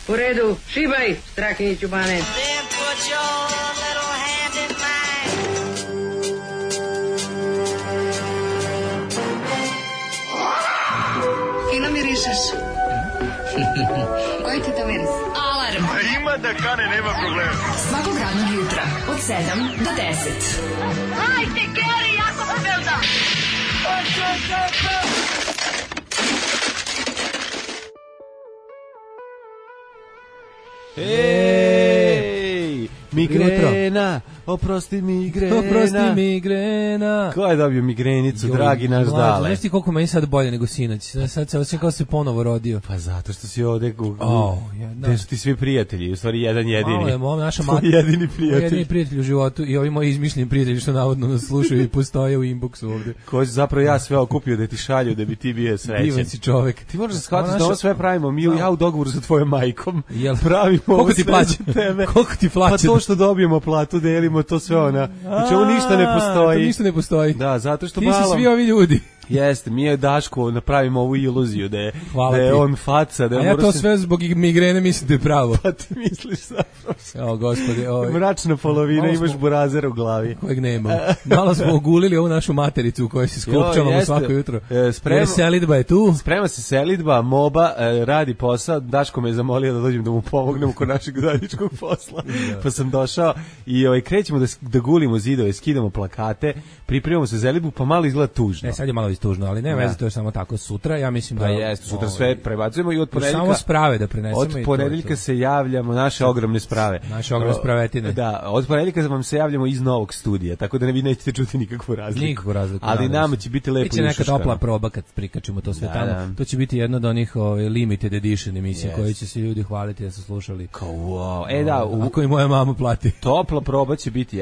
U redu, šibaj, Strahinjiću Bane. Fino mirišeš. Koji ti to miris? Alarm. Ima da kane, nema problema. Svakog radnog jutra, od 7 do 10. Hajde, Geri, jako se velda! Ej, migrena, oprosti migrena. Ko je dobio migrenicu, dragi naš Dale? Znaš ti koliko meni sad bolje nego sinoć? Sad se osjećam kao se ponovo rodio. Pa zato što si ovde, gde su ti svi prijatelji, u stvari jedan jedini. Naša jedini prijatelj. Jedini prijatelj u životu i ovi moji izmišljeni prijatelji što navodno nas slušaju i postoje u inboxu ovde. Ko si zapravo ja sve okupio da ti šalju da bi ti bio srećen. Divan si čovek. Ti možeš shvatiti da ovo sve pravimo, ja u dogovoru sa tvojom majkom. Pravimo koliko ti plaća tebe? Koliko ti plaća? Pa to što dobijemo platu, delimo to sve ona. Znači ovo ništa ne postoji. To ništa ne postoji. Da, zato što ti si svi ovi ljudi. Jeste, mi je Daško napravimo ovu iluziju da je on faca. A ja to sve zbog migrene mislim da je pravo. Pa ti misliš zapravo. O, gospodi. Mračna polovina, imaš burazer u glavi. Kojeg nema. Malo smo ogulili ovu našu matericu u kojoj se skopčavamo svako jutro. Jer selidba je tu. Sprema se selidba, moba, radi posao. Daško me je zamolio da dođem da mu pomognem oko našeg zajedničkog posla. Pa sam došao i krećemo da gulimo zidove, skidamo plakate, pripremamo se selidbu, pa malo izgleda tužno. Sad je malo tužno, ali ne veze, to je samo tako sutra, ja mislim da jeste, sutra sve prebacujemo i od ponedeljka samo sprave da prenesemo od ponedeljka se javljamo naše ogromne sprave. Naše ogromne spravetine. Da, od ponedeljka vam se javljamo iz novog studija, tako da vi nećete čuti nikakvu razliku. Ali nama će biti lepo i šuškano. Biće neka topla proba kad prikačimo to sve tamo. To će biti jedna od onih limited edition emisija koje će se ljudi hvaliti da su slušali. Ako i moja mama plati. Topla proba će biti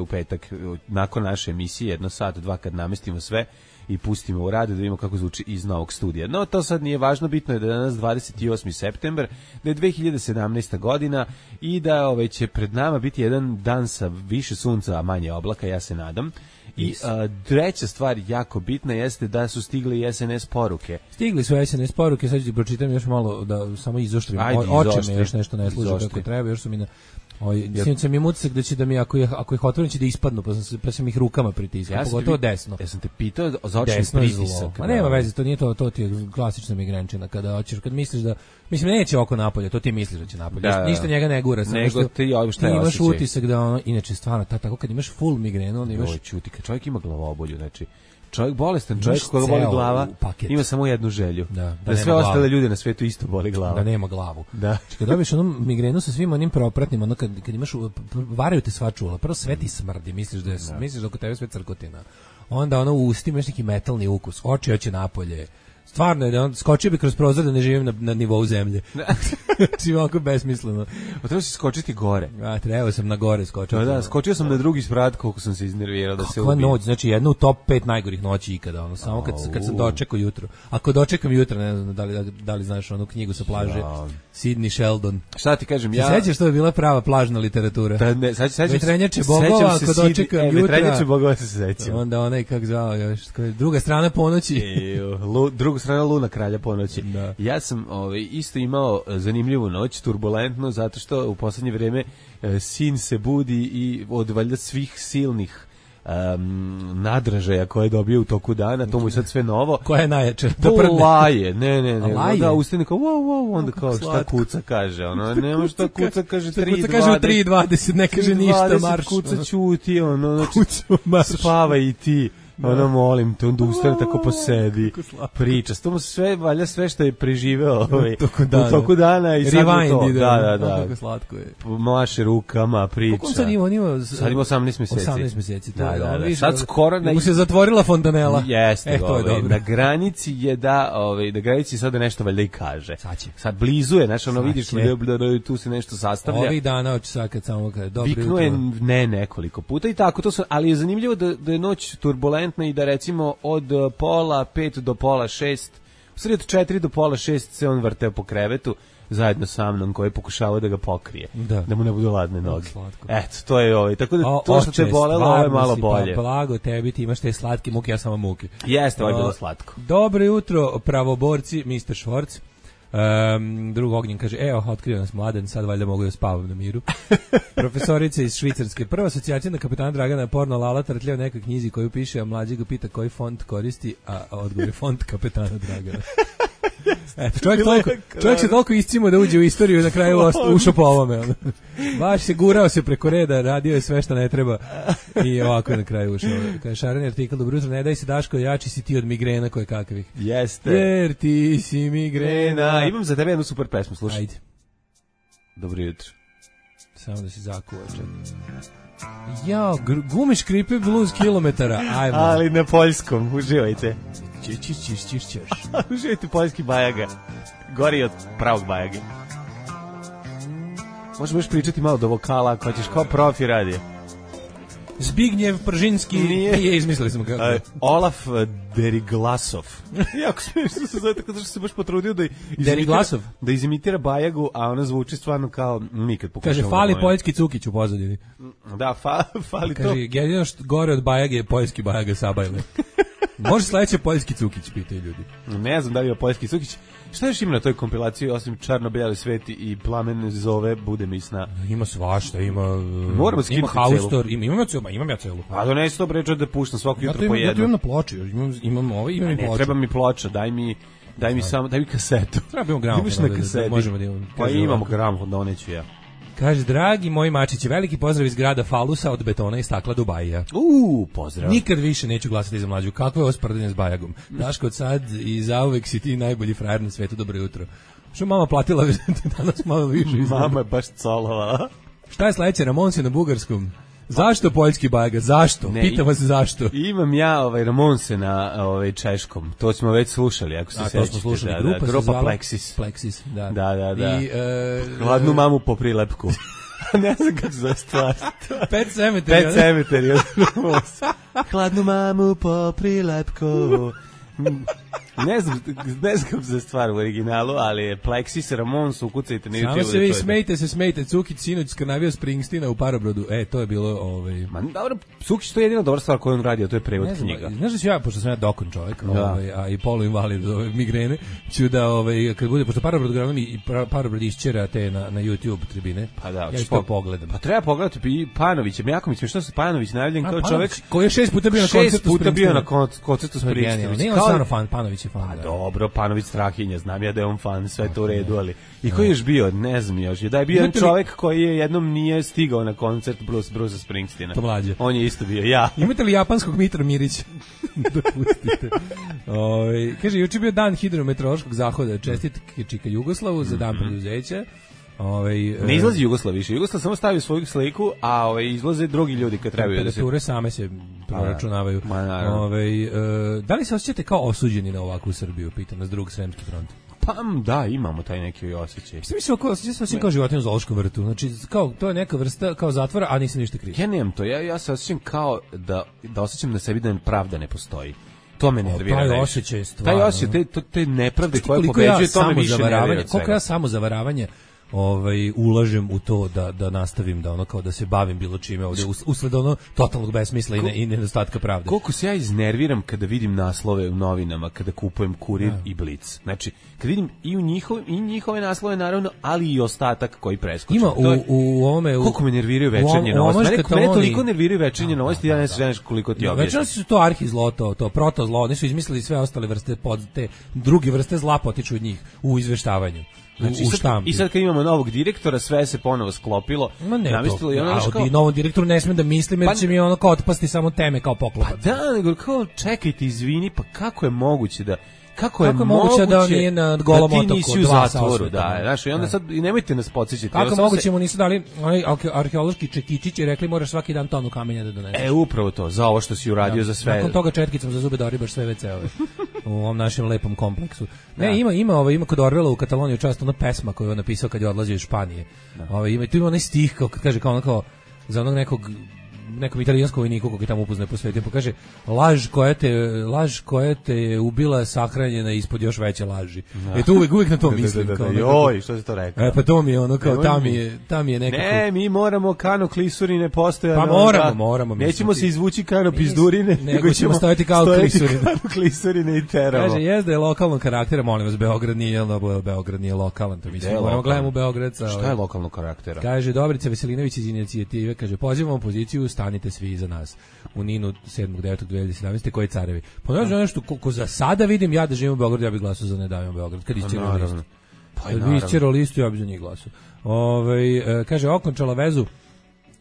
u petak nakon naše emisije, 1 sat, 2 kad namestimo sve i pustimo u rad da vidimo kako zvuči iz novog studija. No, to sad nije važno, bitno je da je danas 28. september, da je 2017. godina i da će pred nama biti jedan dan sa više sunca, a manje oblaka, ja se nadam. I treća stvar jako bitna jeste da su stigle i SNS poruke. Stigli su SNS poruke, sad ću ti pročitam još malo da samo izoštrim. Oči me još nešto ne služe kako treba, još su mi na... Sinoć sam im utisak da će da mi, ako ih otvorim, će da ispadnu, pa sam ih rukama pritiskao, pogotovo desno. Ja sam te pitao za očni pritisak. Ma nema veze, to nije to ti je klasična migrenčina, kad misliš da, mislim, neće oko napolje, to ti misliš da će napolje, ništa njega ne gura. Nego ti imaš utisak da inače stvarno, tako kad imaš full migrenu, onda imaš... Čuti, kad čovjek ima glavobolju, znači, čovjek bolestan, čovjek koga boli glava, ima samo jednu želju. Da sve ostale ljude na svetu isto boli glava. Da nema glavu. Da. Kad dobiješ onu migrenu sa svim onim propratnim, ono kad imaš, varaju te sva čula, prvo sve ti smrdi, misliš da oko tebe sve crkotina. Onda ono u ustima imaš neki metalni ukus, oči hoće napolje. Stvarno je da on skočio bi kroz prozor da ne živim na nivou zemlje. Znači ovako besmisleno. Pa treba si skočiti gore. Trebao sam na gore skočiti. Da, skočio sam na drugi sprat koliko sam se iznervirao da se ubijem. Kakva noć, znači jedna u top 5 najgorih noći ikada. Samo kad sam dočekao jutro. Ako dočekam jutro, ne znam da li znaš onu knjigu sa plaže. Sidney Sheldon. Šta ti kažem, ja... Sećaš što je bila prava plažna literatura? Vetrenjače bogova, ako dočekam jutra. Vetrenjače bogova se sećam. Onda onaj, kako zvao još, druga strana ponoći. Druga strana Luna kralja ponoći. Da. Ja sam isto imao zanimljivu noć, turbulentno, zato što u posljednje vrijeme sin se budi i od valjda svih silnih nadražaja koje je dobio u toku dana, to mu je sad sve novo. Koja je najjača? Laje, ne. Da, ustane kao, wow, onda kao šta kuca kaže, nema šta kuca kaže 3.20. Kuca kaže u 3.20, ne kaže ništa, marš. Kuca ćuti, spava i ti. Molim te, onda ustane tako posedi, priča. To mu sve, valja sve što je preživeo u toku dana i sad mu to. Da. Kako slatko je. Maše rukama, priča. Kako on sad ima? Sad ima 18 mjeseci. 18 mjeseci, to da. Sad skoro... Da mu se zatvorila fontanela. Jeste, to je dobro. Na granici je da granici sada nešto valjda i kaže. Sad blizu je, znaš, vidiš da tu se nešto sastavlja. Ovih dana, sad kad samo kaže, dobro jutro. Viknuo je nekoliko puta i tako, ali je zanimljivo da je noć turbulentna i da recimo od 4:30 do 5:30, u stvari od 4 do 5:30 se on vrteo po krevetu zajedno sa mnom koji je pokušavao da ga pokrije, da mu ne budu ladne noge. Eto, to je tako da to što te bolelo, ovo je malo bolje. Pa blago tebi, ti imaš te slatke muke, ja samo muke. Jeste, ovo je bilo slatko. Dobro jutro, pravoborci, Mr. Švorc. Drug Ognjen kaže, evo, otkrio nas Mladen, sad valjda mogu da spavam na miru. Profesorica iz Švicarske. Prva asocijacija na kapetana Dragana je porno Lala trtljao nekoj knjizi koju piše, a mlađi ga pita koji font koristi, a odgovor je font kapetana Dragana. Eto, čovjek se toliko iscimo da uđe u istoriju i na kraju ušao po ovome. Baš se gurao se preko reda, radio je sve što ne treba i ovako je na kraju ušao. Kaže šareni artikl, dobro jutro, ne daj se Daško, jači si ti od migrena koje kakvih. Jeste. Jer ti si migrena. Imam za tebe jednu super pesmu, slušaj. Ajde. Dobro jutro. Samo da se zakuva, čekaj. Jao, gume škripe blues kilometara, ajmo. Ali na poljskom, uživajte. Čiš. Uživajte poljski bajaga. Gori od pravog bajage. Možemo još pričati malo do vokala, ako ćeš kao profi radi. Zbignjev Pržinski nije izmislili smo kako. Olaf Deriglasov. Jako smiješno se zove, tako da se baš potrudio da izimitira bajagu, a ona zvuči stvarno kao nikad pokušamo. Kaže, fali poljski cukić u pozadini. Da, fali to. Kaže, jedino što gore od bajage je poljski bajaga Sabajle. Može sledeće poljski cukić, pitaju ljudi. Ne znam da li je poljski cukić. Šta još ima na toj kompilaciji, osim Čarno-bijeli sveti i Plamen zove, bude mi sna? Ima svašta, ima Haustor, imam ja celu. A donesi to bređo da puštam svako jutro po jednu. Ja to imam na ploči, imam ovaj, imam i ploču. Ne, treba mi ploča, daj mi kasetu. Treba imamo gramofon. Imaš na kaseti. Možemo da imamo. Pa imamo gramofon, doneću ja. Kaže, dragi moji mačići, veliki pozdrav iz grada Falusa od betona i stakla Dubajija. Pozdrav. Nikad više neću glasati za Mlađu. Kakvo je ovo sprdanje s Bajagom? Daško, od sad i zauvek si ti najbolji frajer na svetu. Dobro jutro. Što mama platila danas malo više? Mama je baš colovala. Šta je sledeće? Ramonsi na bugarskom. Zašto poljski Bajaga? Zašto? Pitam vas zašto. Imam ja Ramonse na češkom. To smo već slušali, ako se sećate. To smo slušali. Grupa Plexis. Plexis, da. Da. I hladnu mamu po prilepku. Ne znam kako za stvar. Pet Cemetery. Hladnu mamu po prilepku. Ne znam kako se stvar u originalu, ali je Plexis, Ramons, ukucajte na YouTube. Samo se vi smejte, Cukić sinoć skrnavio Springstina u Parobrodu. To je bilo... Ma dobro, Cukić, to je jedina dobra stvar koju on radi, a to je prevod knjiga. Znaš da ću ja, pošto sam ja dokon čovjek, a i poluinvalid migrene, ću da, kad bude, pošto Parobrod gledam i Parobrod išćera te na YouTube tribine, pa da, ja ću to pogledam. Pa treba pogledati i Panovića, jako mi smiješno se Panović najavljen kao čovjek koji je 6 puta bio na koncertu Springstina. Nije on stvarno fan, Panović je fan. Pa dobro, Panović Strahinja, znam ja da je on fan, sve to u redu, ali i koji je još bio, ne znam još, da je bio jedan čovjek koji je jednom nije stigao na koncert Bruce Springsteena. To mlađe. On je isto bio, ja. Imate li japanskog Mitra Mirića? Da pustite. Kaže, juče bio dan hidrometeorološkog zahoda, čestitke Čika Jugoslavu za dan preduzeća. Ne izlazi Jugoslav više. Jugoslav samo stavi svoju sliku, a izlaze drugi ljudi kad trebaju da se... Temperature same se proračunavaju. Da li se osjećate kao osuđeni na ovakvu Srbiju, pitam nas drug Sremski front? Pa da, imamo taj neki osjećaj. Osjećam se kao životinja u zoološkom vrtu. Znači, kao, to je neka vrsta kao zatvora, a nisam ništa kriv. Ja nemam to. Ja se osjećam kao da osjećam na sebi da pravda ne postoji. To me nervira. Taj osjećaj je stvarno. Taj osjećaj, te nepravde koje pobeđuje, to me više nervira. Koliko ja samo zavaravanje ulažem u to da nastavim da kao da se bavim bilo čime ovdje usled totalnog besmisla i nedostatka pravde. Koliko se ja iznerviram kada vidim naslove u novinama, kada kupujem Kurir i Blic. Znači, kad vidim i njihove naslove naravno, ali i ostatak koji preskoče. Ima u ovome... Koliko me nerviraju večernje novosti. Mene toliko nerviraju večernje novosti, ja ne znaš koliko ti objasnim. Večernje su to arhizlo, to protozlo, oni su izmislili sve ostale vrste, te druge vrste zla potiču od njih u izveštavanju. Znači, i sad kad imamo novog direktora, sve se ponovo sklopilo. I novom direktoru ne smem da mislim, jer će mi ono kao otpasti samo teme kao poklopac. Pa da, nego kao čekajte, izvini, pa kako je moguće da... Kako je moguće da on nije na golom otoku? Da ti nisi u zatvoru, znaš, i onda sad, i nemojte nas podsjećati. Kako moguće mu nisu dali arheološki čekičić i rekli moraš svaki dan tonu kamenja da doneseš. Upravo to, za ovo što si uradio za sve. Nakon toga četkicom za zube da oribaš sve WC-ove u ovom našem lepom kompleksu. Ne, ima kod Orwella u Kataloniji čast ona pesma koju je on napisao kad je odlazio iz Španije. Tu ima onaj stih, kao kaže, kao za onog nekog nekom italijanskom vojniku koji tamo upozna po svetu, pa kaže laž koja te je ubila sahranjena ispod još veće laži. To uvek na to mislim. Joj, što si to rekao? Pa to mi je ono kao tam je nekako. Ne, mi moramo kano klisurine postojati. Pa moramo. Nećemo se izvući kano pizdurine, nego ćemo stojati kao klisurine i teramo. Kaže, jezda je lokalnog karaktera, molim vas, Beograd nije lokalan, to mislim, moramo gledamo u Beograd. Šta je lokalnog karaktera? Kaže, Dobrica Veselinović iz inicijative, kaže, pozivamo opoziciju, stanite svi iza nas. U Ninu 7.9.2017. koji carevi. Ponovno nešto, ko za sada vidim, ja da živim u Beogradu, ja bih glasao za Ne davimo Beograd, kad isčerao listu. Kad bi isčerao listu, ja bih za njih glasao. Kaže, okončala vezu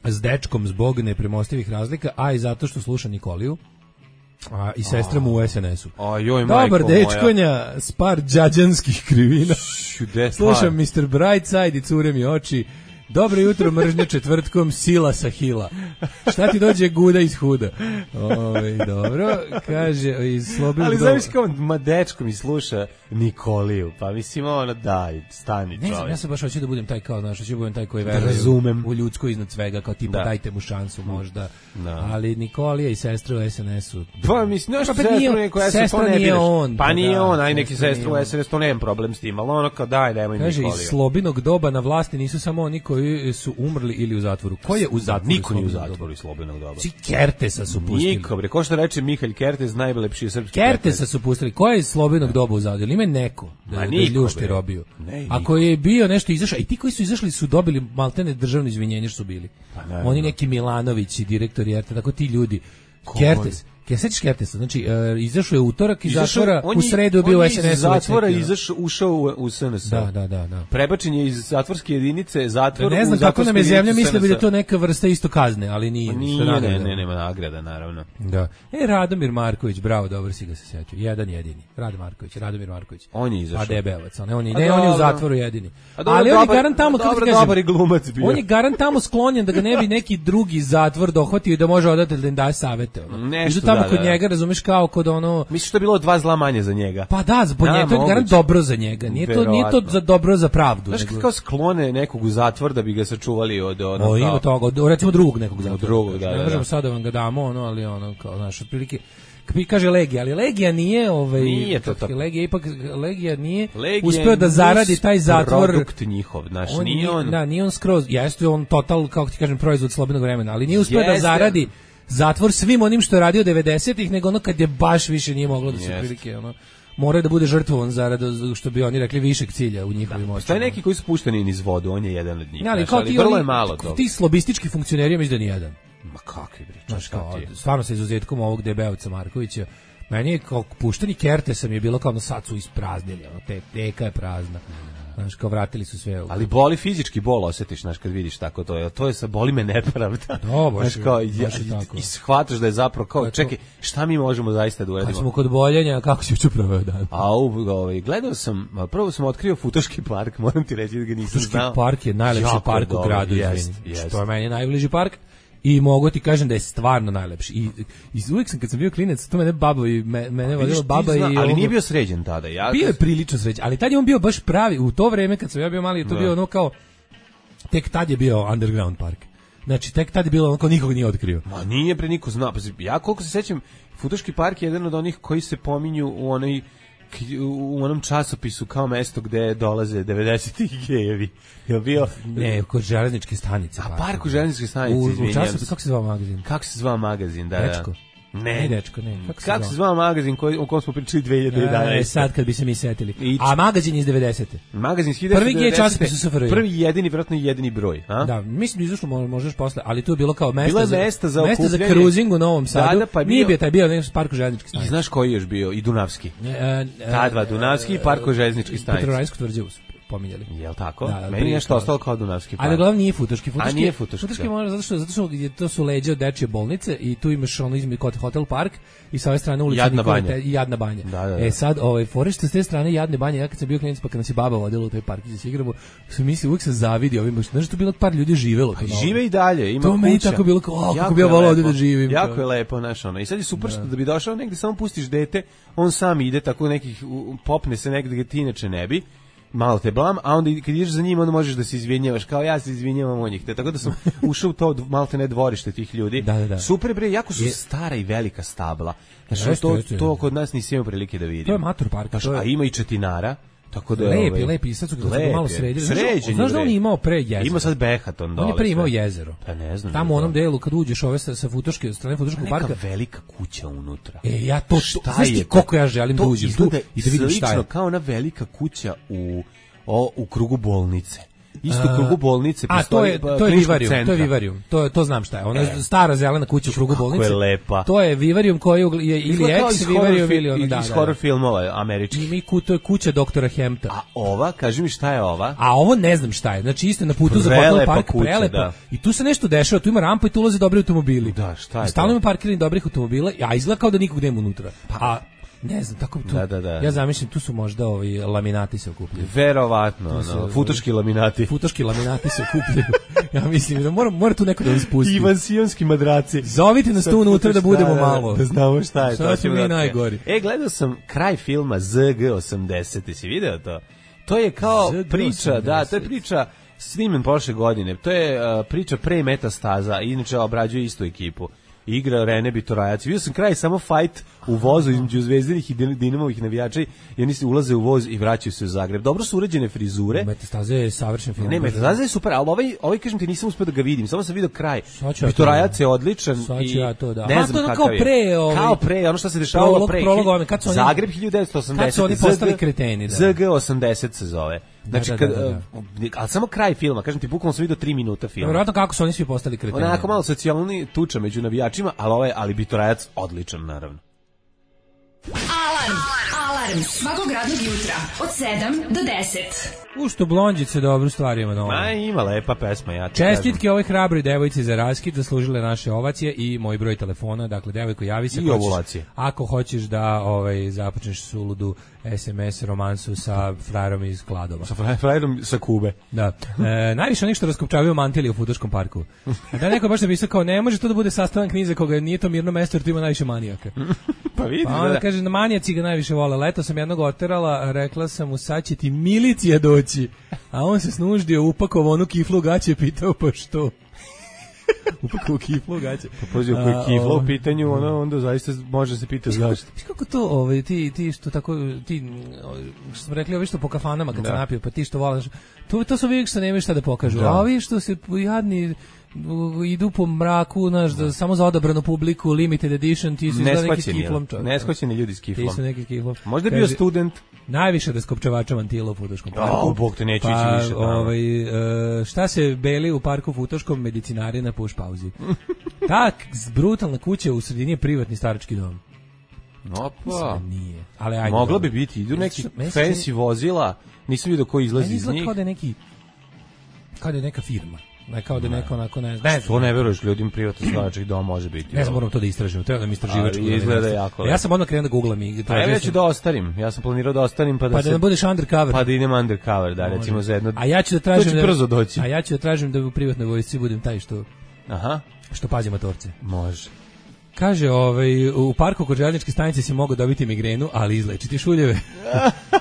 s dečkom zbog nepremostivih razlika, a i zato što sluša Nikoliju. I sestra mu u SNS-u. Dobar dečkonja, spar đađanskih krivina. Slušam Mr. Brightside i cure mi oči. Dobro jutro, mržnja četvrtkom, sila sa hila. Šta ti dođe guda iz huda? Dobro, kaže iz slobodnog. Ali znaš kao dečko mi sluša Nikoliju, pa mislim daj, stani čovjek. Ne znam, ja se baš hoću da budem taj kao, hoću da budem taj koji veruje u ljudsko iznad svega, kao tipa dajte mu šansu možda. Ali Nikolija i sestra u SNS-u. Pa mislim, sestra nije on. Pa nije on, aj neki sestra u SNS, to nemam problem s tim, ali ono kao daj, nemoj Nikoliju. Kaže, iz slobinog doba na vlasti nisu samo oni koji su umrli ili u zatvoru. Ko je u zatvoru? Niko nije u zatvoru iz slobodnog doba. Kertesa su pustili. Niko, bre, ko što reče Mihalj Kertes, najlepši srpski. Kertesa su pustili. Ko je iz slobodnog doba u zatvoru? Ima neko da ljušti robiju. Ako je bio nešto izašao, i ti koji su izašli su dobili maltene državno izvinjenje što su bili. Oni neki Milanovići, direktori RT, tako ti ljudi. Kertes. Sećaš Kertesa, znači izašao je utorak iz zatvora, u sredu je bio u SNS. Iz zatvora ušao u SNS. Da. Prebačen je iz zatvorske jedinice zatvor. Ne znam kako nam je zemlja mislila da je to neka vrsta isto kazne, ali nije. Ne, nema nagrada, naravno. Da. Radomir Marković, bravo, dobro si ga se setio. Jedan jedini. Radomir Marković. On je izašao. A debevac, on je u zatvoru jedini. Ali on je garant tamo, kako ti kažem, dobar glumac bio. On je garant tamo sklonjen da ga ne bi neki drugi zatvor dohvatio i da može odatelj da im daje savete. Kod njega, razumeš, kao kod ono. Misliš da je bilo 2 zla manje za njega? Pa da, zbog njega, to je garant dobro za njega. Nije to za dobro za pravdu. Znaš kao sklone nekog u zatvor da bi ga sačuvali od ono. Ima toga, recimo drugog nekog zatvora. Drugog, da. Ne možemo sad da vam ga damo, ali kao naš otprilike. Kaže Legija, ali Legija nije nije to tako. Legija nije uspeo da zaradi taj zatvor. Produkt njihov, znaš, nije on. Da, nije on skroz. Jeste on total, kako ti kažem, proizvod slobodnog vremena, ali nije uspeo da zaradi zatvor svim onim što je radio 90-ih, nego ono kad je baš više nije moglo da se prilike, mora da bude žrtvovan zarad, što bi oni rekli, višeg cilja u njihovim očima. Šta je neki koji su pušteni niz vodu, on je jedan od njih. Ali vrlo je malo to. Ti slobistički funkcioneri mislim da ni jedan. Ma kakvi bre, stvarno sa izuzetkom ovog debelca Markovića. Meni je kao pušteni Kertesa mi je bilo kao sad su ispraznili, teka je prazna. Znaš, kao vratili su sve. Ali boli fizički bol osjetiš, znaš, kad vidiš tako to je sa boli me nepravda. Znaš, kao, i shvataš da je zapravo kao, čekaj, šta mi možemo zaista da uradimo? Kad smo kod boljenja, kako si juče proveo dan? Gledao sam, prvo sam otkrio Futoški park, moram ti reći da ga nisam znao. Futoški park je najlepši park u gradu, izvini. To je meni najbliži park. I mogu ti kažem da je stvarno najlepši. I uvijek sam, kad sam bio klinac, to mene vodila baba i... Ali nije bio sređen tada. Bio je prilično sređen, ali tad je on bio baš pravi. U to vreme, kad sam ja bio mali, to bio ono kao... Tek tad je bio underground park. Znači, tek tad je bilo ono kao nikog nije otkrio. Ma nije pre niko znao. Ja koliko se sećam, Futoški park je jedan od onih koji se pominju u onom časopisu kao mesto gde dolaze 90-ih gejevi. Je bio kod železničke stanice. A park u železničke stanice, izvinjam se. Kako se zvao magazin? Kako se zvao magazin, da. Dečko. Ne, dečko, ne. Kako se zvao magazin o kojem smo pričali 2011? Sad kad bi se mi setili. A magazin iz 90. Magazin iz 1990. Prvi je časopis u SFRJ. Prvi jedini, vjerojatno jedini broj. A? Da, mislim da izašlo možeš posle, ali tu je bilo kao mesto za cruising u Novom Sadu. Nije bio taj bio neki park železničke stanice. I znaš koji je još bio? I Dunavski. Ta dva, Dunavski i park železničke stanice. Petrovaradinsko tvrđavu pominjali. Jel tako? Meni je nešto ostalo kao Dunavski park. Ali uglavnom nije Futoški. A nije Futoški. Futoški može zato što to su leđa od dečje bolnice i tu imaš ono između kod Hotel Park i sa ove strane ulica Jadna banja. Da. Sad forište s te strane Jadne banje, ja kad sam bio klinac pa kad nas je baba vodila u taj park da se igramo, sam mislio uvijek se zavidio ovim, znaš što bilo par ljudi živelo. Žive i dalje, ima kuća. To meni tako bilo kao kako bi ja voleo da živim. Jako je lepo, znaš ono. I sad je super što da bi došao negde samo pustiš dete, on sam ide tako nekih popne se negde gde ti inače ne bi. malo te blam, a onda kad ideš za njim, onda možeš da se izvinjavaš, kao ja se izvinjavam od njih. Tako da sam ušao u to malte ne dvorište tih ljudi. Da. Super bre, jako su stara i velika stabla. Znači, to kod nas nisi imao prilike da vidim. To je matur park. A ima i četinara. Tako da lepi, sad su ga malo sredili. Znaš da on je imao pre jezero? Ima sad Behaton dole. On je pre imao jezero. Pa ne znam. Tamo u onom delu kad uđeš sa Futoške, strane Futoškog parka. Neka velika kuća unutra. Ja to, znaš ti koliko ja želim da uđem tu i da vidim šta je. Slično kao ona velika kuća u krugu bolnice. Isto u krugu bolnice postoji Vivarium, to znam šta je. Ona je stara zelena kuća u krugu bolnice. Kako je lepa. To je Vivarium koji je ili ex-Vivarium ili ono iz horror filmova američkih. To je kuća doktora Hempta. A ova, kaži mi šta je ova? A ovo ne znam šta je. Znači isto na putu za Bottle Park, prelepo. I tu se nešto dešava, tu ima rampa i tu ulaze dobri automobili. Da, šta je? Stalno ima parkirani dobrih automobila, a izgleda kao da nikog nema unutra. Ne znam, tako tu. Da. Ja zamišljam, tu su možda laminati se okupljaju. Verovatno, futoški laminati. Futoški laminati se okupljaju. Ja mislim da mora tu neko da nas pusti. Ivan Sionski madraci. Zovite nas tu unutra da budemo malo. Da znamo šta je. Sad smo mi najgori. Gledao sam kraj filma ZG80, si video to? To je kao priča, to je priča snimen prošle godine. To je priča pre Metastaza, inače obrađuje istu ekipu. Igra Rene Bitorajac. Vidio sam kraj samo fight u vozu između Zvezdinih i Dinamovih navijača i oni se ulaze u voz i vraćaju se u Zagreb. Dobro su urađene frizure. Metastaza je savršen film. Ne, Metastaza je super, ali ovaj kažem ti nisam uspeo da ga vidim. Samo sam video kraj. Bitorajac je odličan i ne znam kakav je. Kao pre, ono što se dešavalo pre. Zagreb 1980. Kad su oni postali kreteni. ZG80 se zove. Znači, ali samo kraj filma, kažem ti, bukvalno sam vidio 3 minuta filma. Vjerojatno kako su oni svi postali kreteni. Onako malo socijalni tuča među navijačima, ali Bitorajac odličan, naravno. Alarm svakog radnog jutra od 7 do 10. Što blondžice dobru stvar ima na ovom. Ima lepa pesma, ja ti čestitke ovoj hrabroj devojci za raskid, zaslužile naše ovacije i moj broj telefona, dakle devojko javi se i ovulacije. Ako hoćeš da započneš suludu SMS romansu sa frajerom iz Kladova. Sa frajerom sa Kube. Da. Najviše onih što raskopčavaju mantili u Futoškom parku. Da neko baš napisao kao ne može to da bude sastavan knjize koga nije to mirno mesto jer tu ima najviše manijaka. Pa vidi. Pa onda kaže manijaci ga najviše vole. Leto sam jednog oterala, rekla sam mu sad će ti milicija doći. A on se snuždio, upakovao onu kiflu gaće, pitao pa što? Upakovao kiflu gaće. Pa poziv koji kifla u pitanju, onda zaista može se pitati zašto. Kako to, ti što tako, što smo rekli, ovi što po kafanama kad se napio, pa ti što volaš, to su uvijek što nemaju šta da pokažu. A ovi što se jadni idu po mraku, samo za odabranu publiku, limited edition, ti su izgleda neki s kiflom. Neshvaćeni ljudi s kiflom. Ti su neki s kiflom. Možda je bio student. Najviše raskopčavača mantila u Futoškom parku. Bog te neće ići više. Šta se beli u parku Futoškom, medicinari na puš pauzi. Tak, brutalna kuća u sredini je privatni starački dom. Opa. Nije. Ali ajde. Mogla bi biti, idu neki fancy vozila, nisam vidio ko izlazi iz njih. Kao da je neka firma. Kao da neko onako ne znam. To ne veruješ, ljudima privatno starački dom može biti. Ne znam, moram to da istražim, treba da mi istraživačku. Izgleda jako lepo. Ja sam odmah krenuo da googlam i ja ću da ostarim. Ja sam planirao da ostarim pa da budeš undercover. Pa da idem undercover, da recimo za jedno. A ja ću da tražim brzo doći. A ja ću da tražim da u privatnoj vojsci budem taj što pazi motorce. Može. Kaže, u parku kod željezničke stanice si mogao dobiti migrenu, ali izlečiti šuljeve.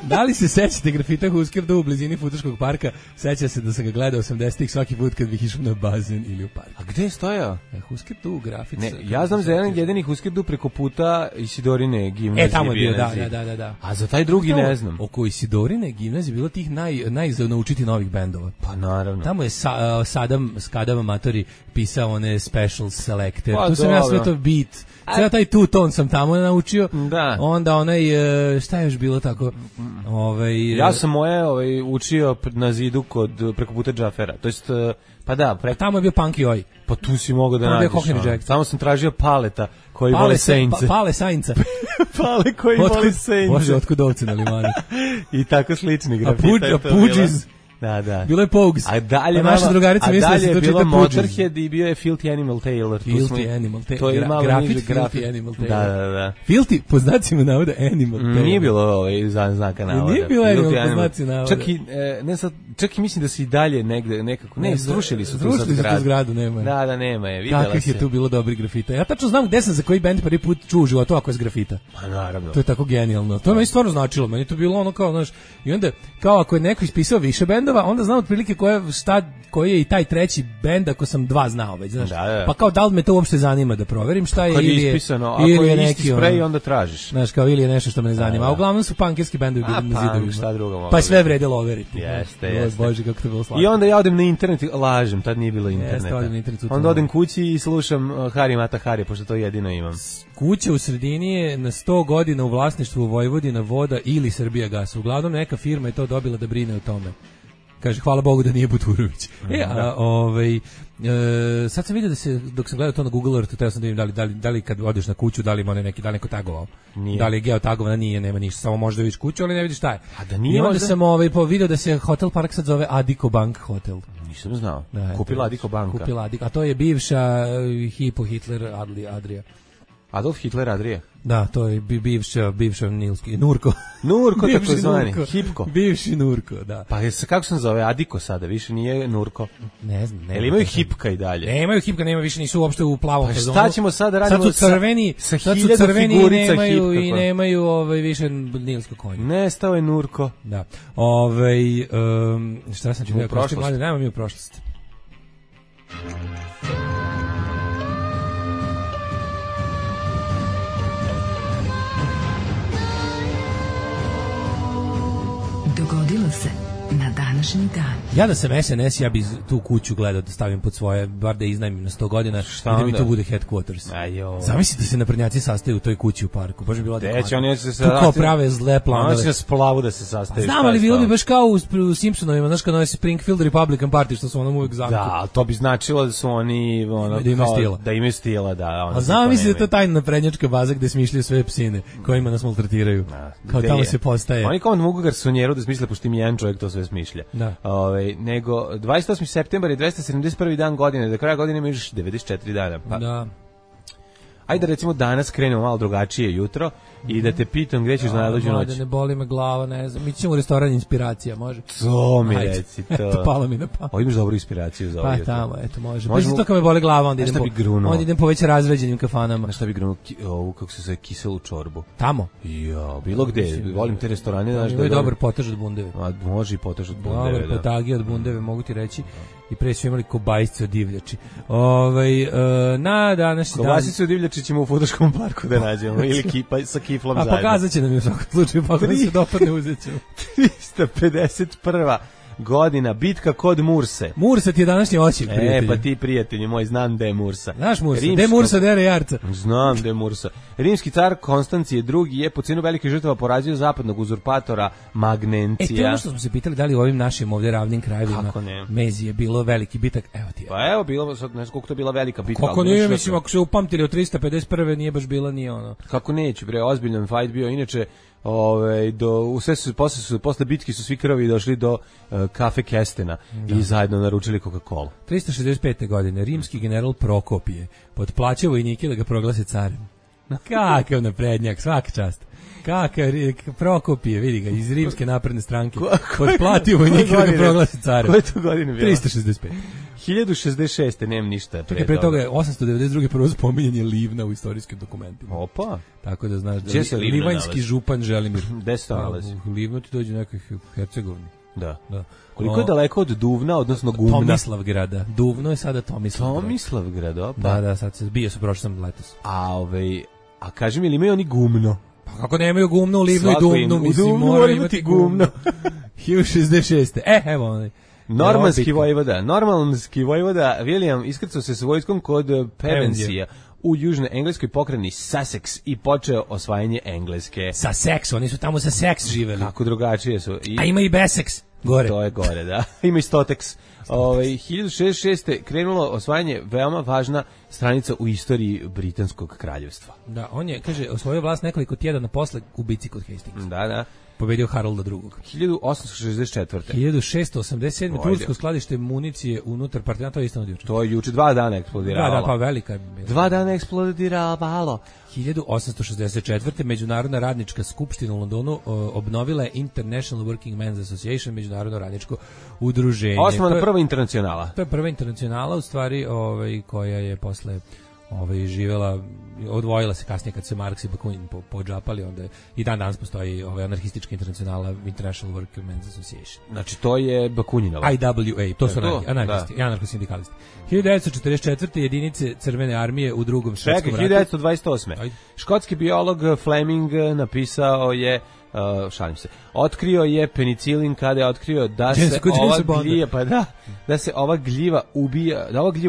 Da li se sećate grafita Huskerda u blizini Futoškog parka? Seća se da sam ga gledao 80-ih svaki put kad bih išao na bazen ili u park. A gde je stojao? Huskerdu, grafit. Ne, ja znam za jedan jedini Huskerdu preko puta Isidorine gimnazije. Tamo je bio, da. A za taj drugi ne znam. Oko Isidorine gimnazije bilo tih najnaučiti novih bendova. Pa naravno. Tamo je Skadava Matori pisao one special selector. Tu sam ja sve to beat. Sada taj two-tone sam tamo naučio. Da. Onda šta je još bilo tako? Ja sam moje učio na zidu preko puta Džafera. To jest, pa da. Tamo je bio Punky Oj. Pa tu si mogao da nađeš. Tamo sam tražio paleta koji vole Saints. Pale Sainca. Pale koji vole Saints. Bože, otkud ovce na limanu. I tako slični grafita. A Pudžiz. Da. Bilo je Pogues. A dalje naša drugarica misli da se to čita Motorhead i bio je Filthy Animal Taylor. Filthy Animal Taylor. To je malo niže Filthy Animal Taylor. Da. Filthy, po znacima navoda Animal Taylor. Nije bilo znaka navoda. Nije bilo Animal po znacima navoda. Čak i, ne sad, čak i mislim da se i dalje negde nekako srušili su tu zgradu, nema. Da, nema je, videla se. Kakvih je tu bilo dobrih grafita. Ja tačno znam gde sam za koji bend prvi put čuo u životu ako je s grafita. Pa naravno. To je tako genijalno. To je meni stvarno značilo. Meni to bilo ono kao, znaš, i onda kao ako je neko ispisao više bendova, onda znam otprilike koji je i taj treći bend ako sam dva znao već, znaš. Da. Pa kao da li me to uopšte zanima da proverim šta je, ili je ispisano, ako je isti sprej onda tražiš. Znaš, kao ili je nešto što me ne zanima. A uglavnom su punkerski bendovi bili na zidovima. Šta drugo mogu. Pa sve vredelo overiti. Jeste. Bože, kako to bilo slatko. I onda ja odem na internet, lažem, tad nije bilo interneta. Onda odem kući i slušam Hari Mata Hari, pošto to jedino imam. Kuća u sredini je na 100 godina u vlasništvu Vojvodina Voda ili Srbijagas. Uglavnom neka firma je to dobila da brine o tome. Kaže, hvala Bogu da nije Buturović. Sad sam vidio da se, dok sam gledao to na Google Earth, teo sam da vidim da li kad odeš na kuću, da li ima neki, da li neko tagovao. Nije. Da li je geotagovana, nije, nema ništa, samo možda vidiš kuću, ali ne vidiš šta je. A da nije. I onda sam video da se Hotel Park sad zove Adiko Bank Hotel. Nisam znao. Da, kupila Adiko banka. Kupila Adiko, a to je bivša Hipo Hitler Adria. Adolf Hitler Adria. Da, to je bivša Nilski Nurko. Nurko tako zvani, Hipko. Bivši Nurko, da. Pa kako se zove Adiko sada, više nije Nurko. Ne znam, ne. Jel imaju Hipka i dalje? Nemaju Hipka, nema više, nisu uopšte u plavom fazonu. Pa šta ćemo sada radimo sad su crveni i nemaju više Nilsko konje. Nestao je Nurko. Da. Šta sam ću prošlost? Nema mi u prošlost. Dogodilo se na današnji dan. Ja da sam SNS, ja bi tu kuću gledao da stavim pod svoje, bar da iznajmim na 100 godina i da mi tu bude headquarters. Zamislite da se naprednjaci sastaju u toj kući u parku. Baš bi bilo adekvatno. Tu kao prave zle planove. Oni će na splavu da se sastaju. Znam, ali bilo bi baš kao u Simpsonovima, znaš kad ono je Springfield Republican Party, što su ono uvijek zamku. Da, ali to bi značilo da su oni da imaju stila, da. A znam, mislim da je to tajna naprednjačka baza gde smišljaju sve psine kojima nas maltretiraju. Kao tamo se postaje. Oni kao mogu garsonjeru da smisle, pošto im jedan čovjek to sve smišlja. Nego 28. septembar je 271. dan godine, do kraja godine ima još 94 dana. Pa. Da. Ajde recimo danas krenemo malo drugačije jutro i da te pitam gdje ćeš na dođu noć. Da ne boli me glava, ne znam. Mi ćemo u restoran Inspiracija, može? To mi reci to. Eto, palo mi na pamet. Imaš dobru inspiraciju za ovo jutro. Pa tamo, eto, može. Možemo... to kad me boli glava, onda idem po već razređenim kafanama. Na šta bi grunuo ovu, kako se zove, kiselu čorbu? Tamo? Jo, bilo gde. Volim te restorane. Ima je dobar potaž od bundeve. Može i potaž od bundeve. Dobar potagi od bundeve, mogu ti reći. I pre su imali kobasice od divljači. Na današnji dan... Kobasice od divljači ćemo u Futoškom parku da nađemo, ili sa kiflom zajedno. A pokazat će nam je u svakom slučaju, pa ako se dopadne uzet ćemo. 351. godina, bitka kod Murse. Mursa ti je današnji oči, prijatelji. Pa ti, prijatelji moj, znam da je Mursa. Znaš Mursa, gde je Mursa, gde je Jarca? Znam da je Mursa. Rimski car Konstancije II je po cenu velikih žrtava porazio zapadnog uzurpatora Magnencija. To je ono što smo se pitali, da li u ovim našim ovdje ravnim krajevima Mezi je bilo veliki bitak. Evo ti je. Pa evo, bilo, ne znam koliko to je bila velika bitka. Kako nije, mislim, ako se upamtili od 351. nije baš bila ni ono. Kako neće, bre, ozbiljan fight bio, inače... posle bitke su svi krvi došli do kafe Kestena i zajedno naručili Coca-Cola. 365. godine rimski general Prokopije potplaćao vojnike da ga proglase carem. Kakav naprednjak, svaka čast. Kakav Prokopije, vidi ga, iz rimske napredne stranke. Potplatio vojnike da ga proglase carem. Koje to godine bilo? 365. 1066. Nemam ništa. Pre toga je 892. prvo spominjanje Livna u istorijskim dokumentima. Opa. Tako da znaš da je livanjski župan Želimir. Gde se nalazi? Livno ti dođe nekih Hercegovini. Da. Koliko je daleko od Duvna, odnosno Gumna? Tomislavgrada. Duvno je sada Tomislavgrad. Tomislavgrad, opa. Da, sad se bio su prošli sam letos. A kaži mi, ili imaju oni Gumno? Pa kako nemaju Gumno u Livnu i Duvnu, mislim, mora imati Gumno. 1066. Evo onaj. Normanski vojvoda William iskrcao se sa vojskom kod Pevensija u južnoj engleskoj pokrajini Sussex i počeo osvajanje Engleske. Sussex, oni su tamo sa Sussex živeli. Kako drugačije su. A ima i Bessex gore. To je gore, da. Ima i Stotex. 1066. krenulo osvajanje, veoma važna stranica u istoriji Britanskog kraljevstva. Da, on je, kaže, osvojio vlast nekoliko tjedana posle ubici kod Hastingsa. Da. pobedio Harolda II. 1864. 1687. tursko skladište municije unutar partizana, to je isto od juče. To je juče 2 dana eksplodiralo. Da, pa velika je. 2 dana eksplodiralo. 1864. Međunarodna radnička skupština u Londonu obnovila je International Working Men's Association, međunarodno radničko udruženje. Osnovna prva internacionala. To je prva internacionala, u stvari, koja je posle živela, odvojila se kasnije kad se Marks i Bakunin podžapali, onda i dan danas postoji anarhistička internacionala International Working Men's Association. Znači to je Bakuninova. IWA, to su anarhisti i anarcho-sindikalisti. 1944. jedinice Crvene armije u Drugom svjetskom ratu. 1928. Škotski biolog Fleming napisao je šalim se. Otkrio je penicilin kada je otkrio da se ova gljiva, da se ova gljiva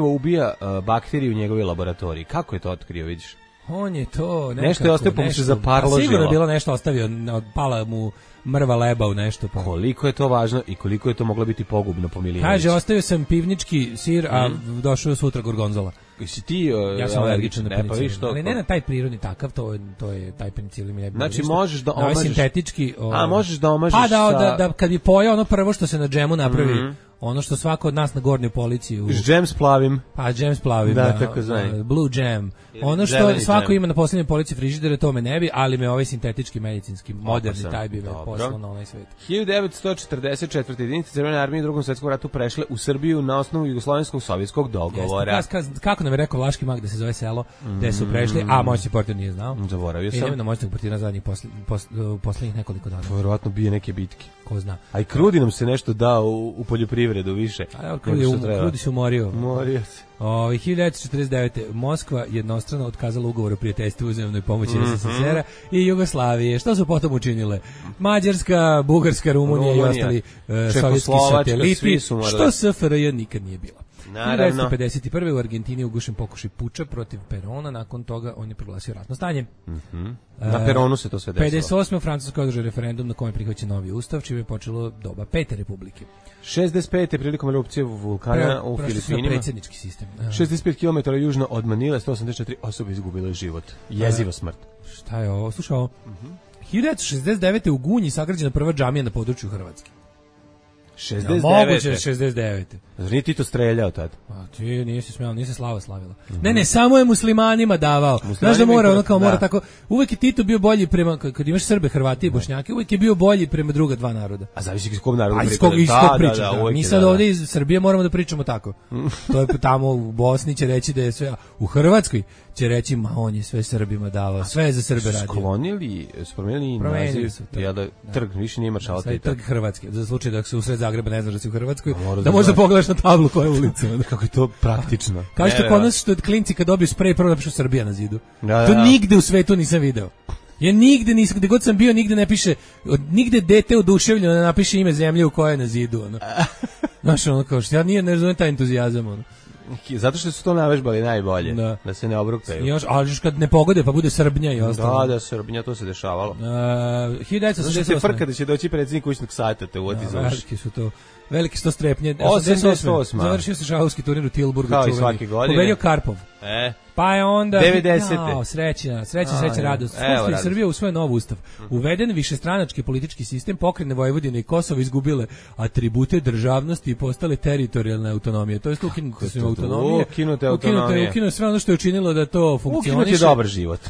ubija bakterije u njegovoj laboratoriji. Kako je to otkrio, vidiš? On je to nekako, nešto je ostavio, pa mu se zaparložilo. Sigurno je bilo nešto ostavio, pala mu mrva leba u nešto. Pa. Koliko je to važno i koliko je to moglo biti pogubno po Milinoviću. Kaže, ostavio sam pivnički sir, a došao sutra gorgonzola. Si ti ja sam alergičan na penicilin, ali ne na taj prirodni takav, to je taj penicilin mi ne bi. Znači možeš da omažeš sintetički, možeš da omažeš da kad bi pojeo ono prvo što se na džemu napravi, ono što svako od nas na gornjoj polici džem s plavim. Pa džem s plavim, da tako zvani. Blue jam. Ono što svako ima na poslednjoj polici frižidera, to me ne bi, ali me ovaj sintetički medicinski moderni taj bi me poslao na onaj svet. 1944. jedinice Crvene armije u Drugom svjetskom ratu prešle u Srbiju na osnovu jugoslovenskog sovjetskog dogovora. Kako nam je rekao Vlaški mag da se zove selo, gde su prešli, a moćni portir nije znao. Zaboravio sam. Na moćnog portira zadnjih poslednjih nekoliko dana. Verovatno bije neke bitke. Ko zna. A i Krudi nam se nešto dao u poljoprivredu više. Krudi se umorio. Umorio se. 1949. Moskva jednostrano otkazala ugovor o prijateljstvu i uzajamnoj pomoći SSSR-a i Jugoslavije. Što su potom učinile? Mađarska, Bugarska, Rumunija i ostali sovjetski sateliti, što SFRJ nikad nije bila. Naravno. 1951. u Argentini ugušen pokušaj puča protiv Perona, nakon toga on je proglasio ratno stanje. Na Peronu se to sve desilo. 58. u Francuskoj održao referendum na kojem je prihvaćen novi ustav, čime je počelo doba Pete republike. 65. prilikom erupcije vulkana u Filipinima. Predsjednički sistem. 65 km južno od Manile, 184 osobe izgubile život. Jeziva smrt. Šta je ovo? Slušaj ovo. 1969. u Gunji sagrađena prva džamija na području Hrvatske. 69. Ja, moguće 69. Zar nije ti to streljao tad? A ti nisi smijao, nisi Slava slavila. Ne, samo je muslimanima davao. Znaš da mora, ono kao mora tako. Uvek je Tito bio bolji prema, kad imaš Srbe, Hrvati i Bošnjake, uvek je bio bolji prema druga dva naroda. A zavisi iz kog naroda pričaš. Mi sad ovdje iz Srbije moramo da pričamo tako. To je tamo u Bosni će reći da je sve, u Hrvatskoj će reći, ma on je sve Srbima davao, sve je za Srbe radio. Sklonili, promenili naziv, trg, više nije maršala Tita. Trg Hrvatske, za slučaj da se usred Zagreba ne znaš da si u Hrvatskoj, da možda pogledaš na tablu koja je ulica. Kako je to praktično. Kao što kod nas što klinci kad dobiju sprej prvo napišu Srbija na zidu. To nigde u svetu nisam video. Ja nigde nisam, gde god sam bio, nigde ne piše, nigde dete oduševljeno ne napiše ime zemlje u kojoj je na zidu. Znaš, ono kao što ja ne razumem taj entuzijazam. Zato što su to navežbali najbolje, da se ne obrukaju. Ali kad ne pogode pa bude Srbnja i ostalo. Da, Srbnja, to se dešavalo. 1988. Frka da će doći predsjednik kućnog sata, te uvodi za uši. Veliki su to strepnje. 88. Završio se šahovski turnir u Tilburgu. Kao i svake godine. Pobedio Karpov. Pa je onda 90. Sreća, radost. Skupština Srbije usvoje nov ustav. Uveden višestranački politički sistem, pokrajine Vojvodine i Kosovo izgubile atribute državnosti i postale teritorijalne autonomije. To je ukinuti su autonomije. Ukinuti sve ono što je učinilo da to funkcioniše.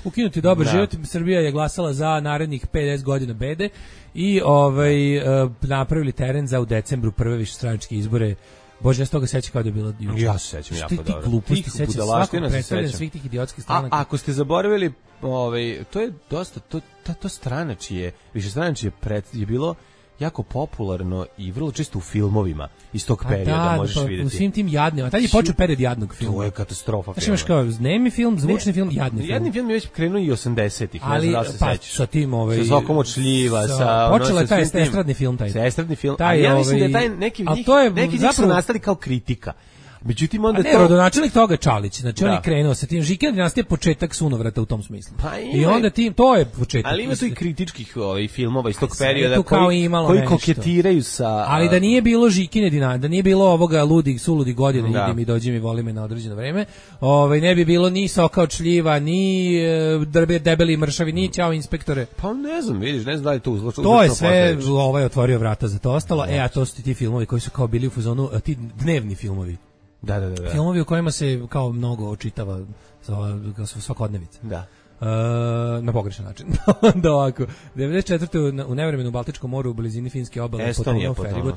Ukinuti dobar život. Srbija je glasala za narednih 50 godina bede i napravili teren za u decembru prve višestranačke izbore. Bože, ja s toga sećam kao da je bilo juče. Ja se sećam jako dobro. Ti gluposti sećam svakog predstavljanja svih tih idiotskih stranaka. A ako ste zaboravili, to je dosta, to stranačije, višestranačije je bilo jako popularno i vrlo često u filmovima iz tog perioda možeš vidjeti. U svim tim jadnima. Tad je počeo period jadnog filma. To je katastrofa. Znači imaš kao nemi film, zvučni film, jadni film. Jadni film je već krenuo i 80-ih. Ali sa tim sa Zokom od šljiva, počela je taj estradni film taj. Estradni film. Ja mislim da je taj neki njih su nastali kao kritika. Međutim, onda ne, rodonačelnik toga Čalić, znači on Da. je krenuo sa tim, Žikina dinastija je početak sunovrata u tom smislu. Pa I onda to je početak. Ali ima tu i kritičkih filmova iz tog sve perioda tu kao imalo koji nešto. koketiraju sa... Ali da nije bilo Žikine dinastije, da nije bilo ovoga suludi godine, Da. ide mi, dođi mi, voli me na određeno vreme, ne bi bilo ni Soka od šljiva, ni debeli mršavi, ni Ćao inspektore. Pa ne znam, vidiš, ne znam da li to uzlačno. To je sve, otvorio vrata za to ostalo, a to su ti filmovi koji su kao bili u fazonu, ti dnevni filmovi. Da. Filmovi u kojima se kao mnogo očitava svakodnevica. Da. Na pogrešan način. Da ovako, 94. u nevremenu u Baltičkom moru u blizini finske obale Estonija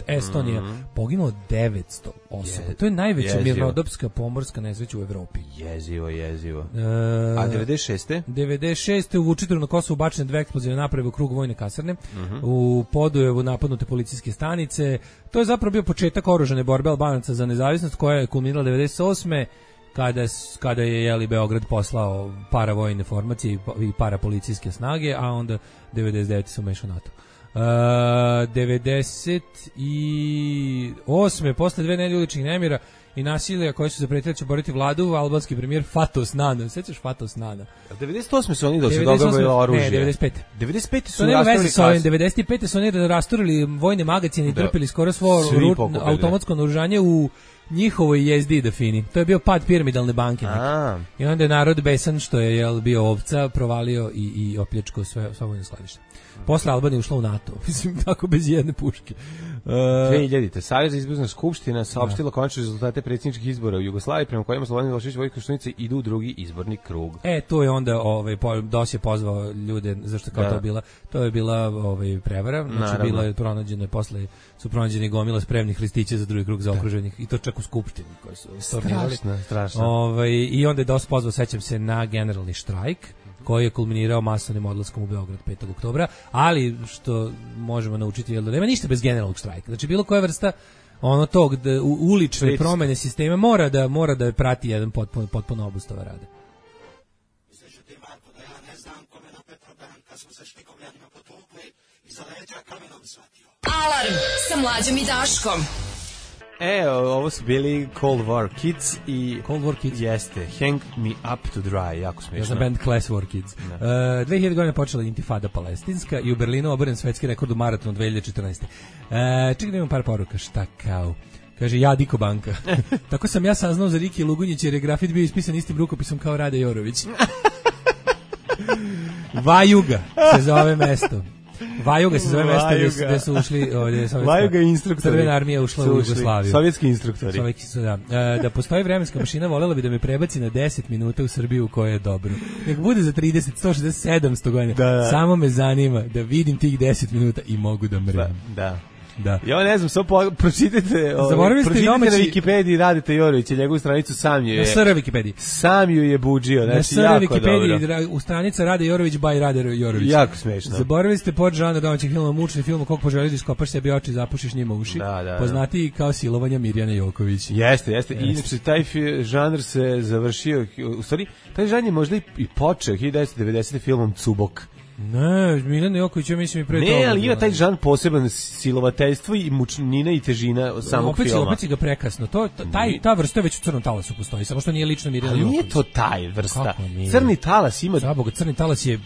Estonija poginulo 900 osoba. To je najveća mirnodopska pomorska nesreća u Evropi. Jezivo. A 96. u Vučitru na Kosovu bačene 2 eksplozivne naprave u krug vojne kasarne. U Podujevu napadnute policijske stanice. To je zapravo bio početak oružane borbe Albanaca za nezavisnost koja je kulminirala 98. Kada je Beograd poslao paravojne formacije i parapolicijske snage, a onda 99. su umešao NATO. 98. posle 2 nedelje uličnih nemira i nasilja koji su zapretili da će boriti vladu, albanski premijer Fatos Nana. Sećaš Fatos Nana? 98. su oni dok se dogovorilo oružje. Ne, 95. 95. su nema veze sa ovim. rasturili 95. su oni rasturili vojne magazine i trpili skoro svo automatsko naoružanje u njihovoj jezdi da fini. To je bio pad piramidalne banke. I onda je narod besan što je bio ovca, provalio i opljačkao sve vojne skladište. Posle Albanije ušla u NATO. Mislim, tako bez jedne puške. 2000. Savez izborna skupština saopštila konačne rezultate predsjedničkih izbora u Jugoslaviji prema kojima Slobodan Milošević i Vojislav Koštunica idu u drugi izborni krug. To je onda DOS je pozvao ljude, zašto kao to je bila prevara, znači bila je pronađena, posle su pronađeni gomila spremnih listića za drugi krug zaokruženih i to čak u skupštini koji su stornirali. Strašno. I onda je DOS pozvao, sećam se, na generalni štrajk koji je kulminirao masovnim odlaskom u Beograd 5. oktobra, ali što možemo naučiti je da nema ništa bez generalnog štrajka. Znači bilo koja vrsta tog ulične promene sistema mora da prati jedan potpuno obustava rada. Izreću ti Marko da ja ne znam kome na Petrodan kad smo se špikovljanima potukli i za leđa kamenom shvatio. Alarm sa Mlađom i Daškom. Ovo su bili Cold War Kids i... Cold War Kids? Jeste, Hang Me Up to Dry, jako smiješno. Ja znam band Class War Kids. 2000 godina počela intifada palestinska i u Berlinu oboren svetski rekord u maratonu 2014. Čekaj da imam par poruka, šta kao... Kaže, ja Diko Banka. Tako sam ja saznao za Riki Lugunjić jer je grafit bio ispisan istim rukopisom kao Rade Jorović. Vajuga se zove mesto. Vajuga se zove mesto gde su ušli Vajuga instruktori. Crvena armija ušla u Jugoslaviju. Sovjetski instruktori. Da postoji vremenska mašina, voljela bi da me prebaci na 10 minuta u Srbiju koja je dobro. Nek bude za 30, 160, 700 godina. Da. Samo me zanima da vidim tih 10 minuta i mogu da mrem. Da. Ja ne znam, samo pročitajte na Wikipediji Radeta Jorovića, njegovu stranicu sam ju je... Na SR Wikipediji. Sam ju je buđio, znači na SR jako Wikipediji, dobro. U stranica Rade Jorović by Rade Jorović. Jako smešno. Zaboravili ste podžanr domaćeg filma, mučni film, kog poželiš da iskopaš sebi oči i zapušiš njima uši. Poznatiji kao silovanja Mirjane Joković. Jeste. I inače, taj žanr se završio, u stvari, taj žanr je možda i počeo 1990. filmom Cubok. Ne, Miljan Joković, ja mislim i pre toga. Ne, ali ima taj žan poseban silovateljstvo i mučnina i težina samog filma. Opet si ga prekasno. Ta vrsta već u Crnom talasu postoji, samo što nije lično Mirjana Joković. Ali nije to taj vrsta. Crni talas ima... Zaboga, Crni talas je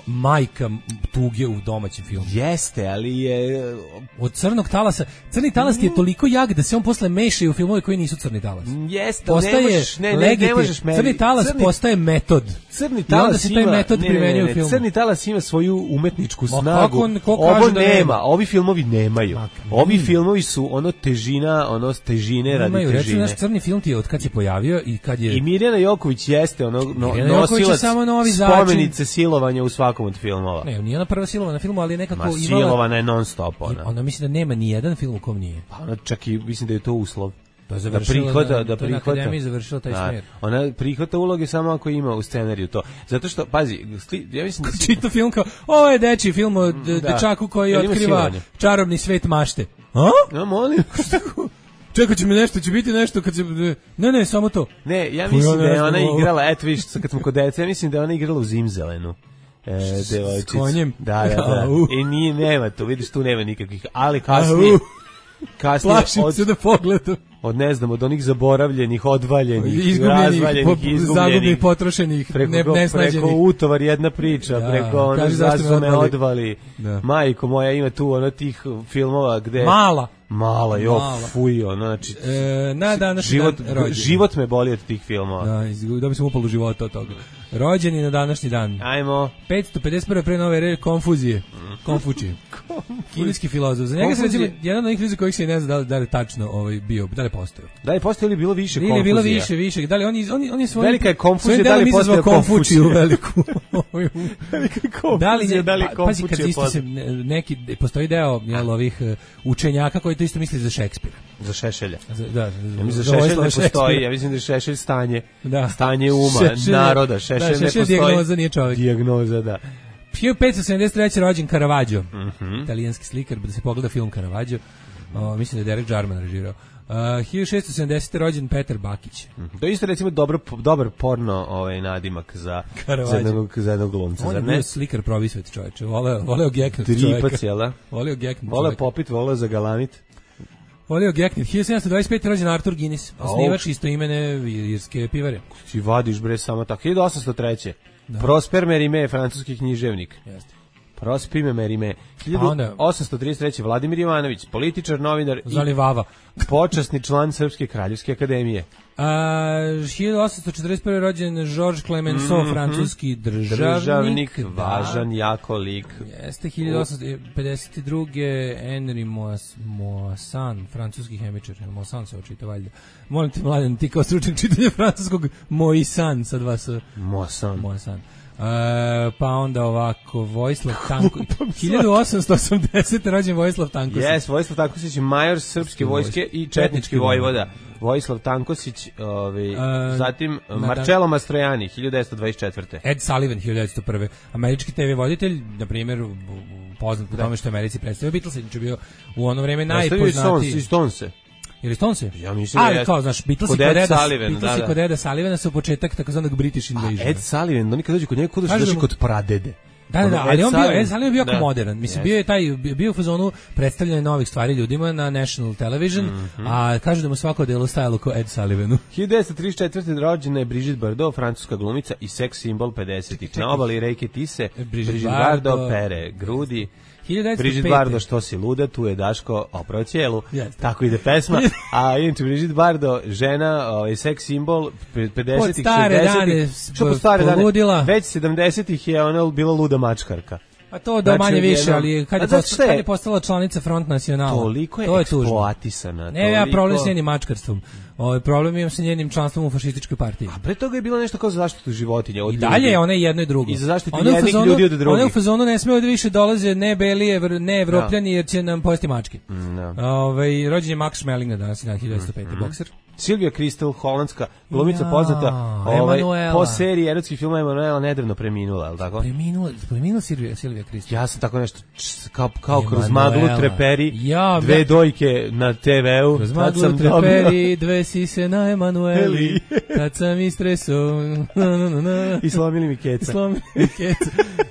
majka tuge u domaćem filmu. Jeste, ali je... Od Crnog talasa... Crni talas je toliko jak da se on posle meša i u filmove koji nisu Crni talas. Jeste, ne možeš meni. Crni talas postaje metod. Crni talas ima... taj metod primenjuje u filmu. Crni talas ima svoju umetničku snagu. Ovo nema. Ovi filmovi nemaju. Ovi filmovi su težine radi težine. Recimo, naš Crni film ti je od kad se pojavio i kad je... I Mirjana Joković jeste nosilac spomenice silovanja u svakom od filmova. Ne, nije ona prva silovana na filmu, ali nekako imala... Silovana je non stop ona mislim da nema ni jedan film u kom nije. Pa ona čak i mislim da je to uslov. Da prihvata. To je na akademiji završila taj smjer. Ona prihvata uloge samo ako ima u scenariju to. Zato što, pazi, ja mislim da si... Čita film kao, ovo je dečiji film o dečaku koji otkriva čarobni svet mašte. A? Ja molim. Čekat će mi nešto, će biti nešto kad se... Ne, samo to. Ne, ja mislim da je ona igrala, eto viš, kad smo kod deca, ja mislim da je ona igrala u Zimzelenu. S konjem? Da. Nema to, vidiš, tu nema nikakvih, ali kasnije... Plašim se da pogledam. od ne znam, od onih zaboravljenih, odvaljenih, razvaljenih, izgubljenih, potrošenih, nesnađenih. Preko utovar jedna priča, preko ono zašto me odvali. Majko moja, ima tu ono tih filmova gde... Mala, fuj, ono, znači, život me boli od tih filmova. Da bi sam upalu života od toga. Rođeni na današnji dan. Ajmo. 551. pre nove ere, Konfuzije. Konfučije. Kineski filozof. Za njega se recimo, jedan od onih ljudi kojih se ne zna da li je tačno bio, da li je postojao. Da li je postojao ili bilo više Konfuzija? Ili je bilo više. Da li on je svoj... Velika je Konfuzija, da li je postojao Konfučiju veliku. Velika je Konfuzija, da li je Konfučija postojao. Pazi, kad isto se neki, postoji deo ovih učenjaka koji to isto misli za Šekspira. Za Šešelja. Da. Ja mislim da Šešelj ne postoji, ja mislim da je Šešelj stanje uma, naroda. Šešelj ne postoji. Dijagnoza nije čovjek. Dijagnoza, da. 1573. rođen Caravaggio, italijanski slikar, da se pogleda film Caravaggio, mislim da je Derek Jarman režirao. 1670. rođen Petar Bakić. To je isto recimo dobar porno nadimak za jednog glumca. On je bio slikar provisvet čovječe, voleo geknut čovjeka. Tripac, jel da? Voleo geknut čovjeka. Voleo popit, voleo zagalamit. Voleo geknut. 1725. rođen Arthur Guinness, osnivač istoimene irske pivare. Ti vadiš bre samo tako. 1803. Prosper Mérimée, francuski književnik. Jeste. Prosper Mérimée. 1833. Vladimir Jovanović, političar, novinar i počasni član Srpske kraljevske akademije. 1841. rođen Georges Clemenceau, francuski državnik, važan, jako lik. Jeste. 1852. Henri Moissan, francuski hemičar. Moissan se očita valjda. Molim te, Mladen, ti kao stručnjak čitanja francuskog, Moissan sa dva s. Moissan. Pa onda ovako Vojislav Tanković 1880. rođen Vojislav Tankosić. Yes, Vojislav Tankosić je major srpske vojske i četnički vojvoda. Vojislav Tankosić, zatim Marcello Mastrojani 1924. Ed Sullivan 1901. Američki TV voditelj, na primjer, poznat po tome što Americi predstavio Beatlesa, je bio u ono vreme najpoznatiji. Stonese. Ili Stonese? Ja mislim da je. Kao, znaš, Beatlesi kod Eda Sullivana su početak takozvanog British Invasion. Ed Sullivan, oni kad dođu kod njega, kod dođu kod pradede. Da, ali Ed Sullivan bio jako modern. Mislim, bio u fazonu predstavljanja novih stvari ljudima na National Television, a kažu da mu svako delo stajalo kao Ed Sullivanu. 1934. rođena je Brigitte Bardot, francuska glumica i seks simbol 50-ih. Na obali reke Tise, Brigitte Bardot pere grudi. Brigitte Bardot, što si luda, tu je Daško oprao cijelu. Tako ide pesma. A inače Brigitte Bardot, žena, seks simbol 50-ih, 60-ih. Što po stare dane? Već 70-ih je ona bila luda mačkarka. A to da manje više, ali kad je postala članica Front Nacionala. Toliko je eksploatisana. Ne, ja problem s njenim mačkarstvom. Problem imam sa njenim članstvom u fašističkoj partiji. A pre toga je bilo nešto kao za zaštitu životinja. I dalje ona je jedno i drugo. I za zaštitu jednih ljudi od drugih. Ona u fazonu ne smije da više dolaze ne beli, ne evropljani, jer će nam pojesti mačke. Rođen je Max Schmeling na danas, 1905. bokser. Silvia Kristel, holandska glumica poznata po seriji erotskih filmova Emanuela, nedavno preminula, je li tako? Preminula Silvia Kristel. Ja sam tako nešto kao kroz maglu treperi, dve dojke na TV-u. Kroz maglu treperi, dve sise na Emanueli, tad sam istresao. I slomili mi keca.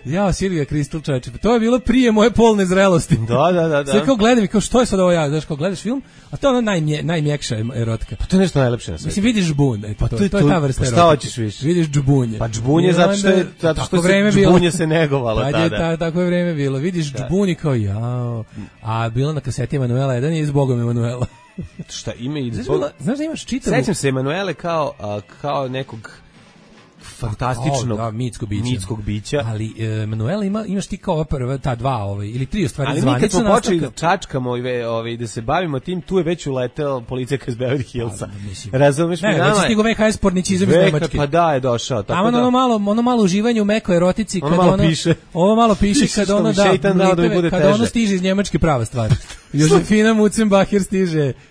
Ja, Silvia Kristel, čoveče, to je bilo prije moje polne zrelosti. Da. Sve kao gledam i kao što je sad ovo ja, znaš, kao gledaš film, a to je ono najmjekša erotika. To je nešto najlepše na svijetu. Mislim, vidiš džbun, to je ta vrsta erotike. Šta hoćeš više? Vidiš džbunje. Pa džbunje zato što se džbunje se negovalo tada. Tako je vreme bilo. Vidiš džbunje kao jao. A bilo na kaseti Emanuela 1 je zbogom Emanuela. Šta ime i znaš da imaš čitavu... Sećam se Emanuele kao nekog fantastičnog mitskog bića. Ali Emanuela imaš ti kao prva ta dva ili tri u stvari zvanica. Ali mi kad smo počeli da čačkamo da se bavimo tim, tu je već uleteo policijaka iz Beverly Hillsa. Razumeš mi? Ne, već stigo VHS porničizam iz Nemačke. Pa da, je došao. Tamo ono malo uživanje u mekoj erotici kad ono malo piše kad ono kada ono stiže iz Njemačke prava stvar. Josefina Mutzenbacher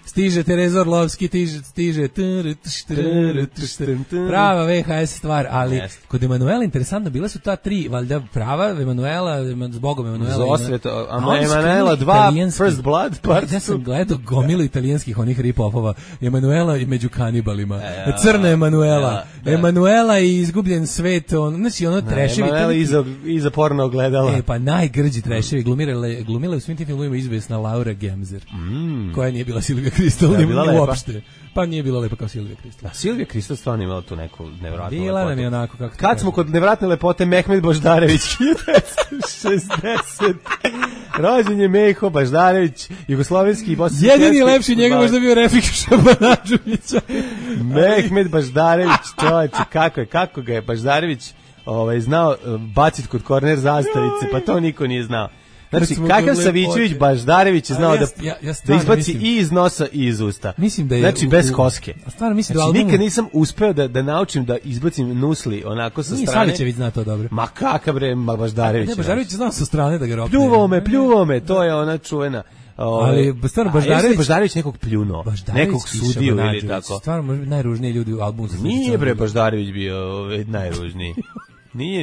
stiže Tereza Orlovski, stiže prava VHS stvar, ali kod Emanuela interesantno, bila su ta tri, valjda prava Emanuela, zbogom Emanuela. Zosveto, Emanuela 2, First Blood, part 2. Ja sam gledao gomilu italijanskih onih rip-offova, Emanuela i među kanibalima, crna Emanuela, Emanuela i izgubljen svet, znači ono treševi. Emanuela iza porno ogledala. Pa najgrđi treševi, glumile u svim tim filmovima izvesna Laura Sara Gemzer, koja nije bila Silvija Kristal uopšte. Pa nije bila lepa kao Silvija Kristal. Silvija Kristal stvarno imala tu neku nevratnu lepotu. Bila nam je onako kako. Kad smo kod nevratne lepote, Mehmed Boždarević 1960. Rođen je Meho Baždarević, jugoslovenski i bosanski. Jedini lepši njega možda bio Refik Šabanađovića. Mehmed Baždarević, čovječe, kako ga je Baždarević znao baciti kod korner zastavice, pa to niko nije znao. Znači, kakav Savićević Baždarević je znao da izbaci i iz nosa i iz usta. Mislim da je znači, bez koske. A stvarno mislim znači, da albumu... nikad nisam uspeo da naučim da izbacim nusli onako sa strane. Savićević zna to dobro. Ma kakav bre Baždarević. Ne, Baždarević je znao sa strane da ga ropne. Pljuvao me, to je ona čuvena. Ali stvarno Baždarević nekog pljunuo, nekog sudio ili tako. Stvarno najružniji ljudi u albumu. Nije bre Baždarević bio najružniji. Nije.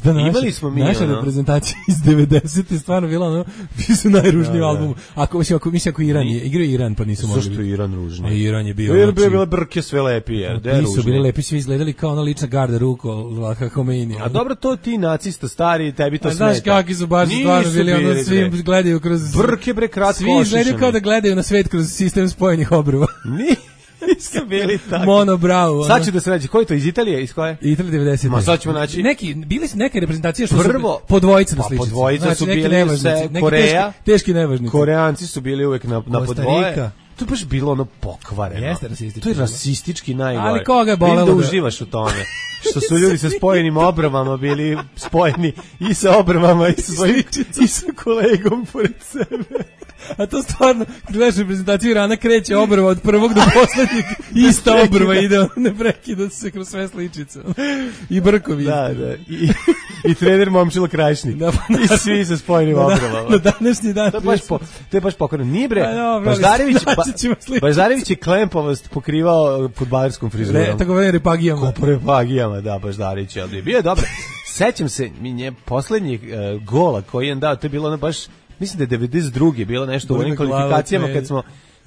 Imali smo mi naša reprezentacija iz 90-te stvarno bila ono, bio su najružniji album. Ako Iran je, igrao Iran, pa nisu mogli. Zašto Iran ružniji? Iran je bio. Jer bile brke sve lepije. Nisu bili lepi, svi izgledali kao ona lična garda Rukola Homeini. A dobro, to ti nacista stari, tebi to smeta. Znaš kakvi su baš stvarno bili, ono svi gledaju kroz... Brke bre kratko svi izgledaju kao da gledaju na svet kroz sistem spojenih obrva. Nisu bili tako. Mono bravo. Sad ću da se nađe. Ko je to, iz Italije? Iz koje? Italija 90. Ma sad ćemo naći. Bili su neke reprezentacije što su po dvojica na sličici. Po dvojica su bili se Koreja. Teški nevažnici. Koreanci su bili uvek na podvoje. To je baš bilo ono pokvareno. Jeste rasistički. To je rasistički najgore. Ali koga je bolelo? Vidim da uživaš u tome. Što su ljudi sa spojenim obrvama bili spojeni i sa obrvama i sa kolegom pored sebe. A to stvarno, gledaš reprezentaciju Irana, kreće obrva od prvog do poslednjeg, ista obrva ide, ne prekida se kroz sve sličice. I brkovi. Da. I trener Momčilo Krajišnik. I svi sa spojenim obrvama. Na današnji dan. To je baš pokvarno. Nije bre, Baždarević je klempovost pokrivao fudbalerskom frizurom. Tako vene repagijama. Ko repagijama, da, Baždarević je ovdje. Bio je dobro. Sećam se, poslednjeg gola koji je dao, to je bilo ono baš, mislim da je 92. bilo nešto u onim kvalifikacijama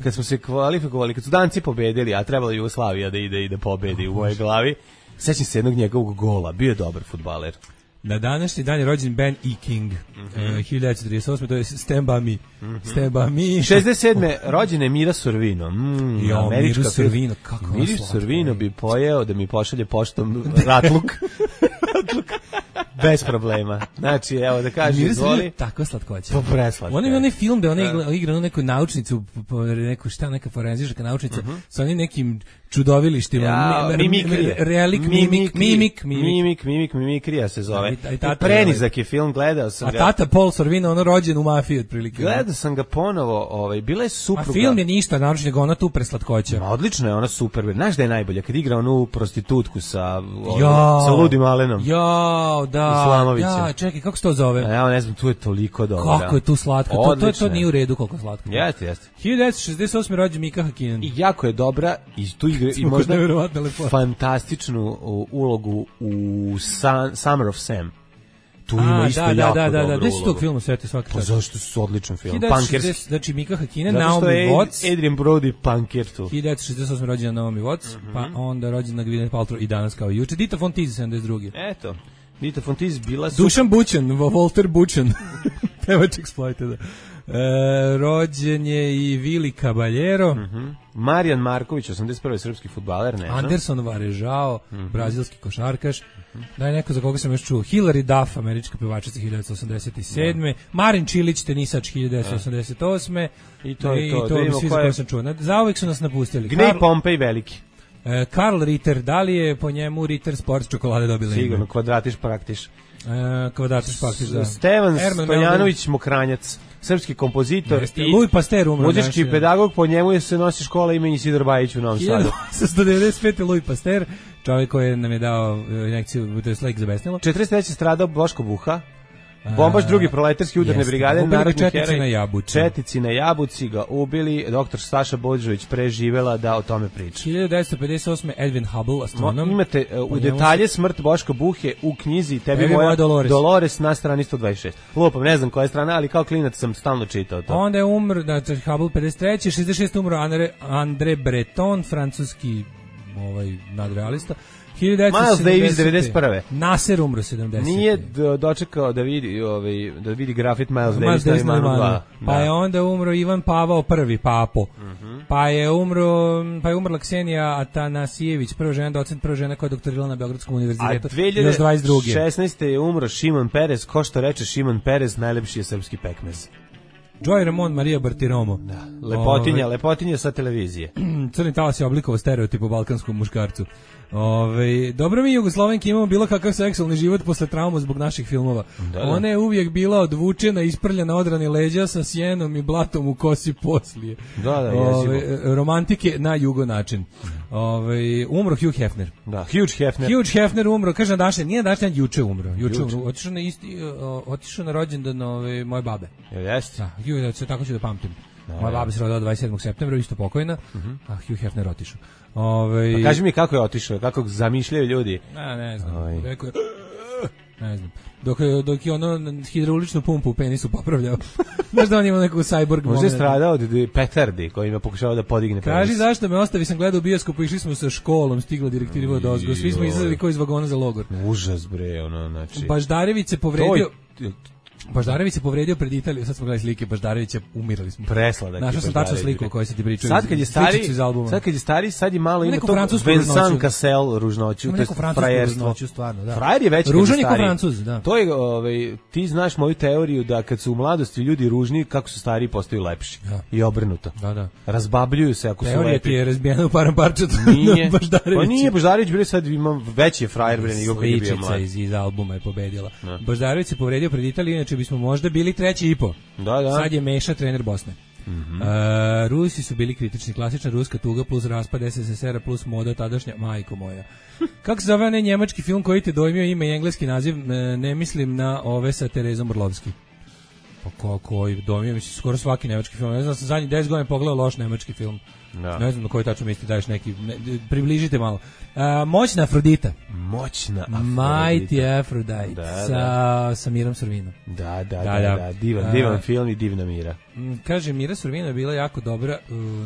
kad smo se kvalifikovali, kad su Danci pobedili, a trebala Jugoslavija da ide i da pobedi u mojoj glavi. Sećam se jednog njegovog gola, bio je dobar fudbaler. Na današnji dan je rođen Ben E. King, 1938. To je Stand By Me. Stand By Me. 67. rođena je Mira Sorvino. Mira Sorvino, kako ona Mira Sorvino bi pojeo da mi pošalje poštom ratluk. Bez problema. Znači, evo da kažem, izvoli. Tako slatkoća. Pa preslatko. On je onaj film da ona igra neku naučnicu, neka forenzička naučnica, sa onim nekim čudovilištima. Mimikrija se zove. Prenizak je film, gledao sam ga. A tata Paul Sorvino, ono rođen u mafiji otprilike. Gledao sam ga ponovo, bila je supruga. A film je ništa, naročito nego ona tu preslatkoća. Odlično je, ona super. Znaš da je najbolja, kad igra onu prostitutku sa Ludim Alenom. Ja, čekaj, kako se to zove? Ja ne znam, tu je toliko dobro. Kako je tu slatko, to nije u redu koliko slatko. Jeste. 1968. rođen Mika Hakkinen. I jako je dobra, i tu igra i možda fantastičnu ulogu u Summer of Sam. Tu ima isto jako dobro ulogu. Gde su tog filmu sveti svaki čas? Zašto su odličan film? Punkerski. Znači Mika Hakkinen, Naomi Watts. Adrian Brody, punker tu. 1968. rođena Naomi Watts, pa onda rođena Gwyneth Paltrow i danas kao juče. Dita Von Teese, 72. Eto. Dita Von Teese bila su... Dušan Bućan, Walter Bućan. Pevač Exploited. Rođen je i Vili Caballero. Marijan Marković, 81. srpski fudbaler, ne znam. Anderson Varežao, brazilski košarkaš. Daj neko za koga sam još čuo. Hilary Duff, američka pevačica 1987. Marin Čilić, tenisač 1988. I to je to. To bi svi za koje sam čuo. Zauvek su nas napustili. Gnej Pompej veliki. Karl Ritter, da li je po njemu Ritter Sports čokolade dobila ime? Sigurno, kvadratiš praktiš. Kvadratiš praktiš, da. Stevan Stojanović Mokranjac, srpski kompozitor i Louis Pasteur umro. Muzički pedagog, po njemu se nosi škola imeni Isidor Bajić u Novom Sadu. 1995. Louis Pasteur, čovjek koji nam je dao injekciju, to je lek za besnilo. 43. stradao Boško Buha. Bombaš drugi proletarski udarne brigade, narodni heroj. Četnici na Jabuci ga ubili, doktor Staša Bođović preživela da o tome priča. 1958. Edwin Hubble, astronom. Imate u detalje smrt Boška Buhe u knjizi Tebi moja Dolores na strani 126. Lupam, ne znam koja je strana, ali kao klinac sam stalno čitao to. Onda je umr, znači Hubble 53. 66. umro André Breton, francuski nadrealista. Miles Davis 91. Nasser umro 70. Nije dočekao da vidi grafit Miles Davis na Imanu 2. Pa je onda umro Ivan Pavao I, papo. Pa je umrla Ksenija Atanasijević, prva žena docent, prva žena koja je doktorirala na Beogradskom univerzitetu. Još 22. 2016. je umro Šimon Perez, ko što reče Šimon Perez, najlepši je srpski pekmez. Joy Ramon Maria Bartiromo. Da, lepotinja sa televizije. Crni talas je oblikovao stereotip o balkanskom muškarcu. Dobro mi Jugoslovenki imamo bilo kakav seksualni život posle trauma zbog naših filmova. Da. Ona je uvijek bila odvučena, isprljena, odrani leđa sa sjenom i blatom u kosi poslije. Da, romantike na jugo način. Umro Hugh Hefner. Da, Hugh Hefner umro, kaže nije dašnja, juče umro. Otišao na rođendan moje babe. Jeste. Da, tako ću da pamtim. Moja baba se rodila 27. septembra, isto pokojna, a Hugh Hefner otišao. Pa kaži mi kako je otišao, kako zamišljaju ljudi. Ne znam, rekao je, ne znam. Dok je ono hidrauličnu pumpu u penisu popravljao. Znaš da on ima neku cyborg moment. Možda je stradao od petardi koji ima pokušao da podigne penis. Kaži zašto me ostavi, sam gledao u bioskopu, išli smo sa školom, stigla direktiva od ozgo. Svi smo izlazili kao iz vagona za logor. Užas bre, znači. Baždarević se povredio pred Italijom, sad smo gledali slike Baždarevića, umirali smo. Presladak. Našao sam tačno sliku o kojoj se ti pričaju. Sad kad je stari, sad je malo ima to Vincent Cassel ružnoću, to je frajerstvo. Stvarno, da. Frajer je već ružan je kao Francuz, da. To je, ti znaš moju teoriju da kad su u mladosti ljudi ružni, kako su stariji postaju lepši. Ja. I obrnuto. Da. Razbabljuju se ako su lepi. Teorija ti je razbijena u param parčetu. Nije. Pa nije, Baždarević bre sad ima veći je frajer bre nego kad je bio mlad. Iz albuma je pobedila. Baždarević se povredio pred Italijom, inače bismo možda bili 3,5. Da. Sad je Meša trener Bosne. Rusi su bili kritični, klasična ruska tuga plus raspad SSSR plus moda tadašnja, majko moja. Kako se zove onaj njemački film koji te dojmio ime i engleski naziv, ne mislim na ove sa Terezom Orlovski. Pa koji dojmio, mislim, skoro svaki nemački film. Ne znam, sam zadnjih 10 godina pogledao loš nemački film. No. Ne znam na koji tačno misli, daješ neki, približite malo. Moćna Afrodita. Mighty Aphrodite. Sa Mirom Sorvinom. Da. Divan film i divna Mira. Kaže, Mira Sorvina je bila jako dobra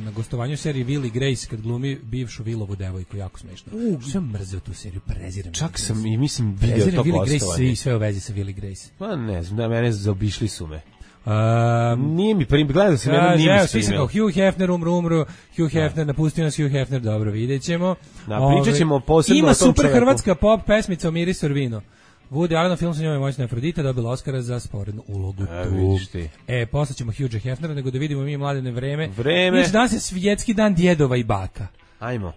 na gostovanju seriji Will i Grace kad glumi bivšu Willovu devojku, jako smešno. Sve mrzeo tu seriju, preziram. Čak sam i mislim video to gostovanje. Sve u vezi sa Will i Grace. Pa ne znam, da mene zaobišli su me. Nije mi gledao sam jednom nije svi se kao Hugh Hefner umro, Hugh Hefner napustio nas, Hugh Hefner, dobro, vidjet ćemo. Pričat ćemo posebno ima super hrvatska pop pesmica o Miri Sorvino. Woody Allen film sa njom je Moćna Afrodita, dobila Oscara za sporednu ulogu tu. Posle ćemo Hugha Hefnera, nego da vidimo mi mladene vreme. Znači danas je svjetski dan djedova i baka. Ajmo.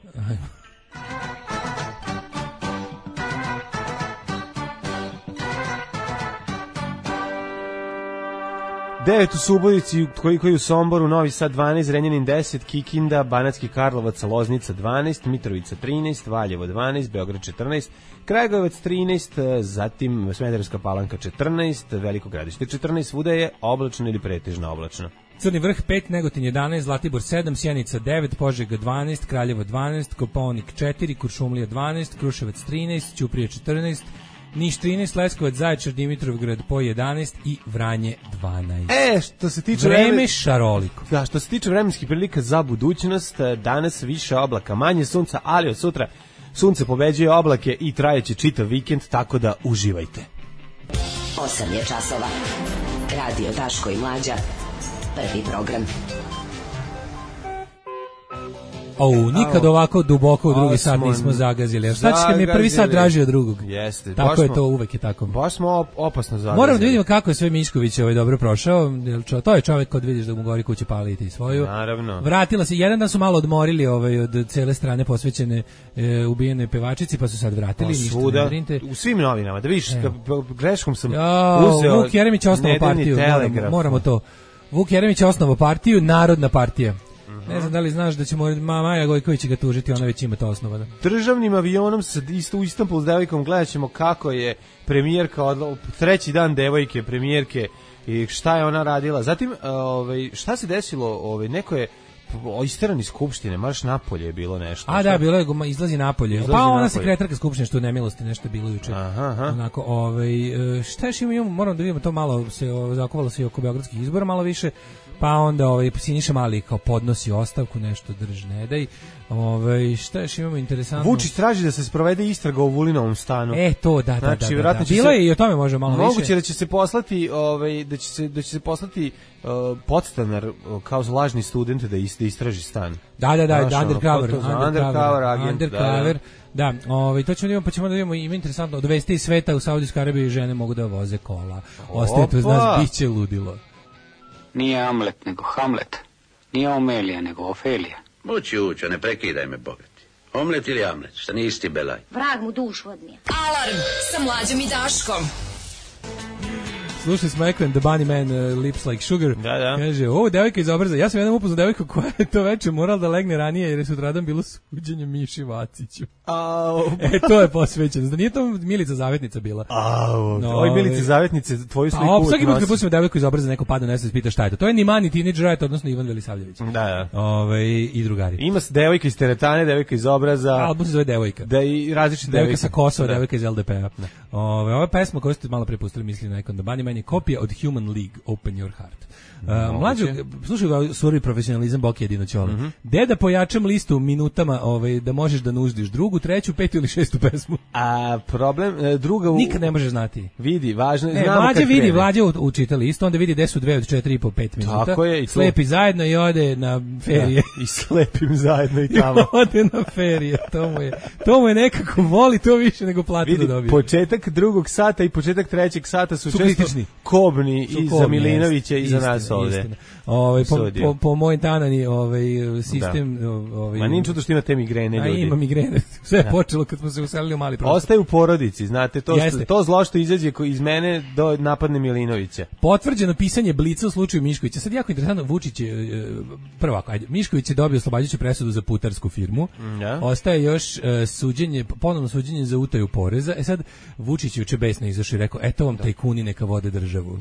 9 u Subotici, koji u Somboru, Novi Sad 12, Renjanin 10, Kikinda, Banatski Karlovac, Loznica 12, Mitrovica 13, Valjevo 12, Beograd 14, Kragujevac 13, zatim Smederevska Palanka 14, Veliko Gradište 14, svuda je oblačno ili pretežno oblačno. Crni vrh 5, Negotin 11, Zlatibor 7, Sjenica 9, Požega 12, Kraljevo 12, Kopaonik 4, Kuršumlija 12, Kruševac 13, Ćuprija 14, Niš 13, Leskovac, Zaječar, Dimitrovgrad po 11 i Vranje 12. Što se tiče vreme šaroliko. Da, što se tiče vremenskih prilika za budućnost, danas više oblaka, manje sunca, ali od sutra sunce pobeđuje oblake i trajeće čitav vikend, tako da uživajte. 8 je časova. Radio Daško i Mlađa. Prvi program. Nikad ovako duboko u drugi sat nismo zagazili. Šta ćete mi je prvi sat draži od drugog? Jeste. Tako je to, uvek je tako. Baš smo opasno zagazili. Moramo da vidimo kako je sve Mišković dobro prošao. To je čovjek kod vidiš da mu gori kuće paliti svoju. Naravno. Vratila se, jedan dan su malo odmorili od cele strane posvećene ubijenoj pevačici, pa su sad vratili. Svuda, u svim novinama, da vidiš, greškom sam uzeo Vuk Jeremić osnovao partiju. Moramo to. Vuk Jeremić osnovao partiju, Narodna partija. Ne znam da li znaš da ćemo Maja Gojković ga tužiti, ona već ima to osnovano. Državnim avionom u Istanbul s devojkom gledat ćemo kako je premijerka, treći dan devojke, premijerke i šta je ona radila. Zatim, šta se desilo, neko je isteran iz skupštine, marš napolje je bilo nešto. A da, bilo je, izlazi napolje. Pa ona sekretarka skupštine što je nemilosti, nešto je bilo juče. Aha. Onako, šta još imamo, moramo da vidimo to malo, se zakovalo se i oko beogradskih izbora malo više, pa onda Siniša Mali kao podnosi ostavku, nešto drž ne daj. Šta još imamo interesantno? Vučić traži da se sprovede istraga o Vulinovom stanu. To, da. Znači, Bilo je i o tome može malo više. Moguće da će se poslati, da će se poslati podstanar kao lažni student da istraži stan. Da, undercover agent. Da, to ćemo da imamo, pa ćemo da vidimo, ima interesantno, od vesti iz sveta u Saudijskoj Arabiji žene mogu da voze kola. Ostajete uz nas, bit će ludilo. Nije Amlet, nego Hamlet. Nije Omelija, nego Ofelija. Mući učo, ne prekidaj me, bogati. Omlet ili Amlet, šta nisi isti belaj? Vrag mu dušu odnije. Alarm sa Mlađom i Daškom. Slušali smo Ekven, The Bunny Man, Lips Like Sugar. Da. Kaže, devojka iz Obraza. Ja sam jednom upoznao devojku koja je to večer morala da legne ranije jer je sutradan bilo suđenje Miši Vaciću. To je posvećeno. Da nije to Milica Zavetnica bila. Oj, Milica Zavetnice, tvoju sliku uvijek nosi. Svaki put kad pustimo devojku iz Obraza, neko pada nesvest, pita šta je to. To je ni mani Teenage Riot, odnosno Ivan Velisavljević. Da. I drugari. Ima devojka iz Teretane, devojka iz Obraza. Album se zove Devojka. Da i različite devojka sa Kosova, devojka iz LDP-a. Ova pesma koju ste malo prepustili, mislim na Ekon, The Bunny Man je kopija od Human League, Open Your Heart. Mlađo, slušaj ga, surovi profesionalizam, Boki jedino čole. Da pojačam listu minutama da možeš da nuždiš drugu, treću, petu ili šestu pesmu. A problem, druga... Nikad ne možeš znati. Vidi, važno je, znamo kad krene. Mlađe učita listu, onda vidi gde su 2 od 4,5 5 minuta. Tako je, i slepi zajedno i ode na ferije. Da, i slepim zajedno i tamo. I ode na ferije, to mu je nekako voli to više nego plati da dobije. Početak drugog sata i početak trećeg sata su često kobni i za Milinovića i za nas ovde. Po moj tanani sistem... Ma nije čudo što ima te migrene ljudi. Ima migrene. Sve je počelo kad smo se uselili u mali prostor. Ostaje u porodici, znate, to zlo što izađe iz mene do napadne Milinovića. Potvrđeno pisanje Blica u slučaju Miškovića. Sad jako interesantno, Vučić je Mišković je dobio oslobađajuću presudu za putarsku firmu. Ostaje još ponovno suđenje za utaju poreza. Sad Vučić juče besno izašao i rekao, eto vam tajkuni neka vode državu.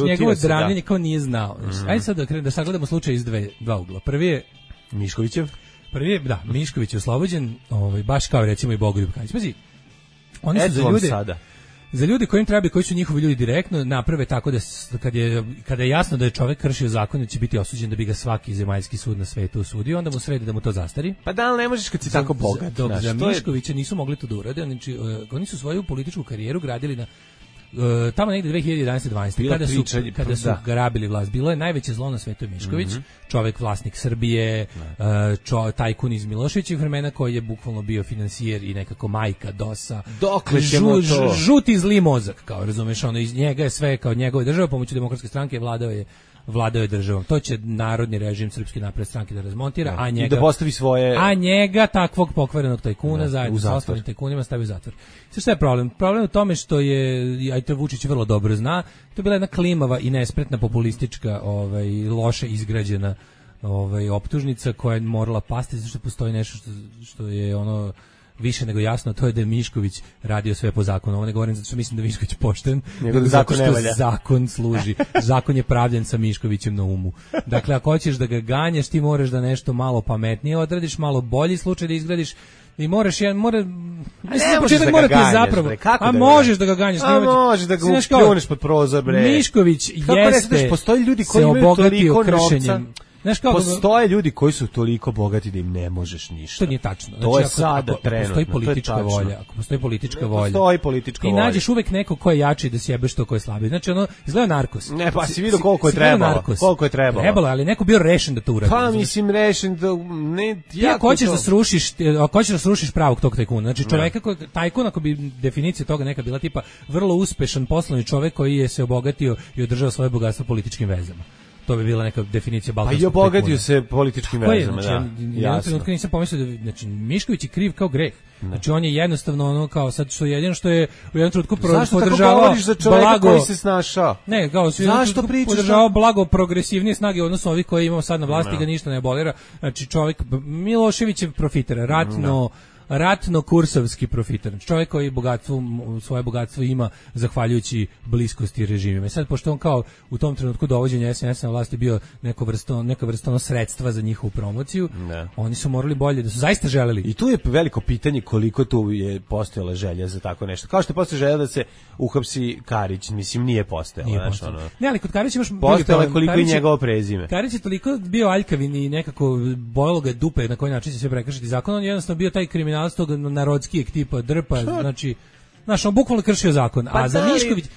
Njegovo dranjenje kao nije znao. Ajde sad da sagledamo slučaj iz dva ugla. Prvi je Miškovićev. Mišković je oslobođen, baš kao recimo i Bogoljub Karić. Pazi, oni su za ljude kojim treba, koji su njihovi ljudi direktno naprave tako da kada je jasno da je čovjek kršio zakon, da će biti osuđen, da bi ga svaki zemaljski sud na svetu osudio, onda mu sredi da mu to zastari. Pa da, ali ne možeš kad si tako bogat. Dok za Miškovića nisu mogli to da urade, oni su svoju političku karijeru gradili na tamo negde 2011-12 kada su grabili vlast. Bilo je najveće zlo na svetu Mišković, čovjek vlasnik Srbije, tajkun iz Miloševićih vremena koji je bukvalno bio finansijer i nekako majka DOS-a. Dokle ćemo to? Žuti zli mozak, kao razumeš, iz njega je sve kao njegove države, pomoću Demokratske stranke vladao je državom. To će narodni režim Srpske napredne stranke da razmontira, i da postavi svoje... A njega, takvog pokvarenog tajkuna, zajedno sa ostalim tajkunima stavi u zatvor. Sve što je problem? Problem je u tome što je, a to Vučić vrlo dobro zna, to je bila jedna klimava i nespretna populistička, loše izgrađena optužnica koja je morala pasti, zato što postoji nešto što je više nego jasno, to je da je Mišković radio sve po zakonu. Ovo ne govorim zato što mislim da je Mišković pošten, nego zato što zakon služi. Zakon je pravljen sa Miškovićem na umu. Dakle, ako hoćeš da ga ganjaš, ti moraš da nešto malo pametnije odradiš, malo bolji slučaj da izgradiš, i možeš možeš da ga ganjaš, a možeš da ga pljuneš pod prozor, bre. Mišković jeste, postoji ljudi koji imaju toliko novca. Postoje ljudi koji su toliko bogati da im ne možeš ništa. To nije tačno. To je sada trenutno. Postoji politička volja. Ako postoji politička volja. Postoji politička volja. Ti nađeš uvek neko ko je jači da sjebeš to ko je slabiji. Znači izgleda Narkos. Ne, pa si vidio koliko je trebalo. Koliko je trebalo. Trebalo, ali neko bio rešen da to uradi. Pa mislim rešen da ne. Ako hoćeš da srušiš pravog tog tajkuna. Znači čoveka koji tajkun, ako bi definicija toga neka bila tipa vrlo uspešan poslovni čovek koji je se obogatio i održao svoje bogatstvo političkim vezama. To bi bila neka definicija balkanskog tajkuna. Pa i obogatio se političkim vezama, ja trenutno nisam pomislio da, znači, Mišković je kriv kao greh. Znači, on je jednostavno kao sad što jedino što je u jednom trenutku podržavao blago koji se snašao. Ne, kao podržavao blago progresivnije snage odnosno ovih koji imamo sad na vlasti, ga ništa ne abolira. Znači, čovjek Miloševićev profiter, ratno ratno-kursovski profiter. Čovjek koji svoje bogatstvo ima zahvaljujući bliskosti režimima. I sad, pošto on kao u tom trenutku dovođenja SNS na vlasti bio neka vrsta sredstva za njihovu promociju, oni su morali bolje, da su zaista želeli. I tu je veliko pitanje koliko tu je postojala želja za tako nešto. Kao što je postojala želja da se uhapsi Karić, mislim nije postojala. Ne, ali kod Karića imaš postojala koliko i njegovo prezime. Karić je toliko bio aljkavin i nekako bojalo ga dupe na koji način će sve prekršiti zakon. On je jednostavno bio taj kriminalac tog narodskijeg tipa drpa, znači on bukvalno kršio zakon. A za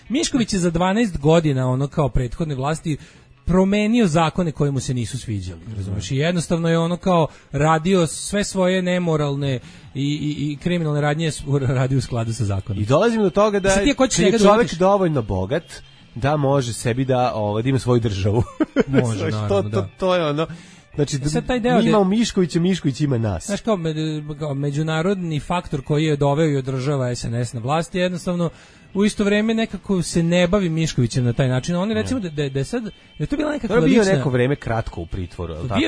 Mišković je za 12 godina ono kao prethodne vlasti promenio zakone koji mu se nisu sviđali, razumiješ? I jednostavno je ono kao radio sve svoje nemoralne i kriminalne radnje radio u skladu sa zakonom. I dolazimo do toga da je čovjek dovoljno bogat da može sebi da ima svoju državu. Može, naravno, to je ono. Znači, mi imamo Miškovića, Mišković ima nas. Znaš, kao međunarodni faktor koji je doveo i održava SNS na vlasti, jednostavno u isto vrijeme nekako se ne bavi Miškovićem na taj način. Oni recimo da je to bila nekakva lična... bio neko vrijeme kratko u pritvoru, je li tako?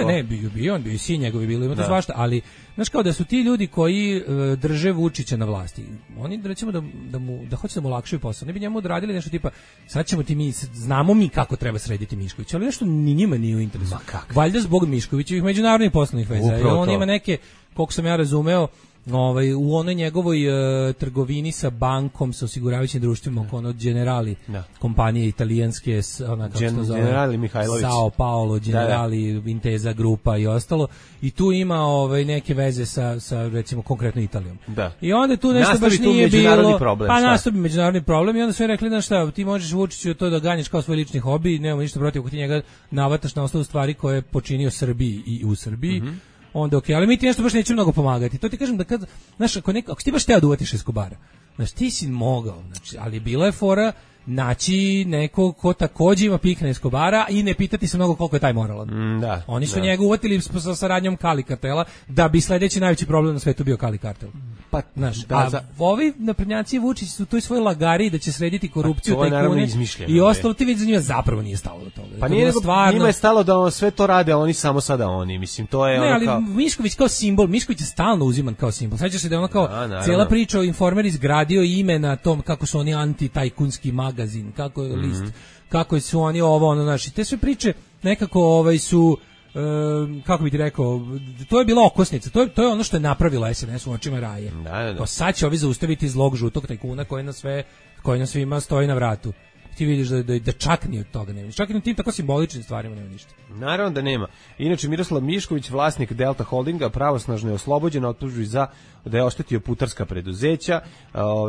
Bio i svi njegovi bili, ima to svašta, ali znaš kao da su ti ljudi koji drže Vučića na vlasti, oni recimo da hoće da mu olakšaju posao, ne bi njemu odradili nešto tipa, sad ćemo znamo mi kako treba srediti Miškovića, ali nešto ni njima nije u interesu. Valjda zbog Miškovićevih međunarodnih poslovnih veza. On ima neke, koliko sam ja razumeo, u onoj njegovoj trgovini sa bankom, sa osiguravajućim društvima, ono Generali, kompanije italijanske, Generali Mihajlović, Sao Paolo, Generali, Intesa grupa i ostalo, i tu ima neke veze sa recimo konkretno Italijom. Da. I onda tu nešto baš nije bilo, nastavi međunarodni problem i onda su rekli, znaš šta, ti možeš Vučiću to da ganjaš kao svoj lični hobi, nemamo ništa protiv ako ti njega navataš na osnovu stvari koje je počinio Srbiji i u Srbiji. Onda okej, ali mi ti nešto baš neće mnogo pomagati. To ti kažem da kad, znaš, ako si ti baš teo da uvatiš Eskobara, znaš, ti si mogao, znači, ali bila je fora naći neko ko takođe ima pik na Eskobara i ne pitati se mnogo koliko je taj moralan. Oni su njega uvatili sa saradnjom Kali kartela, da bi sledeći najveći problem na svetu bio Kali kartel. Pa, znaš, ovi naprednjaci Vučić su u toj svojoj lagari da će srediti korupciju, tajkune i ostalo, ti vidi za njima zapravo nije stalo do toga. Pa nije, njima je stalo da sve to rade, a oni samo sada oni, mislim, to je... Ne, ali Mišković kao simbol, Mišković je stalno uziman kao simbol. Sećaš se da je ono kao cijela priča o Informer izgradio ime na tom kako su oni anti-tajkunski magazin, kako je list, kako su oni znači, te sve priče nekako su... kako bi ti rekao, to je bila okosnica, to je ono što je napravila SNS u očima Raje. Pa sad će ovi zaustaviti zlog žutog tajkuna koji na svima stoji na vratu. Ti vidiš da čak ni od toga nema. Čak i na tim tako simboličnim stvarima nema ništa. Naravno da nema. Inače, Miroslav Mišković, vlasnik Delta Holdinga, pravosnažno je oslobođen, optužuju da je oštetio putarska preduzeća.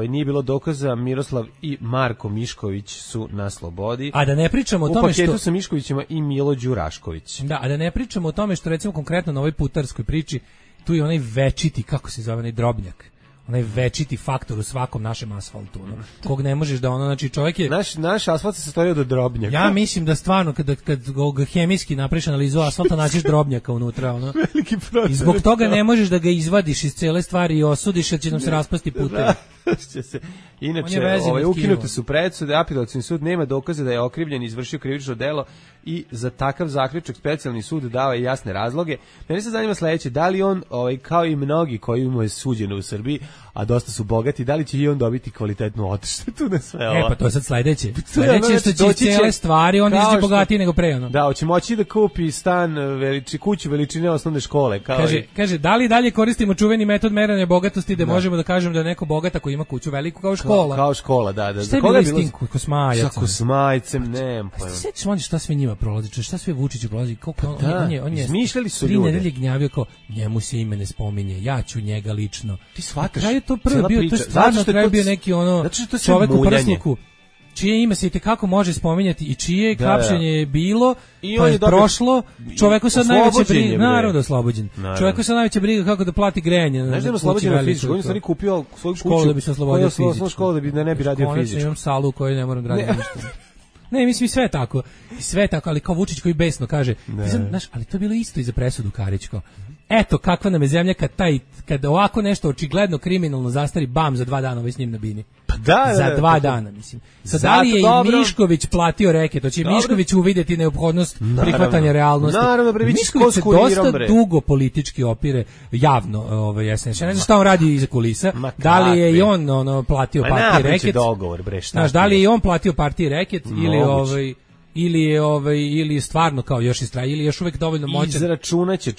Nije bilo dokaza, Miroslav i Marko Mišković su na slobodi. A da ne pričamo o tome što... U paketu sa Miškovićima i Milo Đurašković. Da, a da ne pričamo o tome što recimo konkretno na ovoj putarskoj priči, tu je onaj večiti, kako se zove, onaj Drobnjak. Onaj večiti faktor u svakom našem asfaltu, kog ne možeš da znači čovjek je... Naš asfalt se sastoji od drobnjaka. Ja mislim da stvarno, kad ga hemijski napraviš analizu asfalta, naćiš drobnjaka unutra, Veliki proces. I zbog toga ne možeš da ga izvadiš iz cele stvari i osudiš, jer će nam se raspasti putevi. Inače, ukinute su presude, apelacioni sud nema dokaza da je okrivljeni izvršio krivično delo i za takav zaključak specijalni sud dao je jasne razloge. Mene se zanima sledeće, da li on, kao i mnogi koji mu je suđeno u Srbiji, a dosta su bogati, da li će i on dobiti kvalitetnu odštetu na sve ovo? Pa to je sad sledeće. Sledeće što će cijele stvari, on izađe bogatiji nego pre. Da, hoće moći da kupi stan, kuću veličine osnovne škole. Kaže, da li dalje koristimo čuveni metod merenja bogatosti da možemo da kažemo da je neko bogat ako ima kuću veliku kao škola? Kao škola, da. Šta je bilo istinku? Kosmajac. Sa Kosmajcem, ne. Sećaš oni šta sve njima prolazi, šta sve Vučiću prolazi, koliko on je izmišljali su ljude. 3 nedelje gnjavio kao, njemu se ime ne spominje, ja ću njega lično. Ti shvataš? Kraj je to prvo bio, to je stvarno kraj bio neki čovek u prsluku, čije ime se itekako može spominjati i čije hapšenje je bilo, pa je prošlo, čoveku sad najveće briga, naravno oslobođen. Čoveku sad najveće briga kako da plati grejanje. Znaš da je oslobođen na fizičku, on je stvari kupio svoju kuću da bi se oslobodio fizičku. Škola da ne bi radio fizičku. Imam salu u kojoj ne moram raditi ništa. Ne, mislim sve tako, ali kao Vučić koji besno kaže, znaš, ali to je bilo isto i za presudu Karić, kao, eto kakva nam je zemlja kad ovako nešto očigledno kriminalno zastari, bam, za 2 dana ovaj s njim na bini. Pa da, za 2 dana, mislim. Sad, da li je i Mišković platio reket? To će Mišković uvidjeti neophodnost prihvatanja realnosti. Naravno, Mišković se dosta dugo politički opire javno, SNS. Ja ne znam šta on radi iza kulisa. Da li je i on platio partiji reket? Dogovor, bre, šta? Znaš, da li je i on platio partiji reket ili je stvarno kao još ili još uvek dovoljno moćan. Izračunaće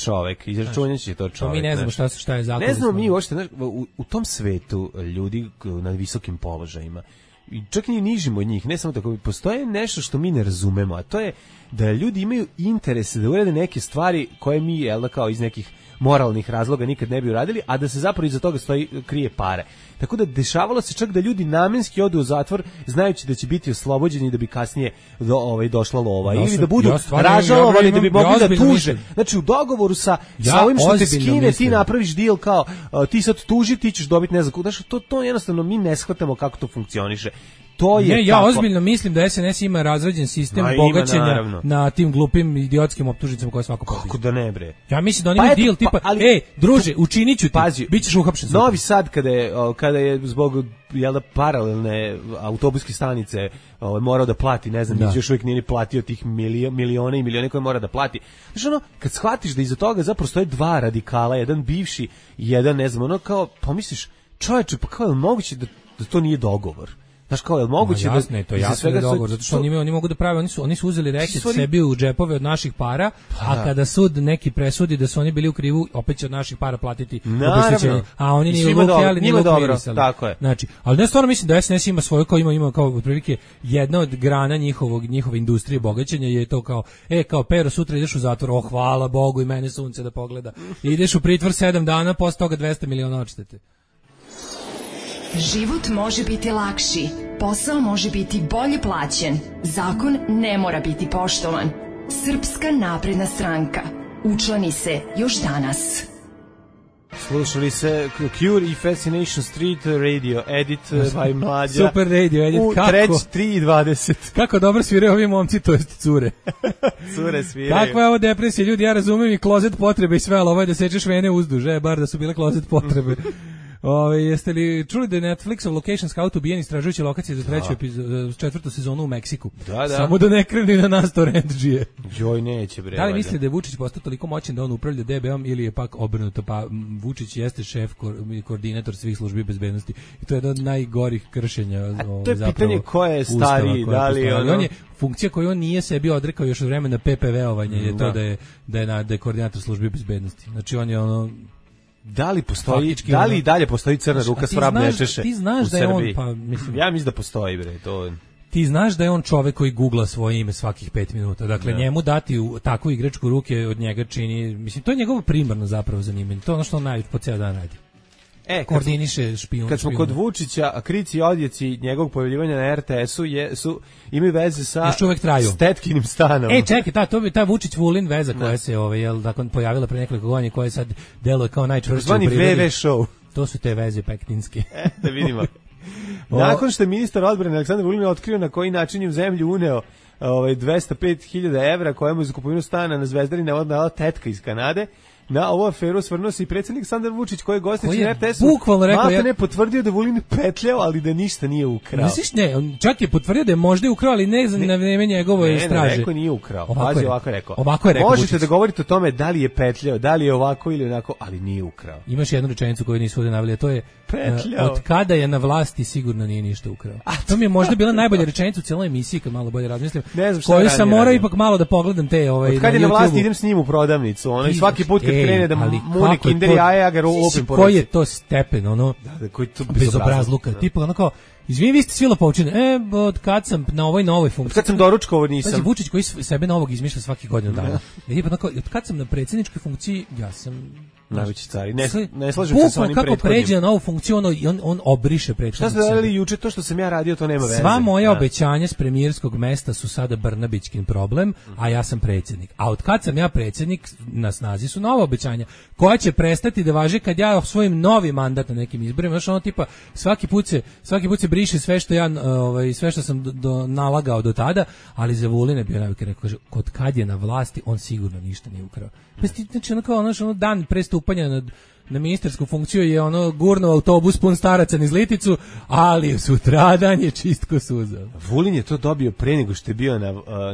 to čovek. Mi ne znamo šta je zakon. Ne znamo mi uopšte, u tom svetu ljudi na visokim položajima, čak i nižimo od njih, ne samo tako, postoje nešto što mi ne razumemo, a to je da ljudi imaju interese da urade neke stvari koje mi, jel, kao iz nekih moralnih razloga nikad ne bi uradili, a da se zapravo iza toga krije pare. Tako da dešavalo se čak da ljudi namenski odu u zatvor znajući da će biti oslobođeni da bi kasnije došla lova ili da budu ražalovani da bi mogli da tuže. Znači u dogovoru sa ovim što te skine ti napraviš deal kao ti sad tuži, ti ćeš dobiti ne znam. Znači to jednostavno mi ne shvatamo kako to funkcioniše. Ja ozbiljno mislim da SNS ima razrađen sistem bogaćenja na tim glupim idiotskim optužnicama koje svako pobije. Kako da ne, bre? Ja mislim da oni imaju deal tipa, druže, učinit ću ti, bit ćeš uhapšen. Novi Sad kada je zbog paralelne autobuske stanice morao da plati, ne znam, još uvijek nije ni platio tih milione i milione koje mora da plati. Znači kad shvatiš da iza toga zapravo stoje 2 radikala, jedan bivši i jedan, ne znam, kao, pomisliš, čoveče, pa kao je moguće da to nije dogovor? Znaš, kao je moguće jasno je to, jasno je dogovor, zato što oni mogu da prave, oni su uzeli reket sebi u džepove od naših para, a kada sud neki presudi da su oni bili u krivu, opet će od naših para platiti obeštećenje. A oni ni luki, ali ni luki. Tako je. Znači, ali ne stvarno mislim da SNS ima svoju, kao ima kao otprilike jedna od grana njihove industrije bogaćenja je to kao, kao Pero, sutra ideš u zatvor, hvala Bogu i mene sunce da pogleda. Ideš u pritvor 7 dana, posle toga 200 miliona odštete. Život može biti lakši, posao može biti bolje plaćen, zakon ne mora biti poštovan. Srpska napredna stranka. Učlani se još danas. Slušali se Cure i Fascination Street Radio Edit by Mlađa. Super Radio Edit. U 3:20. Kako dobro sviraju ovi momci, to jest cure. Cure sviraju. Kakva je ovo depresija, ljudi, ja razumem i klozet potrebe i sve, ali ovo je da sečeš vene uzduž, bar da su bile klozet potrebe. Jeste li čuli da je Netflixov Location Scout ubijen istražujući lokacije za 4. sezonu u Meksiku? Da. Samo da ne kreni na nas torrentđije. Joj, neće, bre. Da li misli da je Vučić postao toliko moćan da on upravlja DB-om ili je pak obrnuto? Pa Vučić jeste šef, koordinator svih službi bezbednosti i to je jedno od najgorih kršenja. To je pitanje ko je stariji, da li on je funkcija koju on nije sebi odrekao još od vremena PPV-ovanja, je to da je koordinator službi bezbednosti. Znači on je da li postoji, da li i dalje postoji crna ruka s vrab nečeše ti znaš da je on, pa mislim, ja mislim da postoji, bre, to. Ti znaš da je on čovek koji googla svoje ime svakih 5 minuta. Dakle, njemu dati takvu igračku ruke od njega čini, mislim, to je njegovo primarno zapravo zanimanje. To je ono što on najviše po ceo dan radi. Koordiniše špijun. Kad smo kod Vučića, krici i odjeci njegovog pojavljivanja na RTS-u imaju veze sa Stetkinim stanom. Čekaj, to bi ta Vučić-Vulin veza koja se pojavila pre nekoliko godina, koja sad deluje kao najčvršća u prirodi. VV show. To su te veze pektinske. Da vidimo. Nakon što je ministar odbrane Aleksandar Vulin otkrio na koji način je u zemlju uneo 205.000 evra kojemu za kupovinu stana na Zvezdari navodila tetka iz Kanade, na ovu aferu svrnuo se i predsjednik Aleksandar Vučić koji je gosteći na RTS-u. Bukvalno rekao, ne potvrdio da Vulin petljao, ali da ništa nije ukrao. Misliš, ne, on čak je potvrdio da je možda ukrao, ali ne na vreme njegove straže. Ne, rekao nije ukrao. Ovako je rekao. Možete Vučić da govorite o tome da li je petljao, da li je ovako ili onako, ali nije ukrao. Imaš jednu rečenicu koju nisu ovdje naveli, a to je od kada je na vlasti sigurno nije ništa ukrao. To mi je možda bila najbolja rečenica u cijeloj emisiji, kad malo bolje razmislim. Koju sam morao ipak malo da pogledam te od kad je na vlasti idem s njim u prodavnicu, ono, i svaki put kad krene da mune kinder jaja, ja ga lupim po ruci. Koji je to stepen, ono, bezobrazluka, tipa ono kao, izvini, vi ste svi lopovčine, od kad sam na ovoj novoj funkciji. Od kad sam doručkao, ovo nisam. Pazi, Vučić koji sebe novog izmišlja svaki godinu dana. Od kad sam na predsjedničkoj funkciji, ja sam Najveći cari. Ne slažem se sa onim kako prethodnim. pređe na novu funkciju, on obriše prethodnu. Šta ste radili juče, to što sam ja radio, to nema veze. Sva moja obećanja s premijerskog mesta su sada Brnabićkin problem, a ja sam predsjednik. A od kad sam ja predsjednik, na snazi su nova obećanja, koja će prestati da važi kad ja osvojim novi mandat na nekim izborima. Znaš, ono tipa, svaki put se briše sve što ja, sve što sam nalagao do tada, ali za Vulin je bio najbolji, rekao, kaže, kod kad je na vlasti, on sigurno ništa nije ukrao. Pa znači, ono dan pre stupanja na ministarsku funkciju je gurnuo autobus pun staraca niz Liticu, ali sutradan je čist ko suza. Vulin je to dobio pre nego što je bio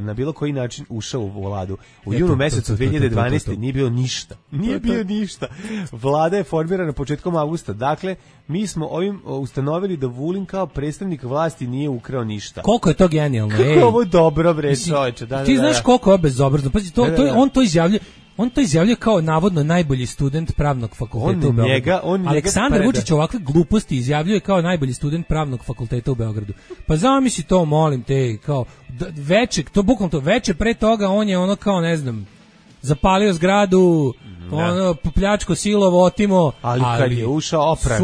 na bilo koji način ušao u vladu. U junu mesecu 2012. nije bilo ništa. Nije bio ništa. Vlada je formirana početkom avgusta. Dakle, mi smo ovim ustanovili da Vulin kao predstavnik vlasti nije ukrao ništa. Koliko je to genijalno. Kako je ovo dobro, bre, čoveče. Ti znaš koliko je bezobrazno. Pazi, on to izjavljuje. On to izjavljuje kao navodno najbolji student pravnog fakulteta u Beogradu. Aleksandar Vučić ovakve gluposti izjavljuje kao najbolji student pravnog fakulteta u Beogradu. Pa zamisli to, molim te, kao veče pre toga on je kao ne znam, zapalio zgradu, pljačko, silovo, otimo, ali kad je ušao opran,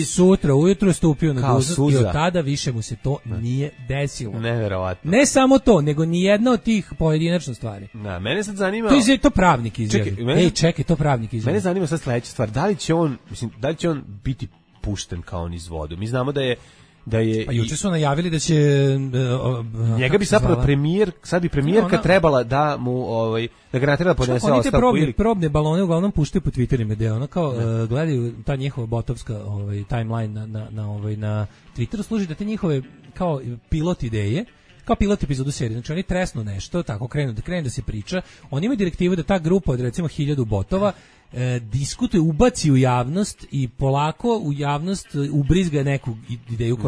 sutra ujutru stupio na dužnost i od tada više mu se to nije desilo. Neverovatno. Ne samo to, nego ni jedna od tih pojedinačna stvari. Da, mene sad zanima. To pravnik izjavi. Čekaj, to pravnik izjavi. Mene zanima sad sledeća stvar, da li će on biti pušten kao on iz vodu? Mi znamo da je pa juče su najavili da će njega bi zapravo premijerka trebala da mu da ga natera podnese ostavku ili probne balone uglavnom puštaju po Twitterima, gde ono kao gledaju ta njihova botovska timeline na Twitteru, služi da te njihove kao pilot ideje, kao pilot epizodu serije. Znači oni tresnu nešto, tako krenu da se priča. Oni imaju direktivu da ta grupa od recimo 1000 botova diskutuje, ubaci u javnost i polako u javnost ubrizga neku ideju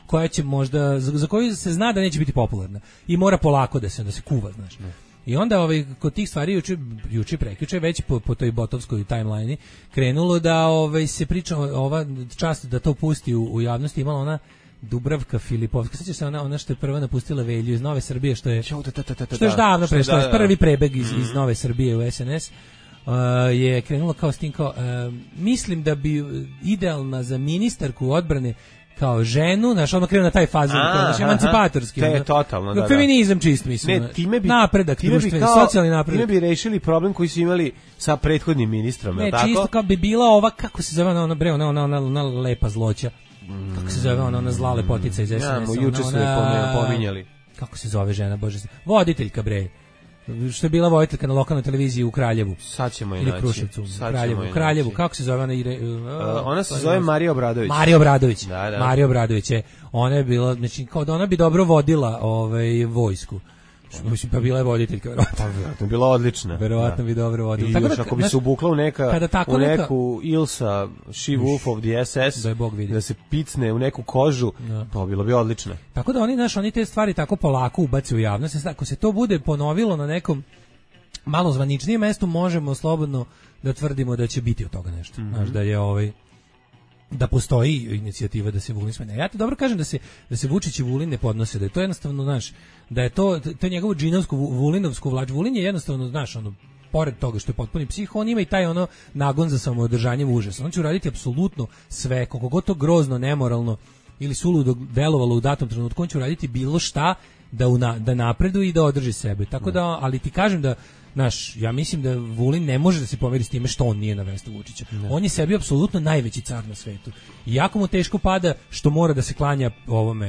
koja će možda, za koju se zna da neće biti popularna i mora polako da se kuva, znaš. I onda kod tih stvari juče prekjuče već po toj botovskoj timeline krenulo da se priča ova čast da to pusti u javnosti, imala ona Dubravka Filipovska, sećaš se ona što je prva napustila Velju iz Nove Srbije, što je još davno prešla, prvi prebeg iz Nove Srbije u SNS. Je krenulo kao s tim kao mislim da bi idealna za ministarku odbrane kao ženu, znaš, ono krenu na taj fazon, kao emancipatorski. To je totalno, da. Feminizam čist, mislim. Napredak društveni, socijalni napredak. Time bi rešili problem koji su imali sa prethodnim ministrom, je li tako? Ne, čisto kao bi bila ova, kako se zove ona lepa zloća. Kako se zove ona zla lepotica iz SNS? Ja, juče su je pominjali. Kako se zove žena, bože? Voditeljka, bre. Što je bila voditeljka na lokalnoj televiziji u Kraljevu. Sad ćemo i naći. Ili Kruševcu. Kraljevu. Kako se zove ona? Ona se zove Marija Obradović. Marija Obradović. Da. Marija Obradović je. Ona je bila, znači, kao da ona bi dobro vodila vojsku. Mislim, pa bila je voditeljka, verovatno. Pa, bila odlična. Verovatno bi dobro vodila. I još ako bi se ubukla u neku Ilsa, She Wolf of the SS, da se picne u neku kožu, to bilo bi odlično. Tako da oni te stvari tako polako ubace u javnost. Ako se to bude ponovilo na nekom malo zvaničnijem mestu, možemo slobodno da tvrdimo da će biti od toga nešto. Znaš, da je da postoji inicijativa da se Vulin smene. Ja ti dobro kažem da se Vučić i Vulin ne podnose, da je to jednostavno, znaš, da je to njegovu džinovsku Vulinovsku vlač. Vulin je jednostavno, znaš, pored toga što je potpuni psih, on ima i taj nagon za samoodržanjem užasa. On će uraditi apsolutno sve, koliko god to grozno, nemoralno ili suludo delovalo u datom trenutku, on će uraditi bilo šta da napreduje i da održi sebe. Tako da, ali ti kažem da ja mislim da Vulin ne može da se pomeri s time što on nije na mestu Vučića. On je sebi apsolutno najveći car na svetu. I jako mu teško pada što mora da se klanja ovome,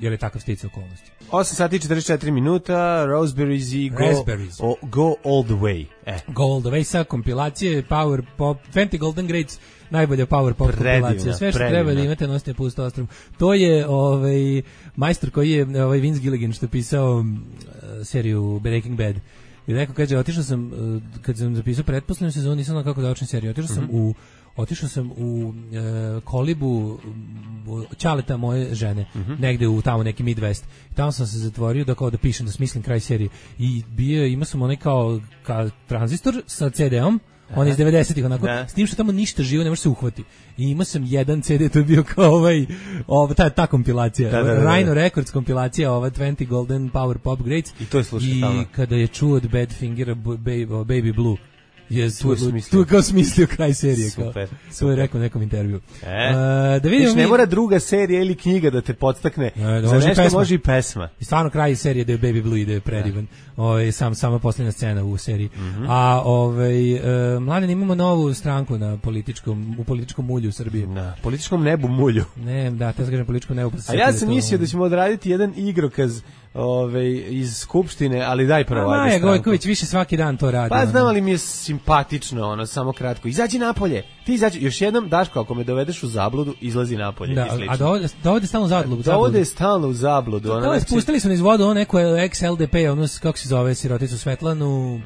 jer je takav sticaj okolnosti. 8 sati i 44 minuta, Raspberries i Go All The Way. Go All The Way sa kompilacije Power Pop, 20 Golden Grades, najbolja Power Pop kompilacija. Sve što treba da imate, nosite pusto ostrom. To je majstor koji je Vince Gilligan što je pisao seriju Breaking Bad. I neko kaže, otišao sam, kad sam zapisao pretposlednju sezonu, nisam znao kako da učim seriju. Otišao sam u kolibu ćaleta moje žene, negde u tamo neki Midwest. I tamo sam se zatvorio da pišem, da smislim kraj serije. I imao sam onaj kao tranzistor sa CD-om, on je iz 90-ih onako, s tim što tamo ništa živo ne može se uhvati. I imao sam jedan CD, to je bio kao ta kompilacija, Rhino Records kompilacija, 20 Golden Power Pop Grades. I to je slušao tamo. I kada je čuo od Badfingera Baby Blue, tu kao smislio kraj serije. Super. To je rekao u nekom intervju. Da vidimo ne mora druga serija ili knjiga da te podstakne. Za nešto može i pesma. I stvarno kraj serije da je Baby Blue ide predivan. Sama posljednja scena u seriji. A Mladen, imamo novu stranku u političkom mulju u Srbiji. Na političkom nebu mulju. Ne, da, te kažem političkom nebu. A ja sam mislio da ćemo odraditi jedan igrokaz iz Skupštine, ali daj prvo. Maja Gojković više svaki dan to radi. Pa znam, ali mi je simpatično, samo kratko. Izađi napolje, ti izađi. Još jednom, Daško, ako me dovedeš u zabludu, izlazi napolje. Da, a dovode stalno u zabludu. Dovode stalno u zabludu. Spustili su niz vodu, neko ex-LDP, kako se zove, siroticu Svetlanu.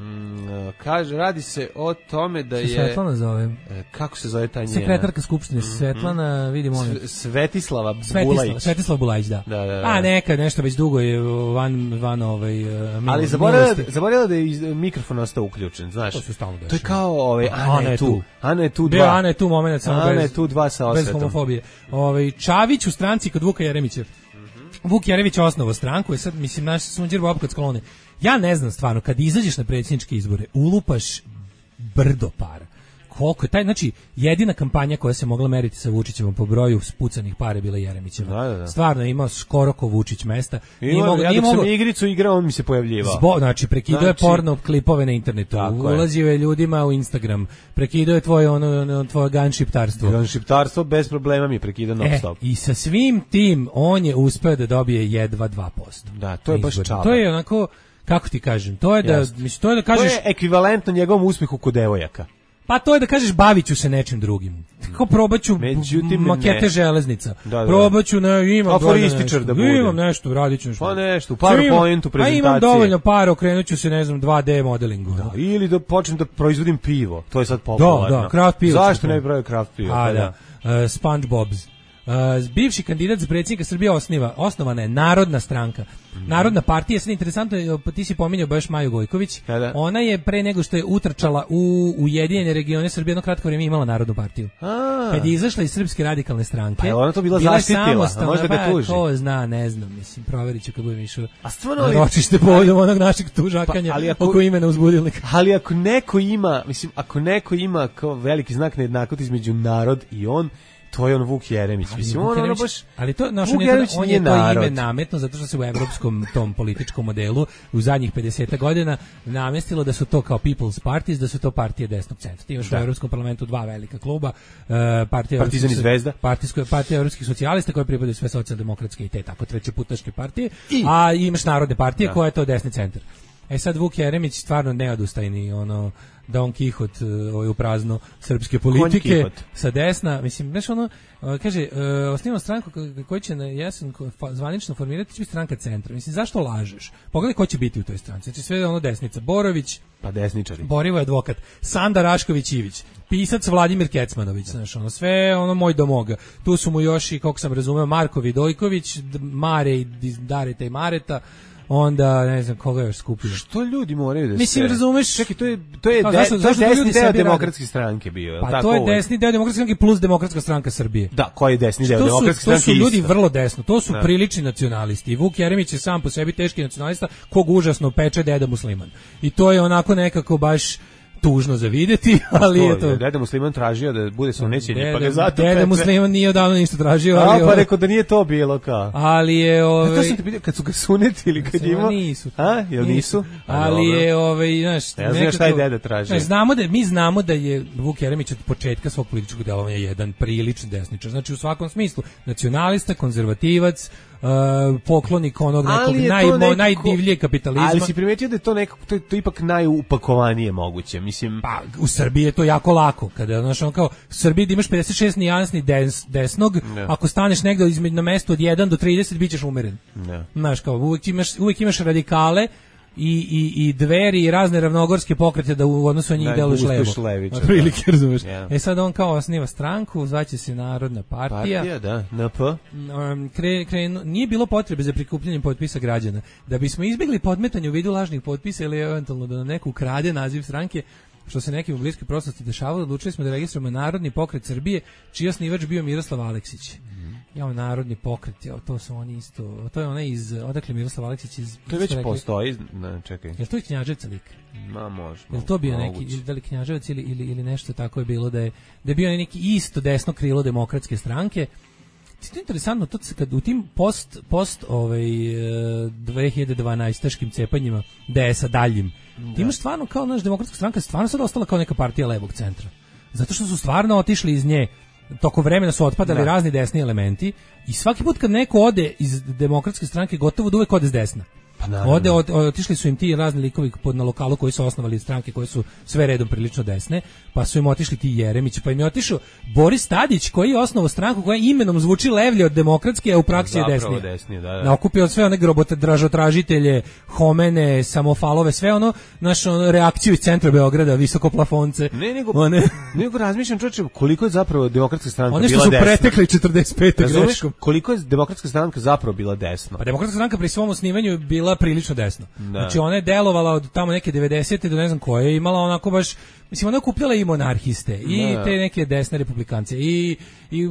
Kaže, radi se o tome da je... Svetlana zove. Kako se zove ta njena? Sekretarka Skupštine, Svetlana, vidimo. Svetislava Bulajić. Svetislava Bulajić, da. A nekad nešto već dugo je van ali zaboravila da je mikrofon ostao uključen, znaš. To se stalno dešava. To je kao Ana je tu. Ana je tu 2. Ana je tu momenat samo Ana je tu 2 sa osvetom. Bez homofobije. Čavić u stranci kod Vuka Jeremića. Vuk Jeremić osnovao stranku, sad mislim naš sunđer Bob kad sklone. Ja ne znam stvarno, kad izađeš na predsjedničke izbore, ulupaš brdo para. Koliko je taj, znači, jedina kampanja koja se mogla meriti sa Vučićevom po broju spucanih para bila Jeremićeva. Da. Stvarno imao skoro ko Vučić mesta. Ja dok sam igricu igrao, on mi se pojavljivao. Znači, prekidao je porno klipove na internetu, ulazio je ljudima u Instagram, prekidao je tvoje gunshiptarstvo. Gunshiptarstvo bez problema mi je prekidao non stop. I sa svim tim on je uspeo da dobije jedva 2%. Da, to je baš čaba. To je onako, kako ti kažem, to je da kažeš... To je ekvivalentno njegovom uspjehu kod devojaka. Pa to je da kažeš bavit ću se nečim drugim. Kako probaću makete železnica. Probaću aforističar da bude. Imam nešto, radit ću nešto. Pa nešto, PowerPointu prezentacije. Imam dovoljno para, okrenut ću se, 2D modelingu. Da, ili da počnem da proizvodim pivo. To je sad popularno. Da, craft pivo. Zašto ne bi pravio craft pivo? SpongeBob's. Bivši kandidat za predsjednika Srbije osnovana je Narodna stranka. Narodna partija, sad interesantno, ti si pominjao baš Maju Gojković. Ona je pre nego što je utrčala u Ujedinjene regione Srbije jedno kratko vrijeme imala Narodnu partiju. Kad je izašla iz Srpske radikalne stranke, pa ona to bila zaštitila, možda ga tuži. Ko zna, ne znam, mislim, provjerit ću kad budem išao na ročište povodom onog našeg tužakanja oko imena uzbudilnika. Ali ako neko ima kao veliki znak nejednakosti između narod i on, to je on Vuk Jeremić. Mislim, ono baš... Ali to, on je to ime nametno, zato što se u evropskom tom političkom modelu u zadnjih 50 godina namestilo da su to kao People's Parties, da su to partije desnog centra. Ti imaš u Evropskom parlamentu 2 velika kluba, Partizan i Zvezda, partija evropskih socijalista koje pripadaju sve socijaldemokratske i te tako trećeputaške partije, a imaš narodne partije koja je to desni centar. Sad Vuk Jeremić stvarno neodustajni, Don Kihot u prazno srpske politike sa desna, mislim, znaš kaže, osnivamo stranku koja će na jesen zvanično formirati, će biti stranka centra. Mislim, zašto lažeš? Pogledaj ko će biti u toj stranci. Znači sve desnica. Borović, pa desničari. Borivo je advokat. Sanda Rašković-Ivić. Pisac Vladimir Kecmanović, znaš, sve moj domoga. Tu su mu još i, kako sam razumeo, Marko Vidojković, Mare i Dareta i Mareta. Onda, ne znam, koga još skupio. Što ljudi moraju da se... Mislim, razumeš... Čekaj, to je desni deo demokratske stranke bio. Pa to je desni deo demokratske stranke plus demokratska stranka Srbije. Da, koji je desni deo demokratske stranke? To su ljudi vrlo desno, to su prilični nacionalisti. I Vuk Jeremić je sam po sebi teški nacionalista, kog užasno peče deda musliman. I to je onako nekako baš... tužno za vidjeti, ali je to... Deda Musliman tražio da bude samonećenje, pa ga zato Deda Musliman nije odavno ništa tražio. Pa rekao da nije to bilo kao. Ali je... To sam te pitao, kad su ga sunetili, kad ima... Nisu. Jel nisu? Ali je, znaš... Ja znam šta je deda tražio. Mi znamo da je Vuk Jeremić od početka svog političkog delovanja jedan prilični desničar. Znači u svakom smislu, nacionalista, konzervativac, poklonik onog nekog najdivljeg kapitalizma. Ali si primetio da je to ipak najupakovanije moguće, mislim. Pa u Srbiji je to jako lako, kada kao u Srbiji da imaš 56 nijansni desnog, ako staneš negde na mesto od 1 do 30 bićeš umeren. Znaš, kao uvijek imaš radikale i Dveri i razne ravnogorske pokrete da u odnosu na njih deluješ levo. Prilike, razumeš. Sad on kao osniva stranku, zvaće se Narodna partija. Partija, da, NP. Nije bilo potrebe za prikupljanjem potpisa građana. Da bismo izbjegli podmetanje u vidu lažnih potpisa ili eventualno da nam neko ukrade naziv stranke, što se nekim u bliskoj prošlosti dešavalo, odlučili smo da registrujemo Narodni pokret Srbije, čiji osnivač bio Miroslav Aleksić. narodni pokret, to su oni isto, to je onaj iz, odakle Miroslav Aleksić iz... To već postoji, čekaj. Jel to je Knjaževca lik? Ma, može. Jel to bio neki, da li Knjaževac ili nešto tako je bilo, da je bio neki isto desno krilo demokratske stranke. To je interesantno, to se kad u tim post 2012-aškim cepanjima DS-a daljim, ti imaš stvarno kao naš demokratska stranka stvarno sad ostala kao neka partija levog centra. Zato što su stvarno otišli iz nje, tokom vremena su otpadali razni desni elementi i svaki put kad neko ode iz demokratske stranke gotovo da uvek ode s desna. Otišli su im ti razni likovi na lokalu koji su osnovali stranke koje su sve redom prilično desne, pa su im otišli ti Jeremić, pa im je otišao Boris Tadić koji je osnovao stranku koja imenom zvuči levlje od demokratske, a u praksi je desnije. Nakupio sve one dražotražitelje, homene, samofalove, sve ono, reakciju iz centra Beograda, visokoplafonce. Nego razmišljam, čovječe, koliko je zapravo demokratska stranka bila desna. Oni što su pretekli 45. greškom. Koliko je demokratska stranka zapravo bila desna? Pa demokratska stranka pri svom osnivanju bila prilično desno. Znači ona je delovala od tamo neke 90. do ne znam koje, je imala onako baš, mislim ona je okupljala i monarhiste i te neke desne republikance i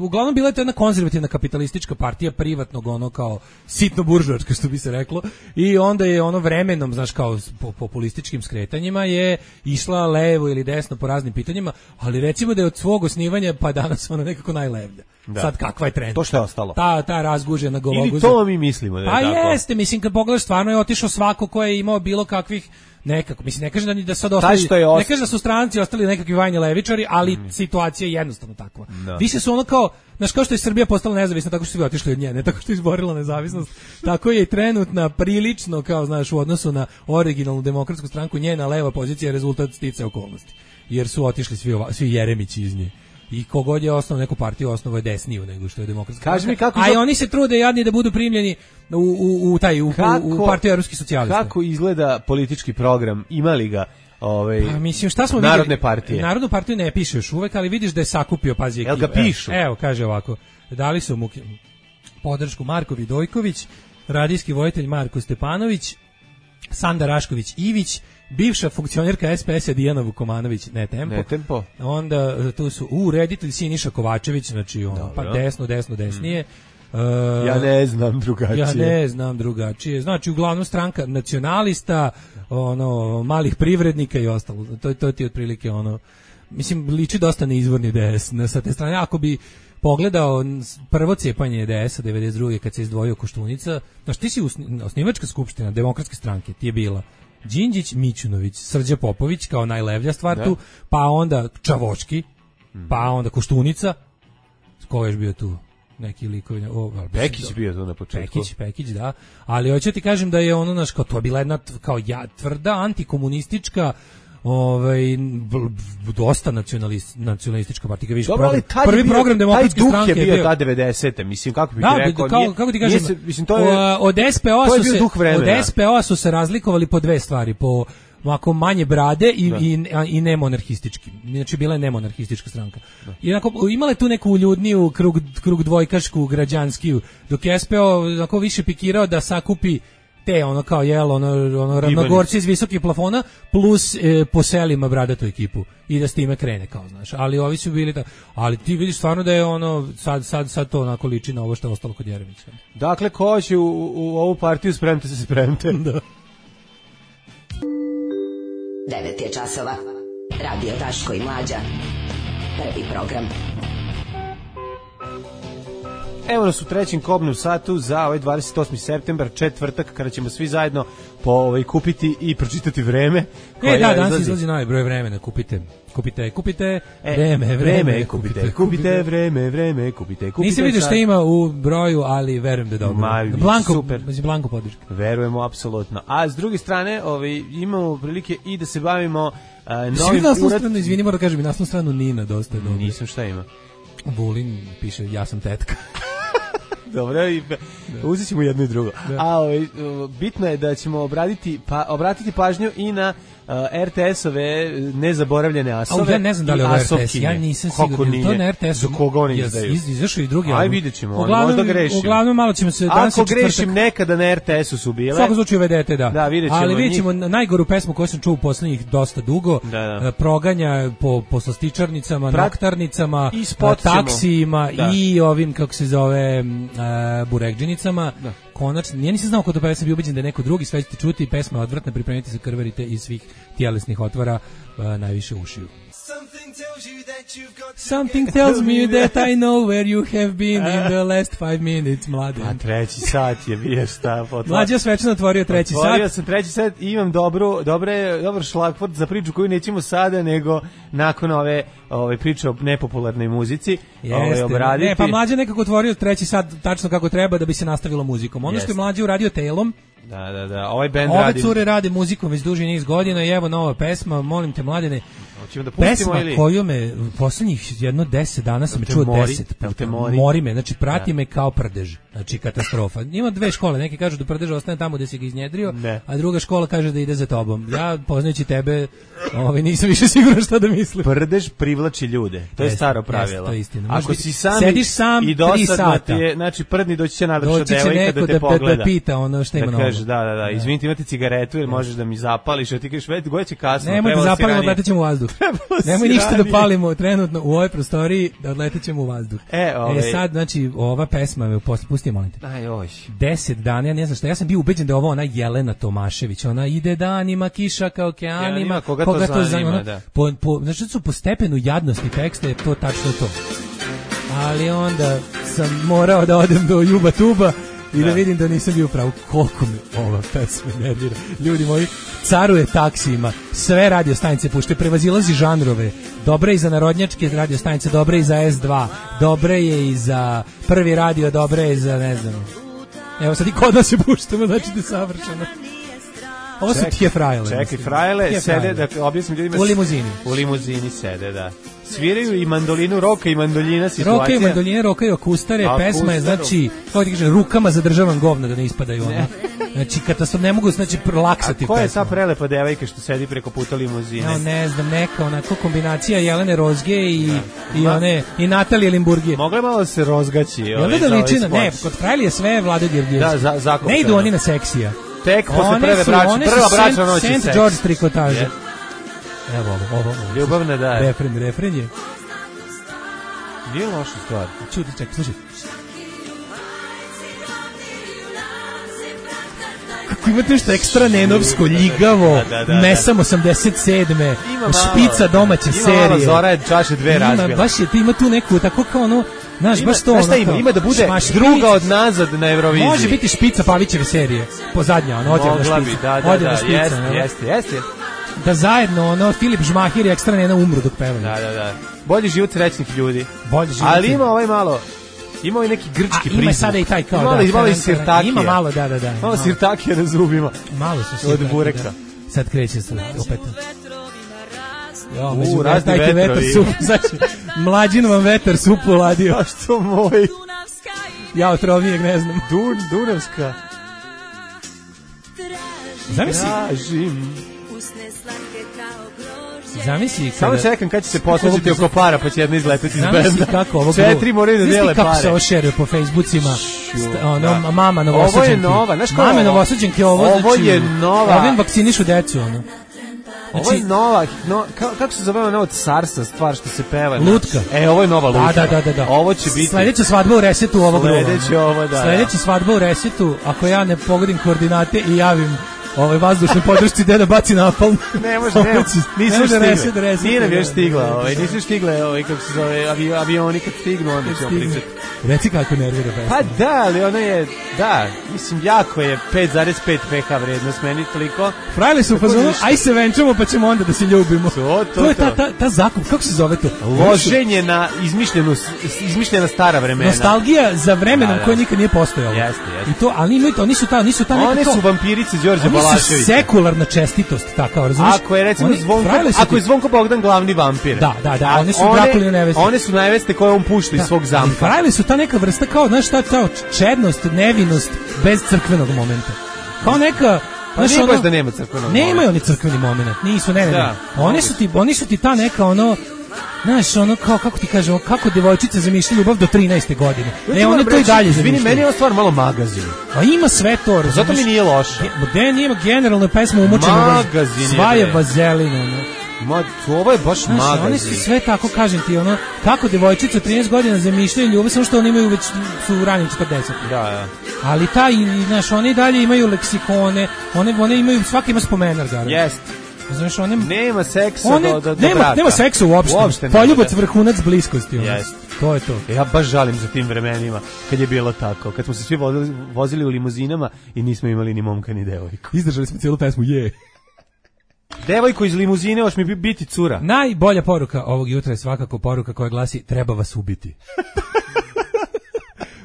uglavnom bila je to jedna konzervativna kapitalistička partija privatnog ono kao sitno buržoarska što bi se reklo i onda je ono vremenom, znaš kao po populističkim skretanjima je išla levo ili desno po raznim pitanjima, ali recimo da je od svog osnivanja pa danas ona nekako najlevlja. Sad kakva je trend? To što je ostalo. Ta razgužena gologuza. Ili to mi mislimo da je tako. Pa jeste, mislim kad pogledaš stvarno je otišao svako ko je imao bilo kakvih nekako, mislim ne kažem da sad ostali, ne kažem da su stranci ostali nekakvi vajni levičari, ali situacija je jednostavno takva. Više su ono kao, znaš, kao što je Srbija postala nezavisna tako što su svi otišli od nje, ne tako što je izborila nezavisnost, tako je i trenutna prilično kao, znaš, u odnosu na originalnu demokratsku stranku njena leva pozicija je rezultat sticaja okolnosti, jer su otišli svi Jeremići iz nje. I kogod je osnovao neku partiju, osnovao je desniju nego što je demokratska. Kaži mi kako i oni se trude jadni da budu primljeni u partiju evropskih socijalista. Kako izgleda politički program? Ima li ga pa mislim šta smo Narodne vidjeli? partije? Narodnu partiju ne piše još uvek, ali vidiš da je sakupio, pazi ekipu. Jel ga pišu? Evo, kaže ovako. Dali su mu podršku Marko Vidojković, radijski vojitelj Marko Stepanović, Sanda Rašković Ivić, bivša funkcionerka SPS-a Dijana Vukomanović, ne tempo. Onda tu su reditelj Siniša Kovačević, znači pa desnije. Ja ne znam drugačije. Znači uglavnom stranka nacionalista, malih privrednika i ostalo. To ti je otprilike mislim liči dosta na izvorni DS sa te strane. Ako bi pogledao prvo cepanje DS-a 92. kad se izdvojio Koštunica, znači ti si osnivačka skupština demokratske stranke, ti je bila Đinđić, Mićunović, Srđa Popović kao najlevlja stvar tu, pa onda Čavočki, pa onda Koštunica, ko je još bio tu? Neki likovi, Pekić bio tu na početku. Pekić, da. Ali hoću ti kažem da je kao to je bila jedna kao tvrda antikomunistička dosta nacionalistička partija, vidiš, prvi program demokratske stranke je bio ta 90. Mislim, kako bih rekao, kako ti kažem, od SPO-a su se razlikovali po dve stvari, po ovako manje brade i nemonarhistički. Znači bila je nemonarhistička stranka. I onako imala je tu neku uljudniju krug dvojkašku građanskiju, dok je SPO onako više pikirao da sakupi te kao ravnogorci iz visokih plafona plus po selima bradatu ekipu i da s time krene kao, znaš. Ali ovi su bili ali ti vidiš stvarno da je sad to onako liči na ovo što je ostalo kod Jeremića. Dakle, ko će u ovu partiju spremte. Da. 9 je časova. Radio Daško i Mlađa. Prvi program. Evo nas u trećem kobnom satu za ovaj 28. septembar, četvrtak, kada ćemo svi zajedno kupiti i pročitati Vreme. Danas izlazi novi broj Vremena, kupite Vreme, kupite Vreme. Nisam vidio šta ima u broju, ali verujem da je dobro. Blanko podrška. Verujemo, apsolutno. A s druge strane, imamo prilike i da se bavimo novim uradom. Izvini, moram da kažem, i naslovnu stranu Nina dosta je dobro. Nisam, šta ima? Vulin piše, ja sam tetka. Dobro, uzet ćemo jedno i drugo. A bitno je da ćemo obratiti pažnju i na RTS-ove nezaboravljene asove. Ja ne znam da li je ovo RTS, ja nisam siguran. To na RTS-u. Za koga oni izdaju? Izašao i drugi. Aj, vidjet ćemo, možda grešim. Uglavnom, malo ćemo se... Ako grešim, nekada na RTS-u su bile. U svakom slučaju vedete, da. Da, vidjet ćemo. Ali vidjet ćemo najgoru pesmu koju sam čuo u poslednjih dosta dugo. Proganja po slastičarnicama, noktarnicama, taksijima i ovim, kako se zove, burekđenicama. Konačno, ja nisam znao ko to peva, sam bio ubeđen da je neko drugi, sve ćete čuti, pesma je odvratna, pripremite se, krvarite iz svih tijelesnih otvora, najviše ušiju. Something tells me that I know where you have been in the last 5 minutes, Mladen. A treći sat je bio šta? Mlađe je svečano otvorio treći sat. Otvorio sam treći sat i imam dobar šlagvort za priču koju nećemo sada, nego nakon ove priče o nepopularnoj muzici obraditi. Ne, pa Mlađe nekako otvorio treći sat tačno kako treba da bi se nastavilo muzikom. Ono što je Mlađe uradio Tailom, Da. Ovaj bend radi. Ove cure rade muzikom već duži niz godina i evo nova pesma, molim te Mladene. Hoćemo da pustimo pesma ili? Koju me poslednjih 10 dana sam čuo 10. Mori me, znači prati me kao prdež. Znači katastrofa. Ima dve škole, neki kažu da prdež ostane tamo gde si ga iznjedrio, a druga škola kaže da ide za tobom. Ja poznajući tebe, nisam više siguran šta da mislim. Prdež privlači ljude. To je staro pravilo. To je istina. Ako si sediš sam i 3 sata, znači prdni doći će nadrša devojka da te pogleda. Da pita ono šta ima na ovom. Kaže da, izvinite, imate cigaretu ili možeš da mi zapališ, a ti kažeš već goće kasno. Nemoj da zapalimo, odletećemo u vazduh. Nemoj ništa da palimo trenutno u ovoj prostoriji, da odletećemo u vazduh. Sad, znači, ova pesma me pusti, molim te. 10 dana, ja ne znam šta, ja sam bio ubeđen da je ovo ona Jelena Tomašević, ona ide danima, kiša ka okeanima, koga to zanima, da. Znači, su po stepenu jadnosti teksta je to tačno to. Ali onda sam morao da odem do Juba Tuba i da vidim da nisam bio pravo. Koliko me ova pesma nervira. Ljudi moji, caruje taksijima, sve radio stanice pušte, prevazilazi žanrove. Dobre i za narodnjačke radio stanice, dobre i za S2, dobre je i za Prvi radio, dobre je za, ne znam. Evo sad i kod nas se puštamo, znači da je savršeno. Ovo su Tije Frajle. Čekaj, Frajle sede, da objasnim ljudima. U limuzini sede, da. Sviraju i mandolinu, roka i mandoljina situacija. Roka i mandoljina, roka i okustare, pesma je, znači, kako ti kažem, rukama zadržavam govna da ne ispadaju ono. Znači, katastrof, ne mogu, znači, laksati pesma. A ko je ta prelepa devojka što sedi preko puta limuzine? Ne znam, neka onako kombinacija Jelene Rozge i Natalije Limburgije. Mogla malo se rozgaći. Jel da ličina? Ne, kod Frajli je sve Vlade Djerdjevski. Da, zakupno. Ne idu oni na seksija. Tek posle prva bračna noć je St. George trikotaže. Evo ovo. Ljubavna da je. Refren je. Nije loša stvar. Čuti, čekaj, slušaj. Kako imate nešto ekstra nenovsko, ljigavo, Mesam 87. Špica domaće serije. Ima malo Zora je čaše dve razbila. Baš je, ima tu neku, tako kao ono, znaš, baš to ono. Ima da bude druga od nazad na Euroviziji. Može biti Špica Pavićeve serije, pozadnja, ono, odjevna špica. Mogla bi, jeste. Da zajedno, Filip Žmahir i ekstra nena umru dok pevaju. Da. Bolji život srećnih ljudi. Ali ima malo... Ima ovaj neki grčki prizvuk. Ima sada i taj kao, malo i sirtakija. Ima malo, da. Malo sirtakija na zubima. Malo su sirtakija. Od bureka. Sad kreće se opet. Razni vetrovi. Znači, mlađin vam vetar supu ladio. A što moj? Ja otrovnijeg ne znam. Dunavska. Zamisli samo čekam kad će se posvađati oko para pa će jedna izletiti iz benda. Kako ovo 4 moraju da dele pare. Kako se ošeruje po Facebookima. Mama novosađenke. Ovo je nova, znaš kako? Mame novosađenke ovo je nova. Ovim vakcinišu decu ono. Ovo je nova, kako se zove ona od Sarsa stvar što se peva? Lutka. Ovo je nova lutka. Da. Ovo će biti... Sledeća svadba u Resetu ovog druga. Sledeća svadba u Resetu, ako ja ne pogodim koordinate i javim vazdušnoj podršci gde da baci napalm. Ne može, nisu stigle. Nije nam još stigla, nisu stigle, kako se zove, avioni kad stignu, onda ćemo pričati. Reci kako nervira pesma. Pa da, ali ona je, mislim, jako je 5,5 PH vrednost, meni toliko. Frajli su u fazonu, aj se venčamo pa ćemo onda da se ljubimo. To je ta zakup, kako se zove to? Loženje na izmišljena stara vremena. Nostalgija za vremenom koje nikad nije postojalo. Jeste. I to, ali imaju to, nisu ta neka to. One su vampirice Đorđe Balaševića. Oni su sekularna čestitost, tako, razumiješ? Ako je recimo ako je Zvonko Bogdan glavni vampir. Da, oni su Drakuline neveste. One su neveste koje on pušta iz svog zamka. Frajli su ta neka vrsta kao, znaš šta, čednost, nevinost bez crkvenog momenta. Kao neka Pa nije baš da nema crkvenog momenta. Nemaju oni crkveni moment, nisu, ne. Da. Oni su ti ta neka ono, znaš, ono kao, kako ti kažemo, kako devojčice zamišljaju ljubav do 13. godine. Ne, one to i dalje zamišljaju. Izvini, meni je ovo stvar malo magazin. A ima sve to. Zato mi nije loše. Nije generalno pesma umočena. Magazin je. Sva je vazelina, ono. Ovo je baš magazin. Oni su sve tako, kažem ti, ono, kako devojčice od 13 godina zamišljaju ljubav, samo što oni imaju već, su u ranim 40. Da. Ali znaš, oni dalje imaju leksikone, one imaju, svaki ima spomenar, garant. Jest. Znaš, nema seksa do braka. Nema seksa uopšte. Poljubac, vrhunac bliskosti. Jest. To je to. Ja baš žalim za tim vremenima, kad je bilo tako. Kad smo se svi vozili u limuzinama i nismo imali ni momka ni devojku. Izdržali smo cijelu pesmu, Devojko iz limuzine, hoš mi biti cura. Najbolja poruka ovog jutra je svakako poruka koja glasi: treba vas ubiti.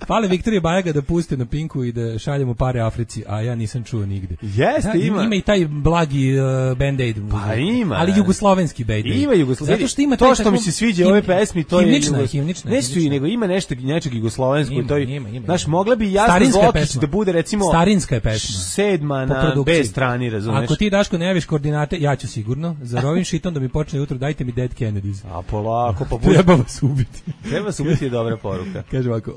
Fale Viktorije Bajaga da puste na Pinku i da šaljemo pare Africi, a ja nisam čuo nigde. Jeste, ima. Ima i taj blagi Band-Aid. Pa ima. Ali jugoslovenski Band-Aid. Ima jugoslovenski. Zato što ima to što mi se sviđa ove pesmi, to je himnična. Ne su i nego ima nečeg jugoslovenskog. Ima. Znaš, mogla bi Jasna Zlokić da bude recimo starinska je pesma. 7. na B strani, razumeš? Ako ti, Daško, ne javiš koordinate, ja ću sigurno. Za ovim šitom da mi počne jutro, dajte mi Dead Kennedys. A polako, pa treba vas ubiti. Treba vas ubiti je dobra poruka. Kaže ovako,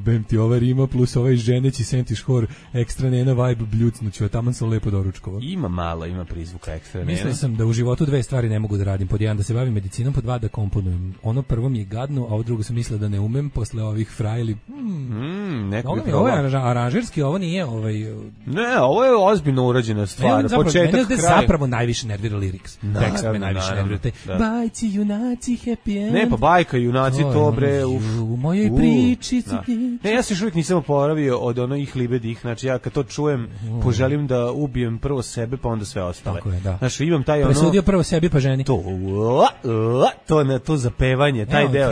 bem ti ova rima plus ovaj ženeći sentiš hor ekstra nena vibe bljucnuću, taman sam lepo doručkovao. Ima prizvuka ekstra nena. Mislio sam da u životu dve stvari ne mogu da radim. Pod jedan, da se bavim medicinom, pod dva, da komponujem. Ono prvo mi je gadno, a ovo drugo sam mislila da ne umem posle ovih frajli. Ovo je aranžerski, ovo nije Ne, ovo je ozbiljno urađena stvar. Početak, kraj. Zapravo najviše nervira lyrics. Tekst me najviše nervira. Bajci, junaci, happy end. Ne, pa bajka, junaci, to bre. U mojoj priči. Ne, ja se još uvijek nisam oporavio od onih libedih, znači ja kad to čujem poželim da ubijem prvo sebe pa onda sve ostale. Tako je, da. Znači imam taj presudio prvo sebi pa ženi. To zapevanje, taj deo.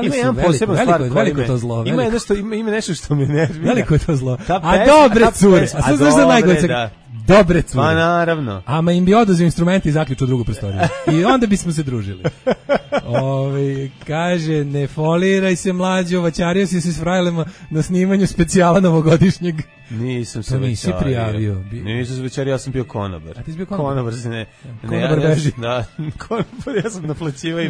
Ima jedan poseban stvar, veliko to zlo. Ima nešto što me nervira. Veliko je to zlo. A dobre cure, a sad znaš za najgore. Dobre cure. Pa naravno. Ama im bi oduzeo instrumenti i zaključio drugu prostoriju. I onda bismo se družili. Kaže, ne foliraj se mlađo, vaćario si se s frajlema na snimanju specijala novogodišnjeg. Nisam se nisi prijavio. Nisam se večerio, ja sam bio konobar. A ti si bio konobar? Konobar se ne. Konobar beži. Da, konobar, ja sam naplaćivao i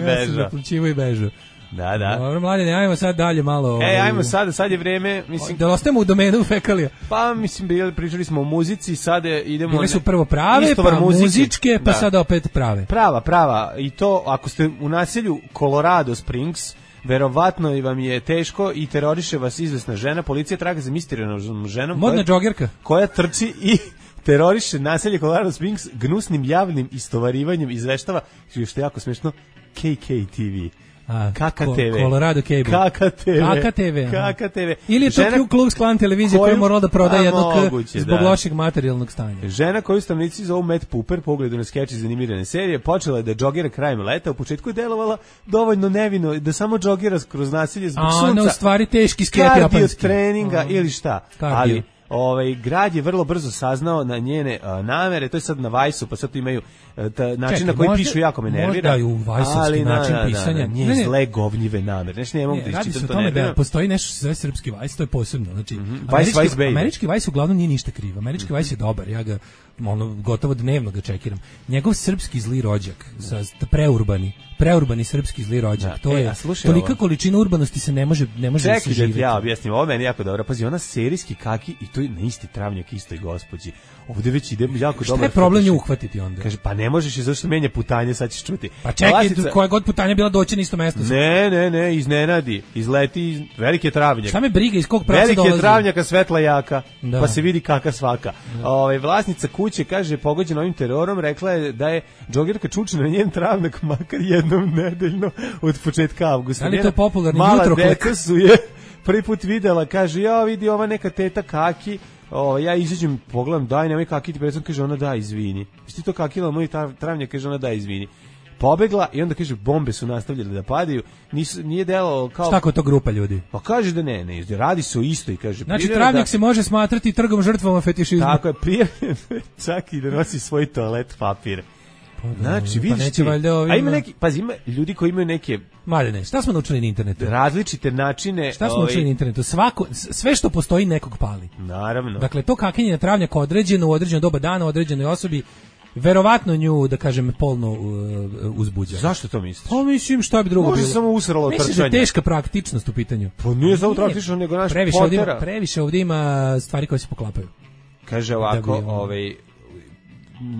bežao. Da. Dobro, mladine, ajmo sad dalje malo. Ajmo sad je vreme, mislim. Da ostajemo u domenu fekalija. Pa, mislim, pričali smo o muzici, sad idemo. Bile su prvo prave, pa muzičke, pa sad opet prave. Prava. I to, ako ste u naselju Colorado Springs, verovatno vam je teško i teroriše vas izvesna žena, policija traga za misterioznom ženom. Modna džogerka. Koja trči i teroriše naselje Colorado Springs gnusnim javnim istovarivanjem, izveštava, što je jako smešno, KKTV. KKTV. Colorado Cable. KKTV. Ili je to Ku Klux Klan televizija koja je morala da proda jednog zbog lošeg materijalnog stanja. Žena koju stanovnici zovu Matt Pooper, po ugledu na skeč iz animirane serije, počela je da džogira krajem leta, u početku je delovala dovoljno nevino, da samo džogira kroz nasilje zbog sunca. Ona u stvari teški sket japanski. Kardio treninga ili šta. Ali grad je vrlo brzo saznao na njene namere, to je sad na Vajsu, pa sad tu imaju način na koji pišu jako me nervira. Možda i u Vajsovski način pisanja. Nije zle govnjive namere. Nešto ne mogu da iščitam to nervira. Da postoji nešto što se zove srpski Vajs, to je posebno. Znači, američki Vajs uglavnom nije ništa kriv. Američki Vajs je dobar, ja ga gotovo dnevno ga čekiram. Njegov srpski zli rođak, preurbani srpski zli rođak, to je tolika količina urbanosti se ne može da se živjeti. Ja objasnim, ovo meni jako dobro. Pazi, ona serijski kaki i to je na isti travnjak istoj gospođi. Ovde već ide jako dobro. Šta je problem nju uhvatiti onda? Kaže, pa ne možeš je zašto menja putanje, sad ćeš čuti. Pa čekaj, koja god putanja bila doći na isto mesto. Ne, iznenadi, izleti, veliki je travnjak. Šta me briga, iz kog pravca dolazi? Veliki je travnjaka, svetla jaka, pa se vidi kaka svaka. Vlasnica kuće, kaže, pogođena ovim terorom, rekla je da je džogirka čučena na njen travnjak makar jednom nedeljno od početka avgusta. Da li to je popularni jutroklek? Mala deca su je prvi put videla, kaže, ja vidi ova neka teta kaki, ja izađem, pogledam, daj, nemoj kakiti, predstavno, kaže, ona da, izvini. Jesi ti to kakila moj travnjak, kaže, ona da, izvini. Pobegla i onda kaže, bombe su nastavljale da padaju, nije delalo kao... Šta ko to grupa ljudi? Pa kaže da ne, radi se o isto i kaže... Znači, travnjak se može smatrati trgom žrtvama fetišizma. Tako je, prijavljen čak i da nosi svoj toalet papir. Znači, vidiš neće ti, valjda ovima. a ima neki, pazi, ima ljudi koji imaju neke Mladene, šta smo naučili na internetu? različite načine. Šta smo naučili na internetu? Sve što postoji nekog pali. Naravno. Dakle, to kakenje na travnjak određeno u određeno doba dana, određenoj osobi, verovatno nju, da kažem, polno uzbuđa. Zašto to misliš? Pa mislim, šta bi drugo bilo? Može samo usralo trčanje. Mislim da je teška praktičnost u pitanju. Pa nije samo praktično, nego naš potera. Previše ovdje ima stvari koje se poklapaju. Kaže ovako,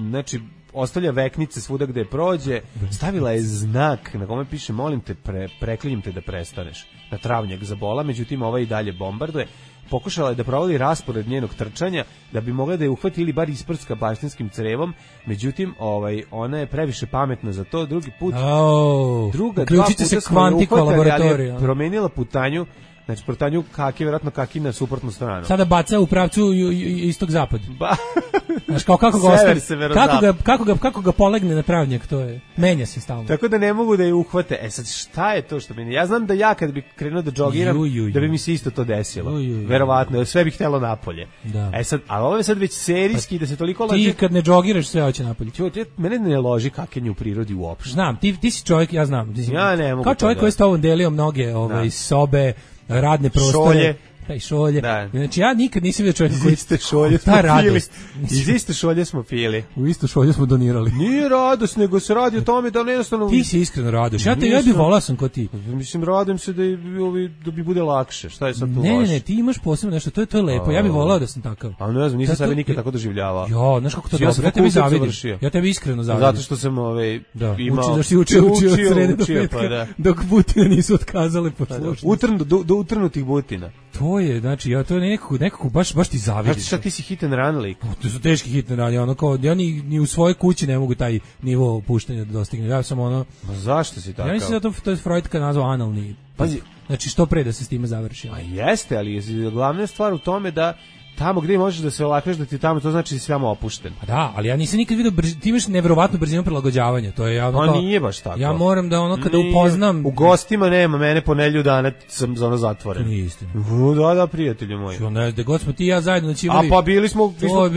znači, ostavlja veknice svuda gde prođe, stavila je znak na kome piše molim te, preklinjem te da prestaneš. Na travnjak zabola, međutim ova i dalje bombarduje. Pokušala je da provodi raspored njenog trčanja da bi mogla da je uhvati ili bar isprska baštinskim crevom, međutim ona je previše pametna za to. Drugi put, dva puta se smo je uhvatali, ali je promenila promenila putanju. Znači, putanju kaki, vjerojatno kaki na suprotnu stranu. Sada baca u pravcu istok-zapad. Znaš, kao kako ga ostavi, kako ga polegne na travnjak, to je, menja se stalno. Tako da ne mogu da je uhvate. E sad, šta je to što meni? Ja znam da ja kad bi krenuo da džogiram, da bi mi se isto to desilo. Verovatno, sve bi htjelo napolje. Da. E sad, ali ovo je sad već serijski, da se toliko laže. Ti kad ne džogiraš, sve hoće napolje. Mene ne loži kakenje u prirodi uopšte. Znam, ti si čovjek, ja znam. Ja ne mogu. Kao čovjek koji je s tobom delio mnoge sobe, radne prostore, šolje. Da. Znači ja nikad nisam vidio čovjeka koji iste šolje smo pili. Iz iste šolje smo pili. U istu šolju smo donirali. Nije radost, nego se radi o tome da jednostavno. Ti si iskreno radoš. Ja bih volao sam kao ti. Mislim, radim se da bi bude lakše. Šta je sad tu loše? Ne, ti imaš posebno nešto, to je lepo. Ja bih volao da sam takav. A ne znam, nisam sebe nikad tako doživljavao. Jo, znaš kako to dobro. Ja tebi zavidim. Ja tebi iskreno zavidim. Zato što sam imao. Da si učio od srede do petka, dok butine nisu otkazale poslušnost. Do utrnutih butina. To je, znači, to je nekako baš ti zavidim. Znači, šta ti si hit and run lik? To su teški hit and run, ono kao, ja ni u svojoj kući ne mogu taj nivo opuštenja da dostignem. Ja sam ono... Ma zašto si takav? Ja mislim da to je Freud kad nazvao analni. Pazi. Znači, što pre da se s time završi. Pa jeste, ali je glavna stvar u tome da tamo gdje možeš da se olakneš da ti tamo, to znači da si samo opušten. Pa da, ali ja nisam nikad vidio, ti imaš nevjerovatnu brzinu prilagođavanja, to je ono kao... nije baš tako. Ja moram da kada upoznam... U gostima nema, mene po nedelju dana sam za ono zatvoren. To nije istina. Da, prijatelju moji. Da god smo ti i ja zajedno noćivali... A pa bili smo, nismo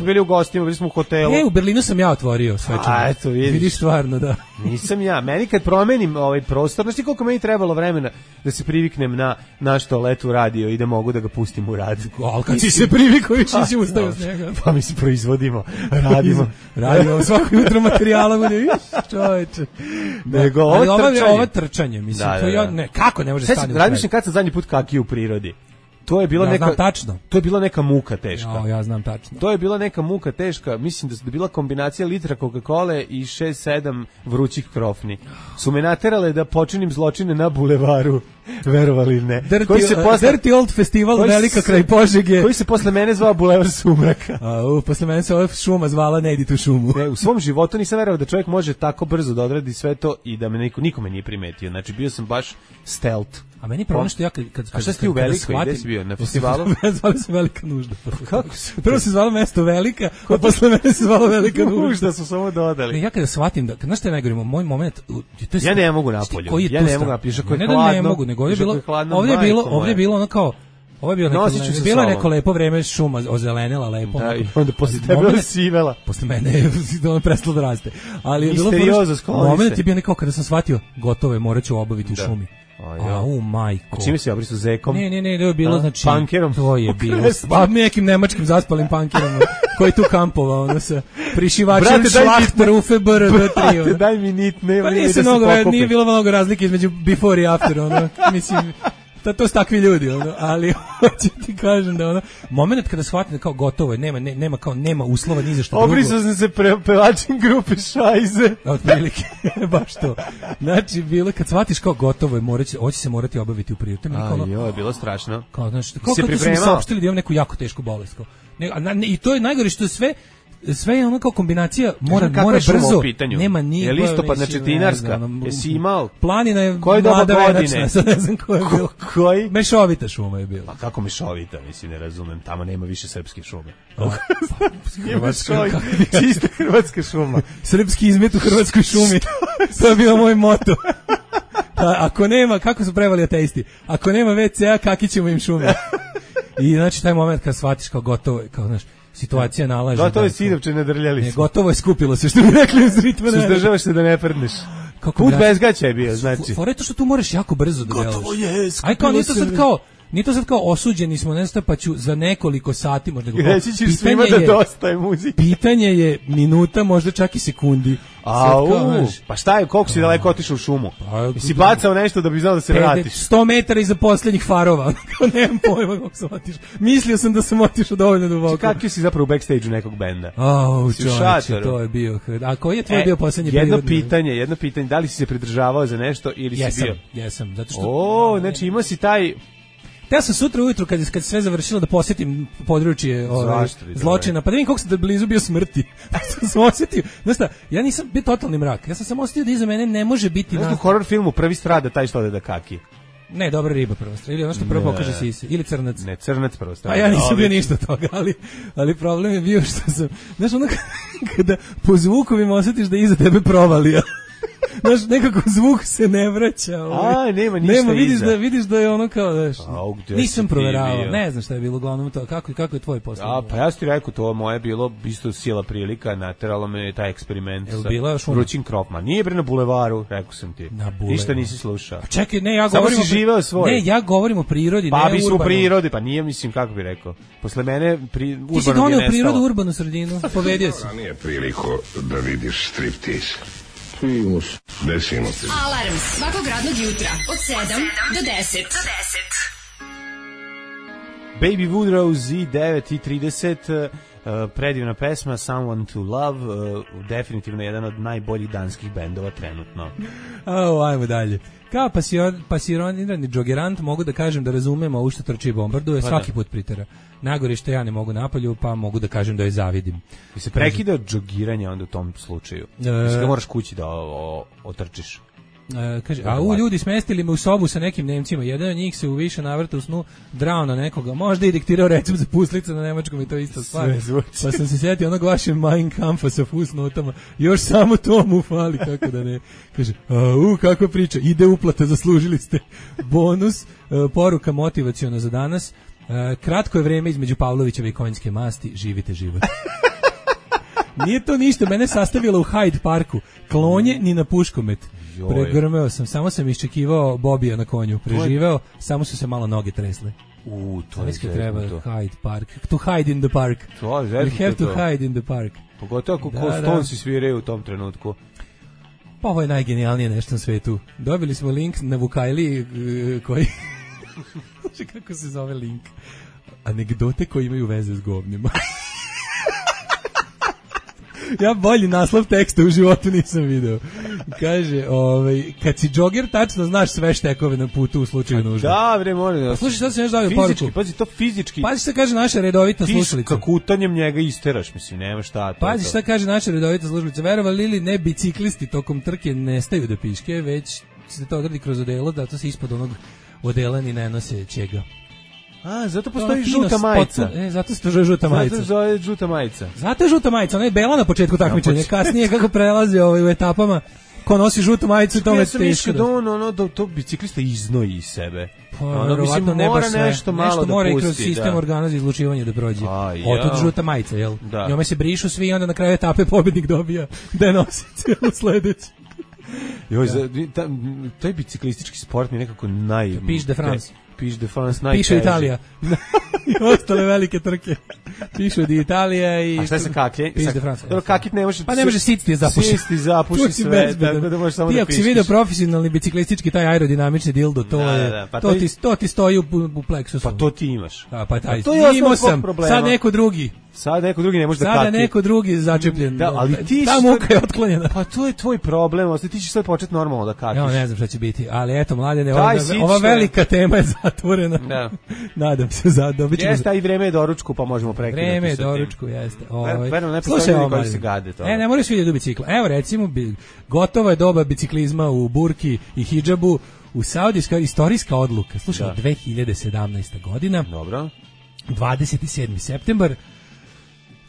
bili u gostima, bili smo u hotelu. U Berlinu sam ja otvorio svečano. A eto, vidiš stvarno, da. Nisam ja, meni kad promenim ovaj prostor, znači koliko meni trebalo vremena da se priviknem na naš toalet u radio i da mogu da ga pustim u rad. Ali kad si se privikao, si ustao s njega. Pa mi se proizvodimo, radimo svako jutro materijala bude, čoveče. Nego ovo trčanje, mislim, kako ne može stati. Razmišljam kad sam zadnji put kakio u prirodi. To je bila To je bila neka muka teška. Ja znam tačno. To je bila neka muka teška. Mislim da je bila kombinacija litra Coca-Cole i 6-7 vrućih krofni. Su me naterale da počinim zločine na bulevaru, verovali ili ne. Dirty Old Festival Velika kraj Požege. Koji se posle mene zvao Bulevar Sumraka. Posle mene se ova šuma zvala Ne idi tu šumu. U svom životu nisam verovao da čovjek može tako brzo da odradi sve to i da me nikome nije primetio. Znači bio sam baš stealth. A meni problem što ja A šta si ti u Velikoj, gde si bio, na festivalu? Zvali se Velika nužda. Kako se? Prvo se zvalo mesto Velika, a posle mene se zvalo Velika nužda. Nužda su samo dodali. Ja kada shvatim da, znaš šta je najgore, moj moment... Ja ne mogu napolju, ja ne mogu napolju, ako je hladno. Ne mogu, nego ovdje je bilo ono kao... Ovo je bilo neko lepo vreme, šuma ozelenila lepo. Da, i onda posle tebe sivela. Posle mene je prestalo da raste. Ali je bilo moment je bio nekako kada sam shvatio, gotovo je, morat ću obaviti u šumi. Majko. A čime si obrisao zekom? Ne, to je bilo, znači... Punkerom? To je bilo. Nekim nemačkim zaspalim punkerom koji tu kampovao, ono sa prišivačem Schlachter UFBR D3. Brate, daj mi nit, nema nije bilo mnogo razlike između before i after, ono, mislim... To su takvi ljudi, ali hoću ti kažem da moment kada shvatim da kao gotovo je, nema uslova ni za što drugo. Obrisao sam se pevačem grupe Šajze. Otprilike, baš to. Znači, bilo kad shvatiš kao gotovo je, hoće se morati obaviti u prirodi. Je bilo strašno. Kao kad su mi saopštili da imam neku jako tešku bolest. I to je najgore što sve je ono kao kombinacija mora brzo. Nema nije. Je listopad, znači dinarska. Jesi imao? Planina je mlada venačna, sad ne znam koja je bila. Koji? Mešovita šuma je bila. A kako mešovita? Mislim, ne razumem. Tamo nema više srpske šume. Čista hrvatska šuma. Srpski izmet u hrvatskoj šumi. To je bio moj moto. Ako nema, kako su prevali ateisti? Ako nema WC-a, kaki ćemo im šume? I znači taj moment kad shvatiš kao gotovo, kao znaš, situacija nalaže. Gotovo je sidovče nadrljali se. Gotovo je skupilo se, što bi rekli uz ritma. Suzdržavaš se da ne prdneš. Put bez gaća je bio, znači. Fore to što tu moraš jako brzo da delaš. Gotovo je, aj kao nije to sad kao osuđeni smo, ne znam, pa ću za nekoliko sati možda. Reći ćeš svima da dosta je muzike. Pitanje je minuta, možda čak i sekundi. Pa šta je, koliko si daleko otišao u šumu? Si bacao nešto da bi znao da se vratiš? 100 metara iza posljednjih farova. Nemam pojma kako sam otišao. Mislio sam da sam otišao dovoljno duboko. Kakvi si zapravo u backstage-u nekog benda? Čovječe, to je bio. A koji je tvoj bio posljednji jedno pitanje, da li si se pridržavao za nešto ili si bio? Jesam, zato što... znači imao si taj... Ja sam sutra ujutru kad sve završilo da posjetim područje zločina, pa da vidim koliko sam blizu bio smrti. sam osjetio, ja nisam bio totalni mrak. Ja sam samo osjetio da iza mene ne može biti. U horror filmu prvi strada taj što ode da kaki. Ne, dobra riba prvo strada. Ili ono što prvo pokaže sise. Ili crnac. Ne, crnac prvo strada. A ja nisam bio ništa toga, ali problem je bio što sam... Znaš, ono kada po zvukovima osjetiš da iza tebe provalija. Znaš, nekako zvuk se ne vraća. Nema ništa iza. Vidiš da je ono kao, znaš, nisam proveravao, ne znam šta je bilo uglavnom to, kako je tvoj posao? Pa ja ti rekao, to moje bilo isto sila prilika, nateralo me taj eksperiment sa vrućim kropma. Nije bre na bulevaru, rekao sam ti. Ništa nisi slušao. Pa čekaj, ne, ja govorim... Samo si živeo svoj. Ne, ja govorim o prirodi, pa ne urbano. Pa u prirodi, pa nije, mislim, kako bi rekao. Posle mene urbano mi je nestalo. Ti si doneo prirodu u urbanu sredinu, povedio si. Nije priliku da vidiš striptease. Desimo se. Alarm svakog radnog jutra od 7 do 10. Baby Woodrose i 9:30, predivna pesma Someone to Love, definitivno jedan od najboljih danskih bendova trenutno. Ajmo dalje. Kao pasionirani džogerant mogu da kažem da razumem ovo što trči i bombarduje, svaki put pritera. Najgore što ja ne mogu napolju, pa mogu da kažem da je zavidim. I se prekida džogiranje onda u tom slučaju. Mislim da moraš kući da otrčiš. Kaže, ljudi smestili me u sobu sa nekim Nemcima, jedan od njih se u više navrata u snu drao na nekoga, možda i diktirao recept za puslice na nemačkom i to isto stvar. Pa sam se sjetio onog vašeg Mein Kampfa sa fusnotama, još samo to mu fali, kako da ne. Kaže, kakva priča, ide uplata, zaslužili ste bonus, poruka motivaciona za danas, kratko je vreme između Pavlovićeve i konjske masti, živite život. Nije to ništa, mene sastavilo u Hyde Parku, klonje ni na puškomet. Pregrmeo sam, samo sam iščekivao Bobija na konju, preživeo, samo su se malo noge tresle. To je treba Hyde Park. To hide in the park. You have to hide in the park. Pogotovo ako Stonesi sviraju u tom trenutku. Pa ovo je najgenijalnije nešto na svetu. Dobili smo link na Vukajli koji... Kako se zove link? Anegdote koje imaju veze s govnima. Ja bolji naslov teksta u životu nisam video. Kaže, kad si džoger, tačno znaš sve štekove na putu u slučaju nužde. Da, bre, moram da... Slušaj, šta se nešto davio poruku? Pazi, to fizički... Pazi šta kaže naša redovita slušalica. Ti kakutanjem njega isteraš, mislim, nema šta. Pazi šta kaže naša redovita slušalica. Verovali ili ne, biciklisti tokom trke nestaju da piške, već se to odradi kroz odelo, da to se ispod onog odela ni ne nose čega. Zato postoji žuta majica. Zato se to zove žuta majica. Zato zove žuta majica. Zato je žuta majica, ona je bela na početku takmičenja, kasnije kako prelazi u etapama, ko nosi žutu majicu, to je teško. Da to biciklista iznoji iz sebe. Verovatno ne baš sve. Nešto mora i kroz sistem organa za izlučivanje da prođe. Otud žuta majica, jel? Njome se brišu svi i onda na kraju etape pobednik dobija da nosi cijelu sledeću. Taj biciklistički sport mi je nekako Piš de France. Piše Italija. I ostale velike trke. Piše od Italija i... A šta se kaklje? Piše de France. Dobro, kakit ne može... Pa ne može sititi zapuši sve. Tako da možeš samo da piškiš. Ti ako si vidio profesionalni biciklistički, taj aerodinamični dildo, to ti stoji u pleksusu. Pa to ti imaš. Pa taj imao sam. Sad neko drugi ne može da kaki. Sada neko drugi začepljen. Da, ali ti ta muka je otklonjena. Pa to je tvoj problem, ti ćeš sad početi normalno da kakiš. Ja ne znam šta će biti, ali eto, Mladene, ova velika tema je zatvorena. Da. Nadam se dobit ćemo. Jeste, i vreme je doručku, pa možemo prekinuti. Vreme je doručku, jeste. Slušaj, koji se gade to. Ne moraš vidjeti do bicikla. Evo recimo, gotova je doba biciklizma u burki i hidžabu. U Saudijska istorijska odluka. Slušaj, 2017. godina. Dobro. 27. septembar.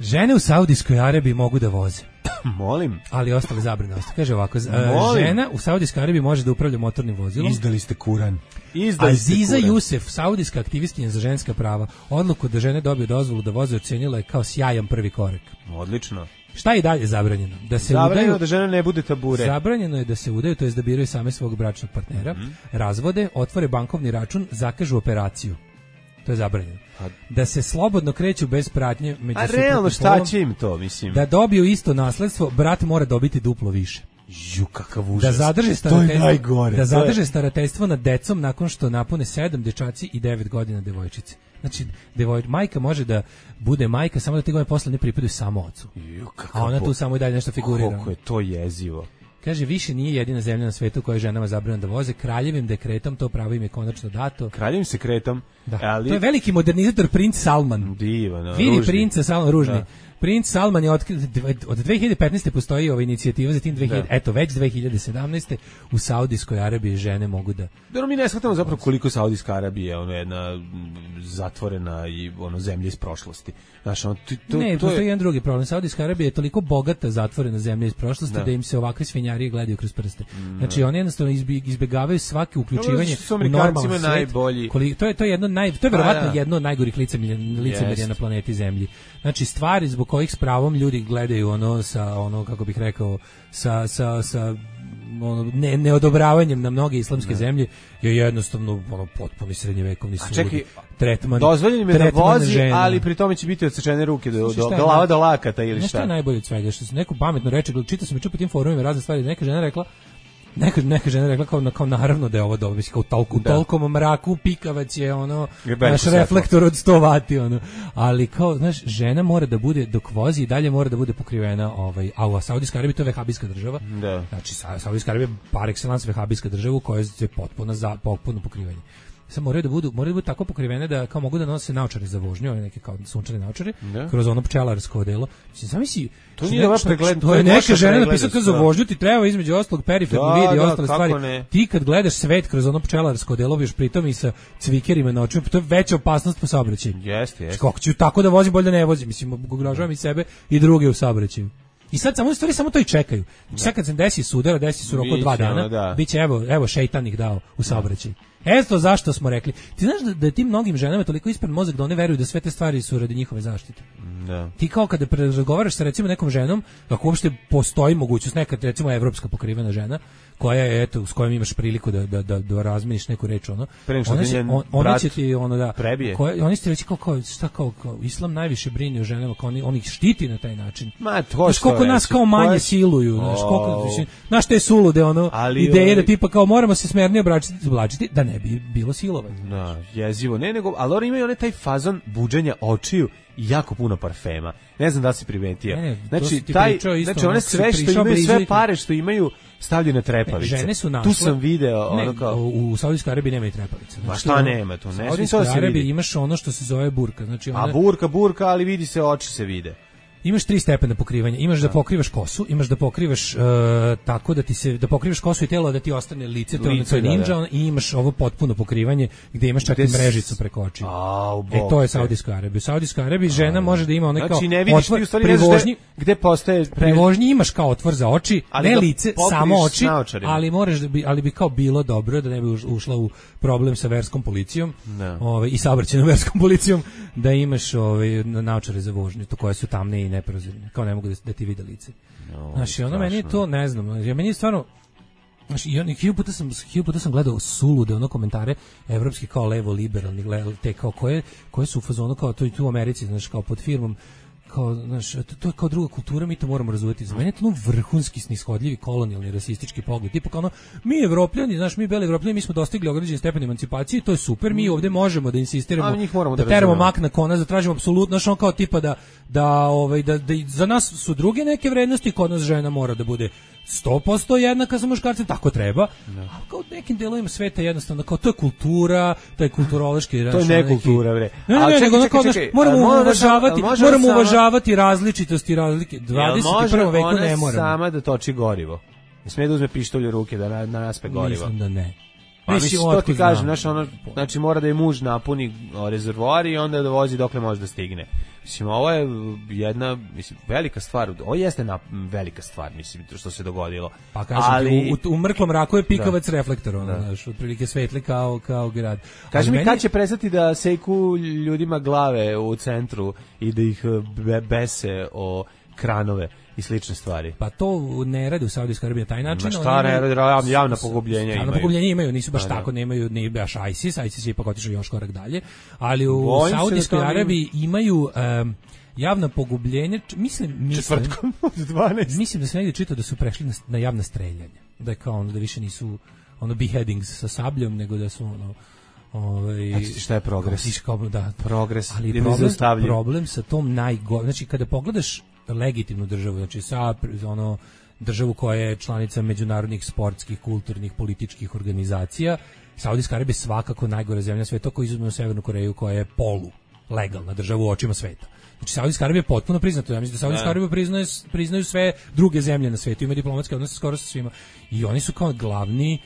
Žene u Saudijskoj Arabiji mogu da voze. Molim. Ali ostale zabrane ostaje. Kaže ovako, žena u Saudijskoj Arabiji može da upravlja motornim vozilom. Izdali ste Kuran. Aziza Jusef, saudijska aktivistkinja za ženska prava, odluku da žene dobiju dozvolu da voze ocenila je kao sjajan prvi korak. Odlično. Šta je dalje zabranjeno? Da se zabranjeno da žena ne bude tabure. Zabranjeno je da se udaju, to jest da biraju same svog bračnog partnera, razvode, otvore bankovni račun, zakažu operaciju. To je zabranjeno. Da se slobodno kreću bez pratnje među suprotnim polom. A realno šta će im to, mislim? Da dobiju isto nasledstvo, brat mora dobiti duplo više. Ju, kakav užas. Da zadrže starateljstvo nad decom nakon što napune 7 dečaci i 9 godina devojčice. Znači, majka može da bude majka samo da te godine posle ne pripadaju samo ocu. A ona tu samo i dalje nešto figurira. Koliko je to jezivo. Kaže, više nije jedina zemlja na svetu koja je ženama zabranjeno da voze. Kraljevim dekretom to pravo im je konačno dato. Kraljevim sekretom? Da. Ali... To je veliki modernizator princ Salman. Divan, vidi princa Salman, ružni. Da. Princ Salman je od 2015. postoji ova inicijativa, zatim eto već 2017. u Saudijskoj Arabiji žene mogu da... Da, mi ne shvatamo zapravo koliko Saudijska Arabija je jedna zatvorena i zemlja iz prošlosti. Znaš, postoji jedan drugi problem. Saudijska Arabija je toliko bogata zatvorena zemlja iz prošlosti da im se ovakve svinjarije gledaju kroz prste. Znači, oni jednostavno izbegavaju svake uključivanje u normalan svet. To je verovatno jedno od najgorih licemerja na planeti Zemlji. Znači, stvari zbog kojih s pravom ljudi gledaju kako bih rekao, sa neodobravanjem na mnoge islamske zemlje je jednostavno potpuni srednjevekovni sud. Tretman. Dozvoljen je da vozi, ali pri tome će biti odsečene ruke do glava do lakata ili šta. Nešto je najbolje od svega, što se neko pametno reče, čitao sam i po tim forumima razne stvari, neka žena rekla kao naravno da je ovo dobro, kao u tolkom mraku pikavac je naš reflektor od 100 vati ali kao, znaš, žena mora da bude dok vozi i dalje mora da bude pokrivena a u Saudijskoj Arabiji to je vehabijska država. Da. Znači Saudijska Arabija par excellence vehabijska država u kojoj je potpuno pokrivanje. Sad moraju da budu tako pokrivene da kao mogu da nose naočare za vožnju, ove neke kao sunčane naočare, kroz ono pčelarsko odelo. Zamisli, to nije vaš pregled, to je neka žena napisala kao za vožnju ti treba između ostalog periferno vidi ostale stvari. Ti kad gledaš svet kroz ono pčelarsko odelo, vidiš pritom i sa cvikerima na očima, to je veća opasnost po saobraćaju. Jeste. Kako ću tako da vozim, bolje da ne vozim, mislim, ugrožavam i sebe i druge u saobraćaju. I sad samo to i čekaju. Sad kad se desi sudara, desi su roko 2 dana, biće evo šejtan ih dao u saobraćaj. Eto zašto smo rekli. Ti znaš da je tim mnogim ženama toliko ispred mozak da one veruju da sve te stvari su radi njihove zaštite. Da. Ti kao kada razgovaraš sa recimo nekom ženom, kako uopšte postoji mogućnost nekad recimo evropska pokrivena žena koja je s kojom imaš priliku da razmeniš neku reč ona će ti prebije. Oni će reći kao islam najviše brine o ženama, kao on ih štiti na taj način. Koliko nas kao manje siluju, znaš te sulude ideje da tipa kao moramo se smernije oblačiti da ne bi bilo silovanje. Da, jezivo. Ali oni imaju taj fazon buđenja očiju i jako puno parfema. Ne znam da si primetio. Znači one sve što imaju, sve pare što imaju stavljaju na trepavice. Žene su našle. Tu sam video u Saudijskoj Arabiji nema i trepavice. Ma šta nema tu? U Saudijskoj Arabiji imaš ono što se zove burka. Znači burka, ali vidi se, oči se vide. Imaš 3 stepena pokrivanja. Imaš da pokrivaš kosu, imaš da pokrivaš tako da pokrivaš kosu i telo da ti ostane lice, to je ninja, i imaš ovo potpuno pokrivanje gdje imaš čak i mrežicu preko očiju. To je Saudijska Arabija. U Saudijskoj Arabiji žena može da ima onaj kao otvor pri vožnji, gdje postaje pri vožnji imaš kao otvor za oči, ne lice, samo oči, ali bi kao bilo dobro da ne bi ušla u problem sa verskom policijom i saobraćajnom verskom policijom, da imaš naočare za vožnju, to koje su tamne i neprozirne, kao ne mogu da ti vide lice. Znači, meni je to, ne znam, meni je stvarno, znači, hiljopu puta sam gledao sulude, komentare evropski kao levo-liberalni, te kao koje su u fazonu, kao to i tu u Americi, znači, kao pod firmom, kao, znaš, to je kao druga kultura, mi to moramo razumjeti. Za mene je to vrhunski snishodljivi kolonijalni rasistički pogled. Tipa kao mi Evropljani, znaš, mi beli Evropljani, mi smo dostigli određen stepen emancipacije, to je super, mi ovdje možemo da insistiramo, da teramo mak na konac, da tražimo apsolutno, znaš, kao tipa da za nas su druge neke vrednosti, kod nas žena mora da bude 100% jednaka sa muškarcem, tako treba. A kao u nekim delovima sveta jednostavno, kao to je kultura, to je kulturološki. To je nekultura, bre. Čekaj, moramo uvažavati različitosti, razlike. 21. veku ne moramo. Sama da toči gorivo. Ne smije da uzme pištolj u ruke da naspe gorivo. Mislim da ne. Pa mislim, to ti kažem, znači mora da je muž napuni rezervoar i onda da vozi dokle može da stigne. Mislim, ovo je jedna, mislim, velika stvar. Ovo jeste velika stvar, mislim, što se dogodilo. Pa kažem, ali u mrklom mraku je pikavac reflektor, ono, znaš, otprilike svetli kao grad. Kaži mi, kad će prestati da seku ljudima glave u centru i da ih bese o kranove i slične stvari? Pa to ne rade u Saudijskoj Arabiji na taj način. Šta ne rade, javna pogubljenja imaju. Javna pogubljenja imaju, nisu baš tako, nemaju ni baš ISIS je ipak otišao još korak dalje, ali u Saudijskoj Arabiji imaju javna pogubljenja, mislim četvrtkom od 12. Mislim da se negdje čitao da su prešli na javna streljanja. Da je kao da više nisu beheadings sa sabljom, nego da su šta je progres? Progres. Ali problem sa tom znači kada pogledaš legitimnu državu, znači sa državu koja je članica međunarodnih sportskih, kulturnih, političkih organizacija, Saudijska Arabija je svakako najgora zemlja sveta, ako izuzmemo Severnu Koreju koja je legalna država u očima sveta. Znači Saudijska Arabija je potpuno priznata. Ja mislim da Saudijska Arabija priznaju sve druge zemlje na svetu, ima diplomatske odnose skoro sa svima. I oni su kao glavni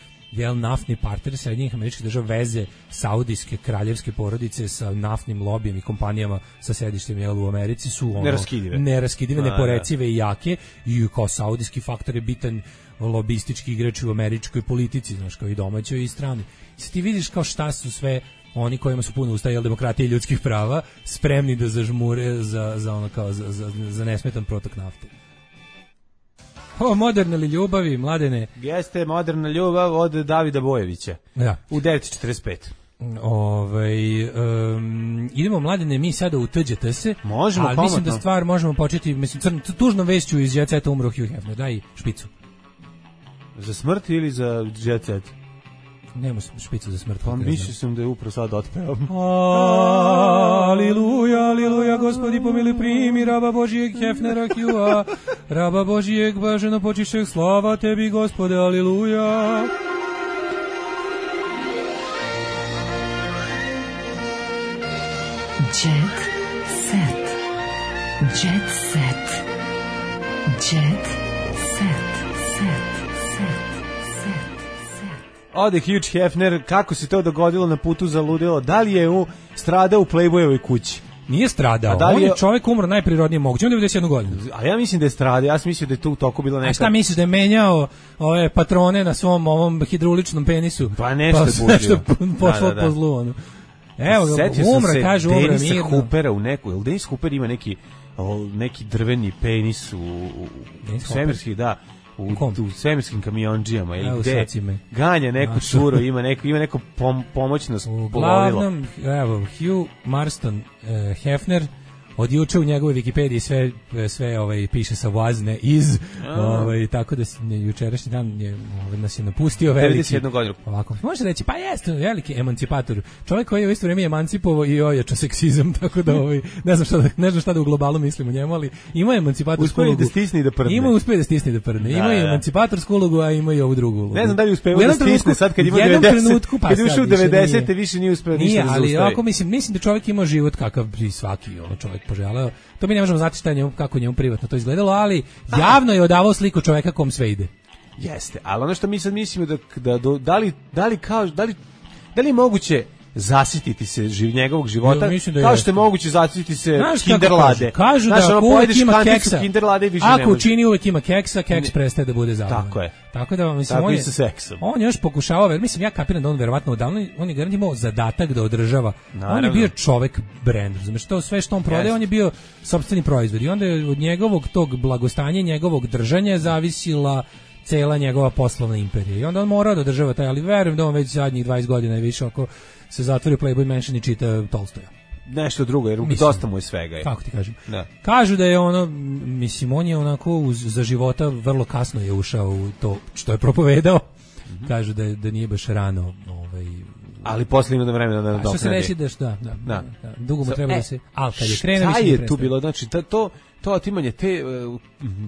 naftni partner Sjedinjenih Američkih Država, veze saudijske kraljevske porodice sa naftnim lobijem i kompanijama sa sedištem u Americi su neraskidive, neporecive i jake, i kao saudijski faktor je bitan lobistički igrač u američkoj politici, znaš, kao i domaćoj i strani. I sad ti vidiš kao šta su sve oni kojima su puno usta demokratije i ljudskih prava spremni da zažmure za nesmetan protok nafte. Moderne li ljubavi, Mladene? Jeste moderna ljubav od Davida Bojevića. Da. U 9:45. Idemo, Mladene, mi sada u TGT se. Možemo, ali mislim da stvar možemo početi, mislim, tužnom vešću iz Jet Seta umro Hugh Hefner. Daj špicu. Za smrt ili za Jet Set? Nema špicu za smrt. Pa mislio sam da je upravo sad otpeo. Aliluja, aliluja, Gospodi pomili primi raba Božijeg Hefnera Hugha, raba Božijeg blaženo počišćeg, slava tebi, Gospode, aliluja. Jet Set. Jet Set. Jet Set. Ode Hugh Hefner, kako se to dogodilo na putu za ludilo? Da li je stradao u Playboyovoj kući? Nije stradao, on je čovjek umro najprirodnije moguće, on je 91 godinu. A ja mislim da je stradao, ja sam mislio da je tu u toku bilo neka... A šta misliš, da je menjao ove patrone na svom ovom hidrauličnom penisu? Pa nešto je buđio. Pošlo po zlu, ono. Evo, umra, kaže, umra mirno. Denisa Hoopera u neku, ili Denis Hooper ima neki drveni penis u svemirskih, da, u svemirskim kamionđijama ili gde ganja neku curu, ima neko pomoćno plovilo. Uglavnom, evo, Hugh Marston Hefner, od juče u njegovoj Wikipediji sve piše sa vazne iz, tako da jučerašnji dan nas je napustio veliki. 91 godinu. Ovako, može reći, pa jeste veliki emancipator. Čovjek koji je u isto vrijeme emancipovao i ojačao seksizam, tako da ne znam šta da u globalu mislim o njemu, ali ima emancipatorsku ulogu. Uspio da stisne i da prdne. Ima emancipatorsku ulogu, a ima i ovu drugu ulogu. Ne znam da li uspeo da stisne sad kad ima 90. Kad ušao u 90. više nije uspeo ništa da zaustavi. Ali ovako mislim da čovjek ima život kakav bi svaki čovjek poželeo. To mi ne možemo znati kako njemu privatno to izgledalo, ali javno je odavao sliku čovjeka kom sve ide. Jeste, ali ono što mi sad mislimo da li je moguće zasititi se njegovog života, kao što je moguće zasititi se kinderlade. Kažu da uvijek ima keksa. Ako učini uvijek ima keksa, keks prestaje da bude zabavan. Tako je. Tako da, mislim, on još pokušavao, mislim, ja kapiram da on verovatno odavno, on je garant imao zadatak da održava. On je bio čovek brend, razumeš, to sve što on prodaje, on je bio sopstveni proizvod. I onda je od njegovog tog blagostanja, njegovog držanja zavisila cela njegova poslovna imperija. I onda on morao da održava taj, ali verujem da on već zadnjih 20 godina i više ako se zatvori Playboy Mansion i čita Tolstoja. Nešto drugo, jer dosta mu je svega. Kako ti kažem? Da. Kažu da je mislim, on je onako za života vrlo kasno je ušao u to što je propovedao. Kažu da nije baš rano. Ali posle ima vremena da nadoknadi. Što se reći da dugo mu treba da se... Ali kad je krenuo... Šta je tu bilo? Znači, to otimanje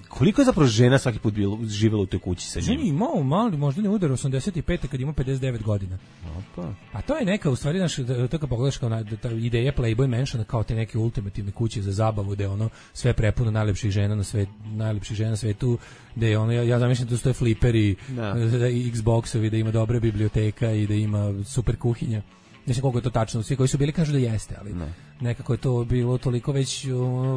koliko je zapravo žena svaki put živjela u toj kući sa njim? Imao mali, možda ne udar 85. kad ima 59 godina. A to je neka, u stvari, to kad pogledaš kao ideja Playboy Mansiona, kao te neke ultimativne kuće za zabavu, gde sve prepuno najlepših žena na svetu, gde ja zamišljam da tu stoje fliperi, Xboxovi, da ima dobra biblioteka i da ima super kuhinja. Mislim koliko je to tačno, svi koji su bili kažu da jeste, ali nekako je to bilo toliko već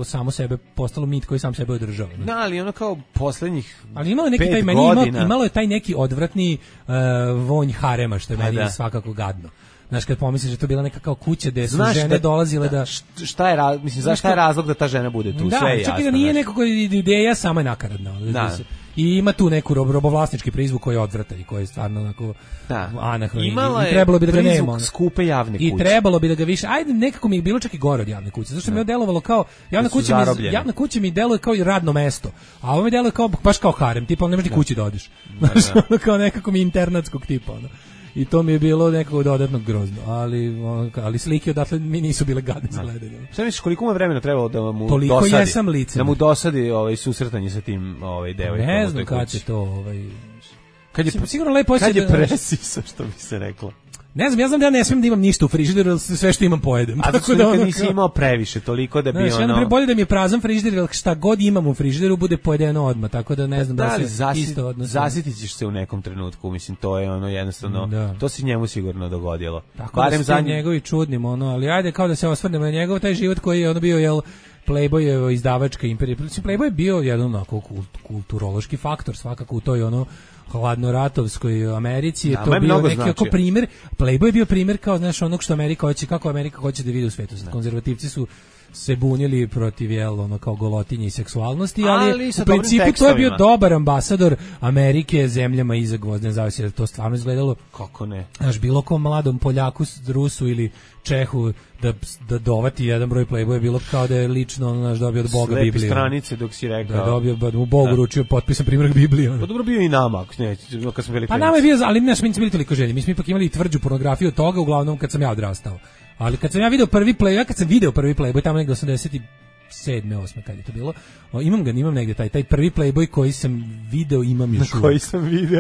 samo sebe postalo mit koji sam sebe održao. Da, ali ono kao poslednjih. Ali imalo neki taj imalo je taj neki odvratni vonj harema što je meni svakako gadno. Znaš, kad pomisliš da je to bila neka kao kuća gde su žene dolazile da... Šta je razlog da ta žena bude tu? Da, sve je jasno. Da, čak i da nije nekako ideja sama je nakaradna. I ima tu neku robovlasnički prizvuk koji je odvratan i koji je stvarno onako anahron. Imala je trebalo bi da ga nema. Skupe javne kuće. I trebalo bi da ga više... Ajde, nekako mi je bilo čak i gore od javne kuće. Zašto mi je delovalo kao... Javna kuća mi deluje kao i radno mesto. A ovo mi deluje kao, baš kao harem. Tipa, ne možeš ni kući da odiš. Kao nekako mi internatskog tipa, ono. I to mi je bilo nekako dodatno grozno, ali slike odatle mi nisu bile gadne za gledanje. Šta misliš, koliko mu vremena trebalo da mu toliko dosadi? Jesam lice. Da mu dosadi susretanje sa tim devojkom. Ne znam kad će to sigurno lepo kad je presisa, što bi se reklo. Ne znam, ja znam da ja ne smijem da imam ništa u frižideru, sve što imam pojedem. A tako da nisi imao previše, toliko da bi ono... bolje da mi je prazan frižider, jer šta god imam u frižideru bude pojedeno odmah, tako da ne znam da se isto odnosno. Zasjetit ćeš se u nekom trenutku, mislim, to je ono jednostavno, to se njemu sigurno dogodilo. Tako barem da su njegovi čudnim, ali ajde kao da se osvrnemo na njegov taj život koji je ono bio, Playboy je izdavačka imperija. Playboy je bio jedan onako kulturološki faktor svakako u toj hladnoratovskoj Americi je to bio neki jako primjer. Playboy je bio primjer kao znaš onog što Amerika hoće, kako Amerika hoće da vidi u svetu. Konzervativci su se bunili protiv kao golotinje i seksualnosti, ali u principu to je bio dobar ambasador Amerike zemljama iza gvozdene zavese, to stvarno izgledalo kako ne. Znaš, bilo kom mladom Poljaku, Rusu ili Čehu da dovati jedan broj Playboya je bilo kao da je lično dobio od Boga Bibliju. Slepi stranice dok si rekao. Da dobio, mu Bog uručio potpisan primjerak Biblije. Pa dobro bio i nama, kad smo bili pa nama je bio, ali mi smo bili toliko želji. Mi smo ipak imali tvrđu pornografiju od toga, uglavnom kad sam ja odrastao. Ali kad sam ja video prvi Playboy, tamo negde 87. 8. kad je to bilo. Imam negde taj prvi Playboy koji sam video, imam još uvijek.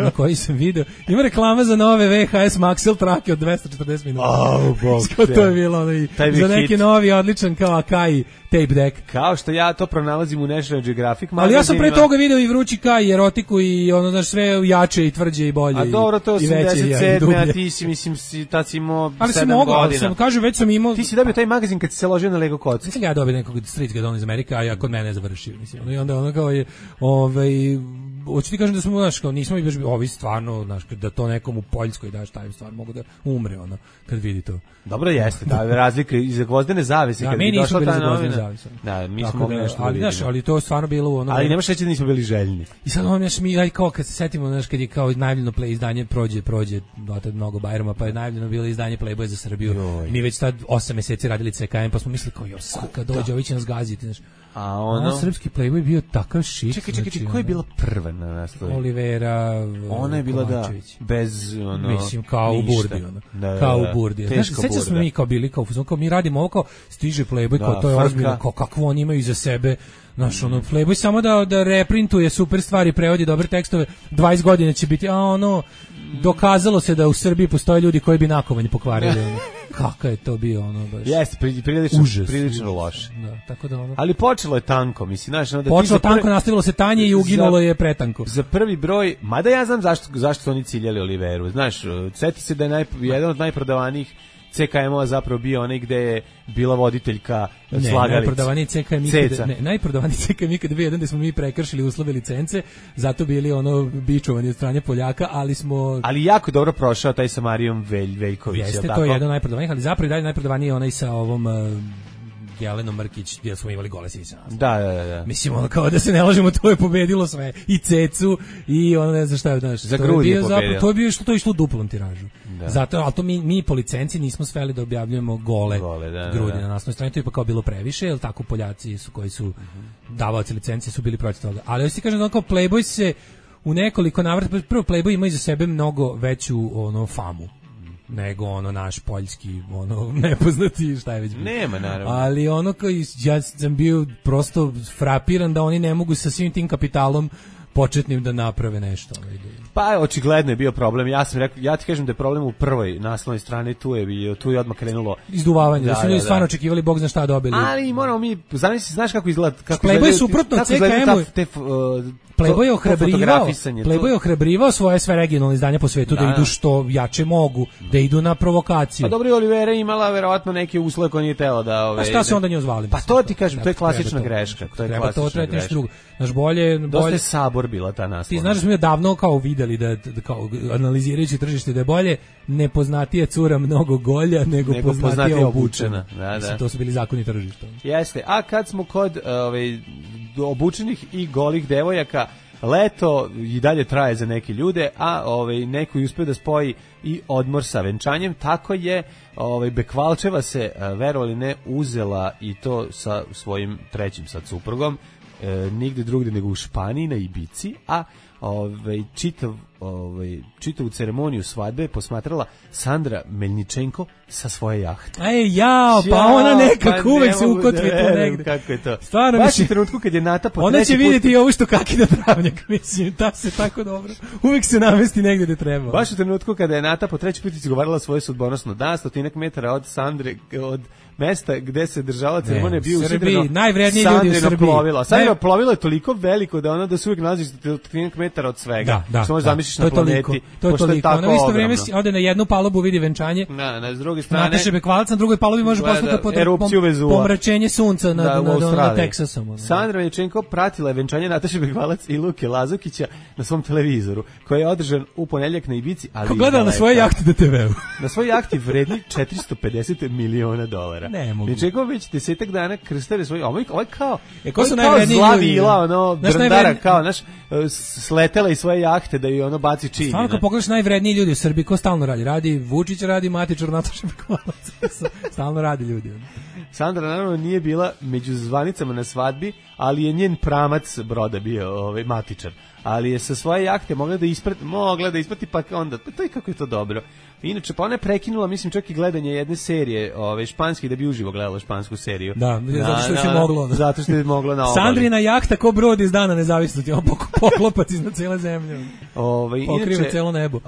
Na koji sam video. Ima reklama za nove VHS Maxell trake od 240 minuta. To je bilo za neki novi odličan kao Akai tape deck. Kao što ja to pronalazim u National Geographic magazinu. Ali ja sam pre toga video i vrući Kai, i erotiku i znaš, sve jače i tvrđe i bolje. A dobro, to 87, a ti si, mislim, tad si imao 7 godina. Ali sam mogao, već sam imao... Ti si dobio taj magazin kad si se ložio na Lego kocku. Mislim, ja dobio nekog street gadona iz Amerike, a ja kod mene završio, mislim. I onda kao je, hoću ti kažem da smo, znaš, kao nismo i baš ovi stvarno, znaš, da to nekom u Poljskoj daš, taj stvar mogu da umre, kad vidi to. Dobro jeste, ta razlika iza gvozdene zavese, kad bi došla ta novina. Da, mi smo mogli nešto da vidimo. Ali to je stvarno bilo ali nemaš reći da nismo bili željni. I sad mi kao kad se setimo, znaš, kad je kao najavljeno izdanje prođe dotad mnogo Bajrama, pa je najavljeno bilo izdanje Playboya za Srbiju. Mi već tad 8 meseci radili CKM, pa smo mislili kao sad dođe, ovi će nas gaziti, znaš. A srpski Playboy bio takav shit. Čekaj, ko je bila prva na naslovu? Olivera ona je bila Kovačević. Bez mislim kao u Burdi kao u Burdi. Sećam se mi kao bili kao mi radimo ovo kao stiže Playboy kao to je ozbiljno kao kakvo oni imaju iza sebe. Naš Playboy samo da reprintuje super stvari, prevodi dobre tekstove, 20 godina će biti dokazalo se da u Srbiji postoje ljudi koji bi nakovanj pokvarili. Kakav je to bio baš. Jeste, prilično loše. Da, tako da ali počelo je tanko, mislim, znaš, počelo tanko, nastavilo se tanje i uginulo je pretanko. Za prvi broj, mada ja znam zašto su oni ciljali Oliveru. Znaš, seti se da je jedan od najprodavanijih CKM-ova zapravo bio onaj gde je bila voditeljka slagalica. Najprodavaniji CKM ikad 2001 gde smo mi prekršili uslove licence, zato bili bičovani od strane Poljaka, ali jako dobro prošao taj sa Marijom Veljković. Jeste, to je jedan najprodavanijih, ali zapravo i dalje najprodavaniji je onaj sa ovom Jelenom Mrkić, gdje smo imali gole sise. Da. Mislim, kao da se ne lažemo, to je pobedilo sve. I Cecu, i ne znam šta je, znaš. Za grudi je pobedilo. To je bio to išlo u duplom tiražu. Zato, ali to mi po licenciji nismo sveli da objavljujemo gole grudi na naslovnoj strani. To je pa kao bilo previše, jer tako Poljaci koji su davaoci licencije su bili protiv toga. Ali hoću ti kažem, kao Playboy se u nekoliko navrata, prvo Playboy ima iza sebe mnogo veću famu nego naš poljski nepoznati šta je već bilo. Nema, naravno. Ali ja sam bio prosto frapiran da oni ne mogu sa svim tim kapitalom početnim da naprave nešto. Pa očigledno je bio problem. Ja ti kažem da je problem u prvoj naslovnoj strani, tu je odmah krenulo izduvavanje, da su ljudi stvarno očekivali bog zna šta dobili. Ali moramo mi, znaš kako izgleda, Playboy je suprotno CKM-u. Playboy je ohrabrivao svoje sve regionalne izdanja po svetu da idu što jače mogu, da idu na provokaciju. Pa dobro, Olivera imala verovatno neke uslove koje nije tela da... A šta se onda nje ozvali? Pa to ti kažem, to je klasična greška. Treba to trebati nešto drugo. Znaš, bolje... Dosta je Sabor bila ta naslovna. Ti znaš da smo davno kao videli da kao analizirajući tržište da je bolje nepoznatija cura mnogo golja nego poznatija obučena. Da. To su bili zakoni tržišta. Jeste, a kad smo kod obučenih i golih devojaka, leto i dalje traje za neke ljude, a neko je uspio da spoji i odmor sa venčanjem, tako je Bekvalčeva se, verovali ne, uzela i to sa svojim trećim sad suprugom, nigde drugde nego u Španiji na Ibici, a čitavu ceremoniju svadbe posmatrala Sandra Melničenko sa svoje jahte. Pa ona nekako uvek se ukotvi tu negde. Kako je to? Stvarno, baš u trenutku kad je Nata po ona će vidjeti i ovo što kakina travnjak, mislim, ta se tako dobro. Uvek se namesti negde gde treba. Baš u trenutku kada je Nata po treći put izgovarala svoje sudbonosno da, 100 metara od Sandre, od mesta gde se držala ceremonija, bio usidreno najvredniji ljudi u Srbiji. Sandrino plovilo je toliko veliko da ona da se uvijek nalazi 100 metara od svega. Što možeš zamišljiš na planeti. To je toliko. Ona u isto vrijeme ode na jednu palubu, vidi venčanje. Na s druge strane. Nataše Bekvalac, na drugoj palubi može poslušati pomračenje sunca na Teksasom. Sandra Melničenko pratila je venčanje Nataše Bekvalac i Luke Lazukića na svom televizoru, koji je održan u ponedeljak na Ibici, ali ko gleda na svoje jahte da TV-u. Na svojoj jahti vredni $450 miliona. Melničenko već 10 dana krstare svoj, ovaj kao zla vila, drndara, kao, sletela iz svoje jahte da ju baci čini. Stvarno, kad pogledaš najvredniji ljudi u Srbiji, ko stalno radi? Radi Vučić, radi Matičar, Nataša Bekvalac. Stalno radi ljudi. Sandra naravno nije bila među zvanicama na svadbi, ali je njen pramac broda bio Matičar. Ali je sa svoje jahte mogla da isprati, pa onda, to je kako je to dobro. Inače, pa ona je prekinula, mislim, čak i gledanje jedne serije španske, da bi uživo gledala špansku seriju. Da, zato što je moglo. Zato što je moglo na obali. Sandrina jahta ko brod iz dana nezavisnosti, on poklopac iznad cijele zemlje. Pokriva cijelo nebo.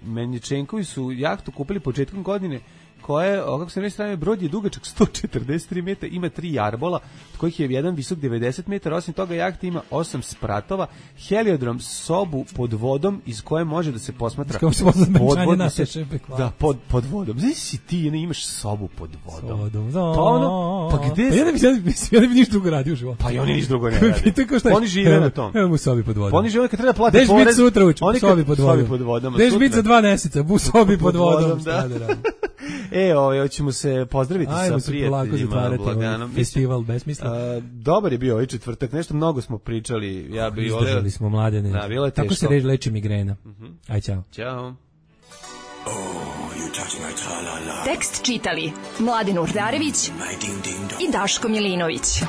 Melničenkovi su jahtu kupili početkom godine, koja, kako se ne strane, brod je dugačak 143 metara, ima 3 jarbola, od kojih je jedan visok 90 metara, osim toga jahta ima 8 spratova, heliodrom, sobu pod vodom iz koje može da se posmatra podvodno. Da, pod vodom. Znaš si ti, imaš sobu pod vodom. Pa gde? Ja ne bi ništa drugo radio u životu. Pa i oni ništa drugo ne radi. Oni žive na tom. Evo mu sobi pod vodom. Oni žive kad treba platiti porez. Deš bit sutra uči, sobi pod vodom. Deš bit za 2 meseca, bu sobi pod vodom. Hoćemo se pozdraviti sa prijateljima laganom. Festival besmisla. Dobar je bio ovaj četvrtak, nešto mnogo smo pričali. Izdržali smo Mladene. Tako se leči migrena. Aj, čao. Ćao. Tekst čitali Mladen Urdarević i Daško Milinović.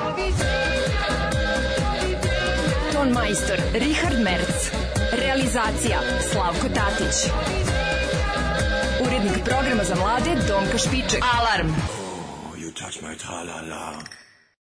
Ton majstor Richard Merc. Realizacija Slavko Tatić. Urednik programa za mlade Donka Špiček. Alarm! You touch my tra-la-la.